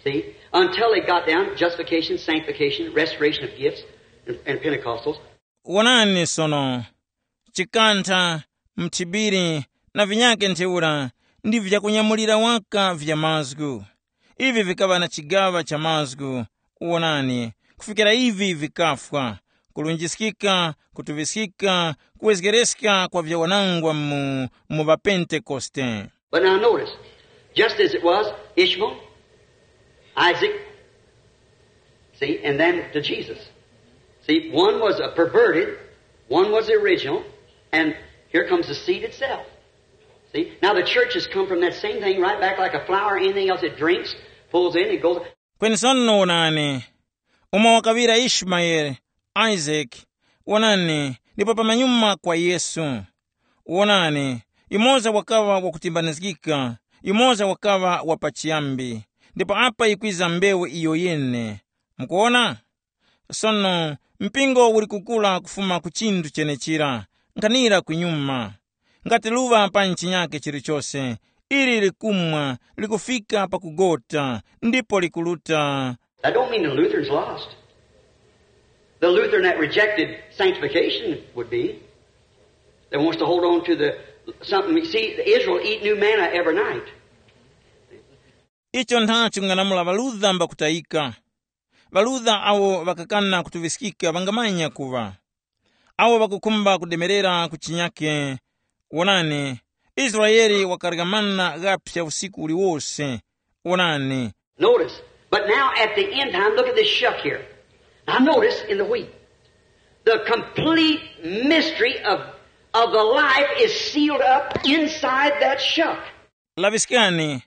See? Until they got down, justification, sanctification, restoration of gifts, and, and Pentecostals. Wonani sono, chikantha, mthibiri, na vinyake ntheura ndi vyakunyamulira waka vya mazgu. Ivi vikaŵa na chigaŵa cha mazgu. Wonani, kufikira ivi vikafwa, kulunjiskika, kutuŵiskika, kuwezgereska kwa vyawanangwa mu, mu ŵapentekoste. But now notice, just as it was Ishmael, Isaac, see, and then to Jesus. See, one was a perverted, one was the original, and here comes the seed itself. See, now the church has come from that same thing right back like a flower or anything else. It drinks, pulls in, it goes. Kweni sono wonani, umo wakaŵira Ishimayeli, Isaac, wonani, ndipo pamanyuma kwa Yesu. Wonani, yumoza wakaŵa wakutimbanizgika, yumoza wakaŵa wa pachiyambi, ndipo apa yikwiza mbewu iyo yene. Mukuwona? Sono, mpingo uli kukura kufuma ku chinthu chenechira, nkhanira kunyuma. Ngati luŵa pa nchinyake chilichose, ili likumwa, likufika pakugota, ndipo likuruta. That don't mean the Lutherans lost. The Lutheran that rejected sanctification would be. That wants to hold on to the something. See, Israel eat new manna every night. Icho nthacho ng'anamula ŵaludha mbakutayika. Ŵaludha awo ŵakakana kutuŵiskika ŵangamanya kuŵa. Awo ŵakukhumba kudemerera ku chinyake. Wonani, Israele wakarya mana ghaphya usiku uliwose. Wonani. Notice, but now at the end time, look at this shuck here. Now notice in the wheat, the complete mystery of, of the life is sealed up inside that shuck. Laŵiskani,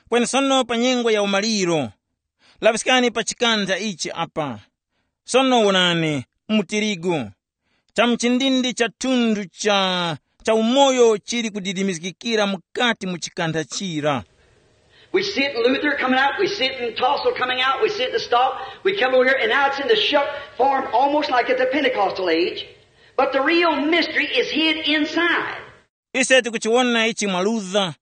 kweni sono pa nyengo ya umaliro. Laŵiskani pa chikantha ichi apa. Sono wonani, mu tirigu. Chamuchindindi cha thundu cha, cha umoyo chili kudidimizgikira mukati mu chikantha chira. We see it in Luther coming out, we see it in Tassel coming out, we see it in the stalk, we come over here, and now it's in the shuck form almost like at the Pentecostal age. But the real mystery is hid inside. Ise tikuchiwona ichi mwa Luther,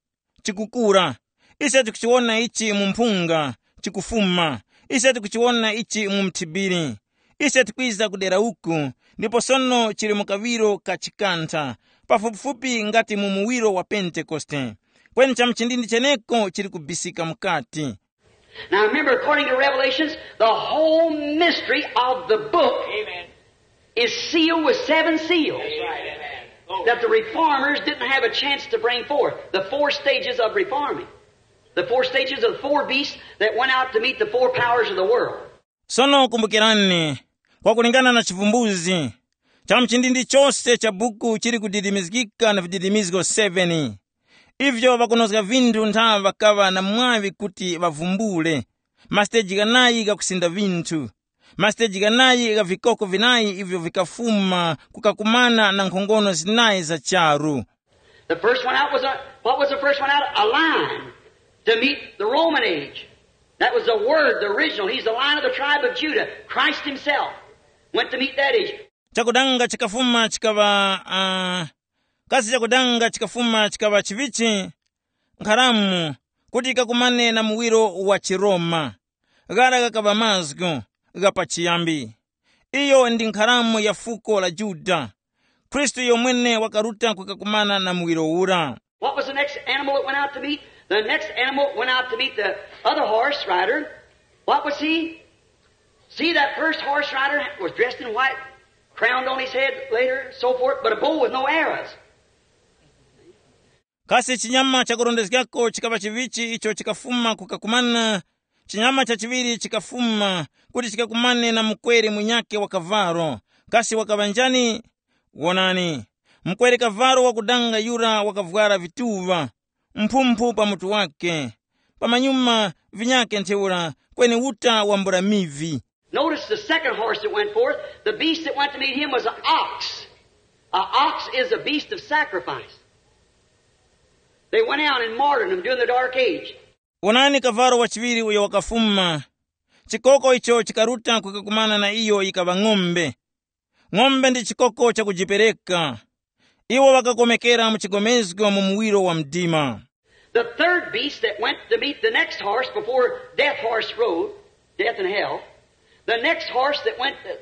chikukura. Ise tikuchiwona ichi mu mphunga, chikufuma. Ise tikuchiwona ichi mu mthibiri. Ise tikwiza kudera uku, ndipo sono chili mu kaŵiro ka chikantha, pafupifupi ngati mu muwiro wa Pentekoste. Kweni chamuchindindi cheneko chili kubisika mukati. Now remember, according to Revelations, the whole mystery of the book is sealed with seven seals that the reformers didn't have a chance to bring forth. The four stages of reforming. The four stages of the four beasts that went out to meet the four powers of the world. Sono kumbukirani, kwakulingana na chivumbuzi, chamuchindindi chose cha buku chili kudidimizgika na vididimizgo seven. Ivyo ŵakunozga vinthu ntha ŵakaŵa na mwaŵi kuti ŵavumbule, masiteji ghanayi ghakusinda vinthu, masiteji ghanayi gha vikoko vinayi ivyo vikafuma kukakumana na nkhongono zinayi za charu. The first one out was a, what was the first one out? A lion to meet the Roman age. That was the Word, the original. He's the Lion of the tribe of Judah. Christ Himself went to meet that age. Chakudanga chikafuma chikaŵa uh, kasi chakudanga chikafuma chikaŵa chivichi, nkharamu, kuti ikakumane na muwiro wa chiRoma. Ghara ghakaŵa mazgu gha pachiyambi. Iyo ndi nkharamu ya fuko la Yuda. Khristu yomwene wakaruta kukakumana na muwiro ura. What was the next animal that went out to meet? The next animal went out to meet the other horse rider. What was he? See, that first horse rider was dressed in white, crowned on his head later, so forth, but a bow with no arrows. Kasi chinyama chakurondezgako chikaŵa chivichi icho chikafuma kukakumana? Chinyama chachiŵiri chikafuma kuti chikakumane na mukwere munyakhe wa kavalo. Kasi wakaŵa njani? Wonani, mukwere kavalo wakudanga yura wakavwara vituŵa, mphumphu pa mutu wakhe, pamanyuma vinyakhe ntheura, kweni uta wambula mivi. Notice the second horse that went forth, the beast that went to meet him was an ox. An ox is a beast of sacrifice. They went out and martyred him during the dark age. Wonani kavalo wachiŵiri uyo wakafuma. Chikoko icho chikaruta kukakumana na iyo yikaŵa ng'ombe. Ng'ombe ndi chikoko chakujipereka. Iwo ŵakakomekera mu chigomezgo mu muwiro wa mdima. The third beast that went to meet the next horse before death horse rode, death and hell, the next horse that went, the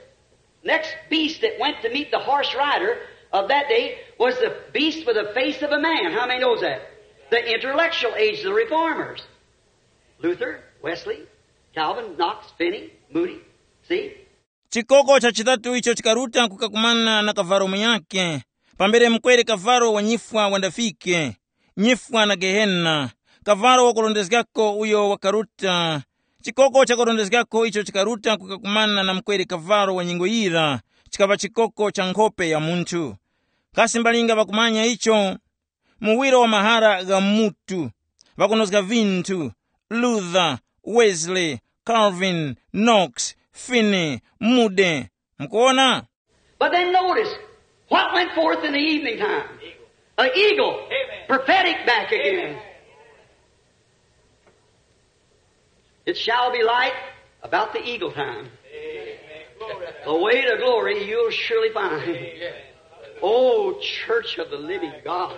next beast that went to meet the horse rider of that day was the beast with the face of a man. How many knows that? The intellectual age, the reformers. Luther, Wesley, Calvin, Knox, Finney, Moody. See? Chikoko cha chitatu icho chikaruta kukakumana na kavalo munyakhe, pambere mukwere kavalo wa nyifwa wandafike, nyifwa na Gehena, kavalo wakurondezgako uyo wakaruta. Chikoko chakurondezgako icho chikaruta kukakumana na mukwere kavalo wa nyengo yira, chikaŵa chikoko cha nkhope ya munthu. Kasi mbalinga ŵakumanya icho? Muwiro wa mahara gha mutu, ŵakunozga vinthu, Luther, Wesley, Calvin, Knox, Finney, Moody. Mukuona? But then notice what went forth in the evening time. An eagle, prophetic back again. It shall be light about the eagle time. The way to glory you'll surely find. Oh, church of the living God.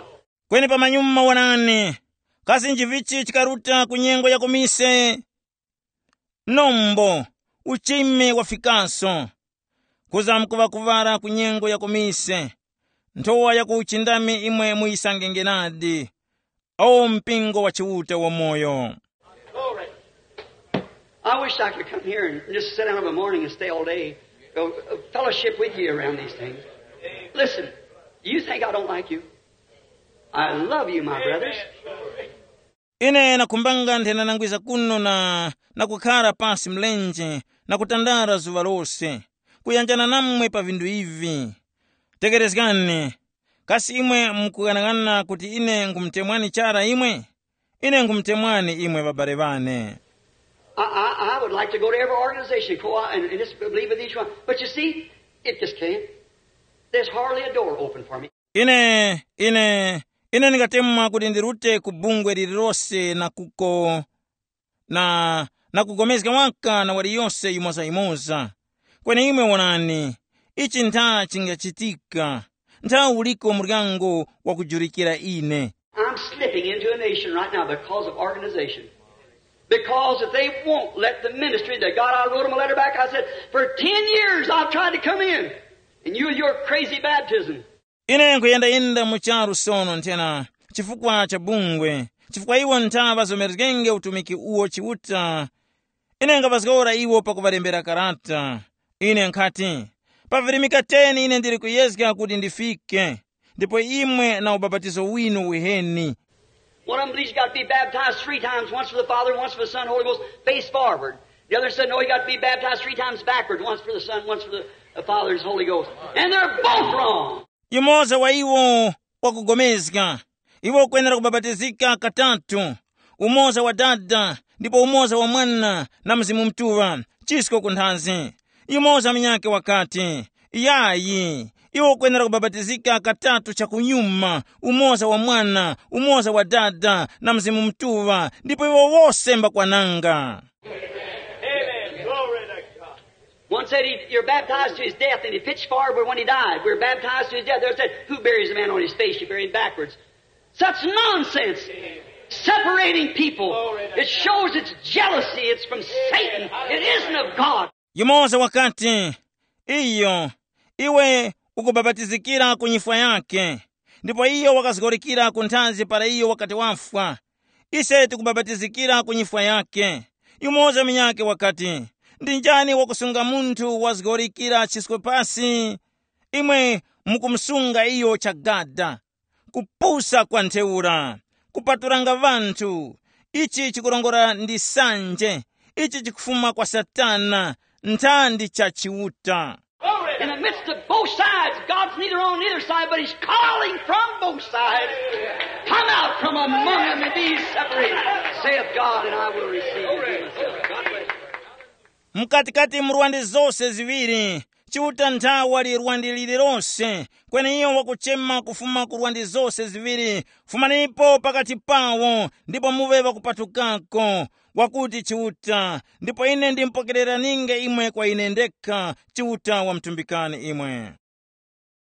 Kweni pamanyuma wonani, kasi nchivichi chikaruta ku nyengo ya kumise? Nombo, uchime wafikaso. Kuza mkuŵakuŵara ku nyengo ya kumise, nthowa ya ku uchindami imwe muyisangenge nadi. O mpingo wa Chiuta wamoyo! Glory. I wish I could come here and just sit down of a morning and stay all day, uh, uh, fellowship with you around these things. Listen, you think I don't like you? I love you, my brothers. Ine nakhumbanga nthena nangwiza kuno na, na kukhara pasi mlenje na kutandara zuŵa lose, kuyanjana namwe pa vinthu ivi. Tekerezgani, kasi imwe mukughanagana kuti ine nkhumutemwani chara imwe? Ine nkhumutemwani imwe ŵabale ŵane. I, I, I would like to go to every organization, co- and, and just believe with each one. But you see, it just can't. There's hardly a door open for me. Ine, ine, ine ndingatemwa kuti ndirute ku bungwe lililose na kuko na, na kugomezga waka na waliyose yimoza-yimoza. Kweni imwe wonani, ichi ntha chingachitika, ntha uliko muryango wakujulikira ine. I'm slipping into a nation right now because of organization. Because if they won't let the ministry that God, I wrote them a letter back, I said, for ten years I've tried to come in, and you, your crazy baptism. Ine nkuyendayenda mu charu sono nthena chifukwa cha bungwe, chifukwa iwo ntha ŵazomerezgenge utumiki uwo Chiuta. Ine nkapazgora iwo pakuŵalembera karata. Ine nkhati, pa virimika teni ine ndili kuyezga kuti ndifike, ndipo imwe na ubapatizo winu uheni. One of them believes you got to be baptized three times, once for the Father, once for the Son, Holy Ghost, face forward. The other said, no, you got to be baptized three times backwards, once for the Son, once for the, the Father and Holy Ghost. And they're both wrong. Yumoza wa iwo wakugomezga, iwe ukwenera kubabatizika katatu, umoza wa Dada, ndipo umoza wa Mwana na Mzimu Mutuŵa, chisko ku nthazi. Yumoza munyakhe wakati, yayi, iwe ukwenera kubabatizika katatu chakunyuma, umoza wa Mwana, umoza wa Dada na Mzimu Mutuŵa, ndipo iwo wose mbakwananga. Amen. Glory to God. One said he, you're baptized to his death, and he pitched forward when he died. We're baptized to his death. The other said, who buries a man on his face? You bury him backwards. Such nonsense. Separating people. It shows it's jealousy. It's from Satan. It isn't of God. Yumoza wakati, iyo, iwe ukubabatizikira ku nyifwa yake, ndipo iyo wakazgorikira ku nthazi para iyo wakati wafwa. Ise tikubabatizikira ku nyifwa yake. Yumoza munyakhe wakati, ndi njani wakusunga munthu wazgorikira chisko pasi? Imwe mukumusunga iyo chagada. Kupusa kwa ntheura, kupaturanga ŵanthu. Ichi chikurongora ndi sanje. Ichi chikufuma kwa Satana, nthandi cha Chiuta. In the midst of both sides, God's neither on either side, but he's calling from both sides. Come out from among them and be ye separated, saith God, and I will receive you to myself. God bless you. Mkatikati mu rwande zose ziŵiri, Chiuta ntha wali rwande lililose, kweni iyo wakuchema kufuma ku rwande zose ziŵiri, fumanipo pakati pawo, ndipo muŵe ŵakupatukako, wakuti Chiuta, ndipo ine ndimpokereraninge imwe kwa ine ndekha, Chiuta wamtumbikani imwe.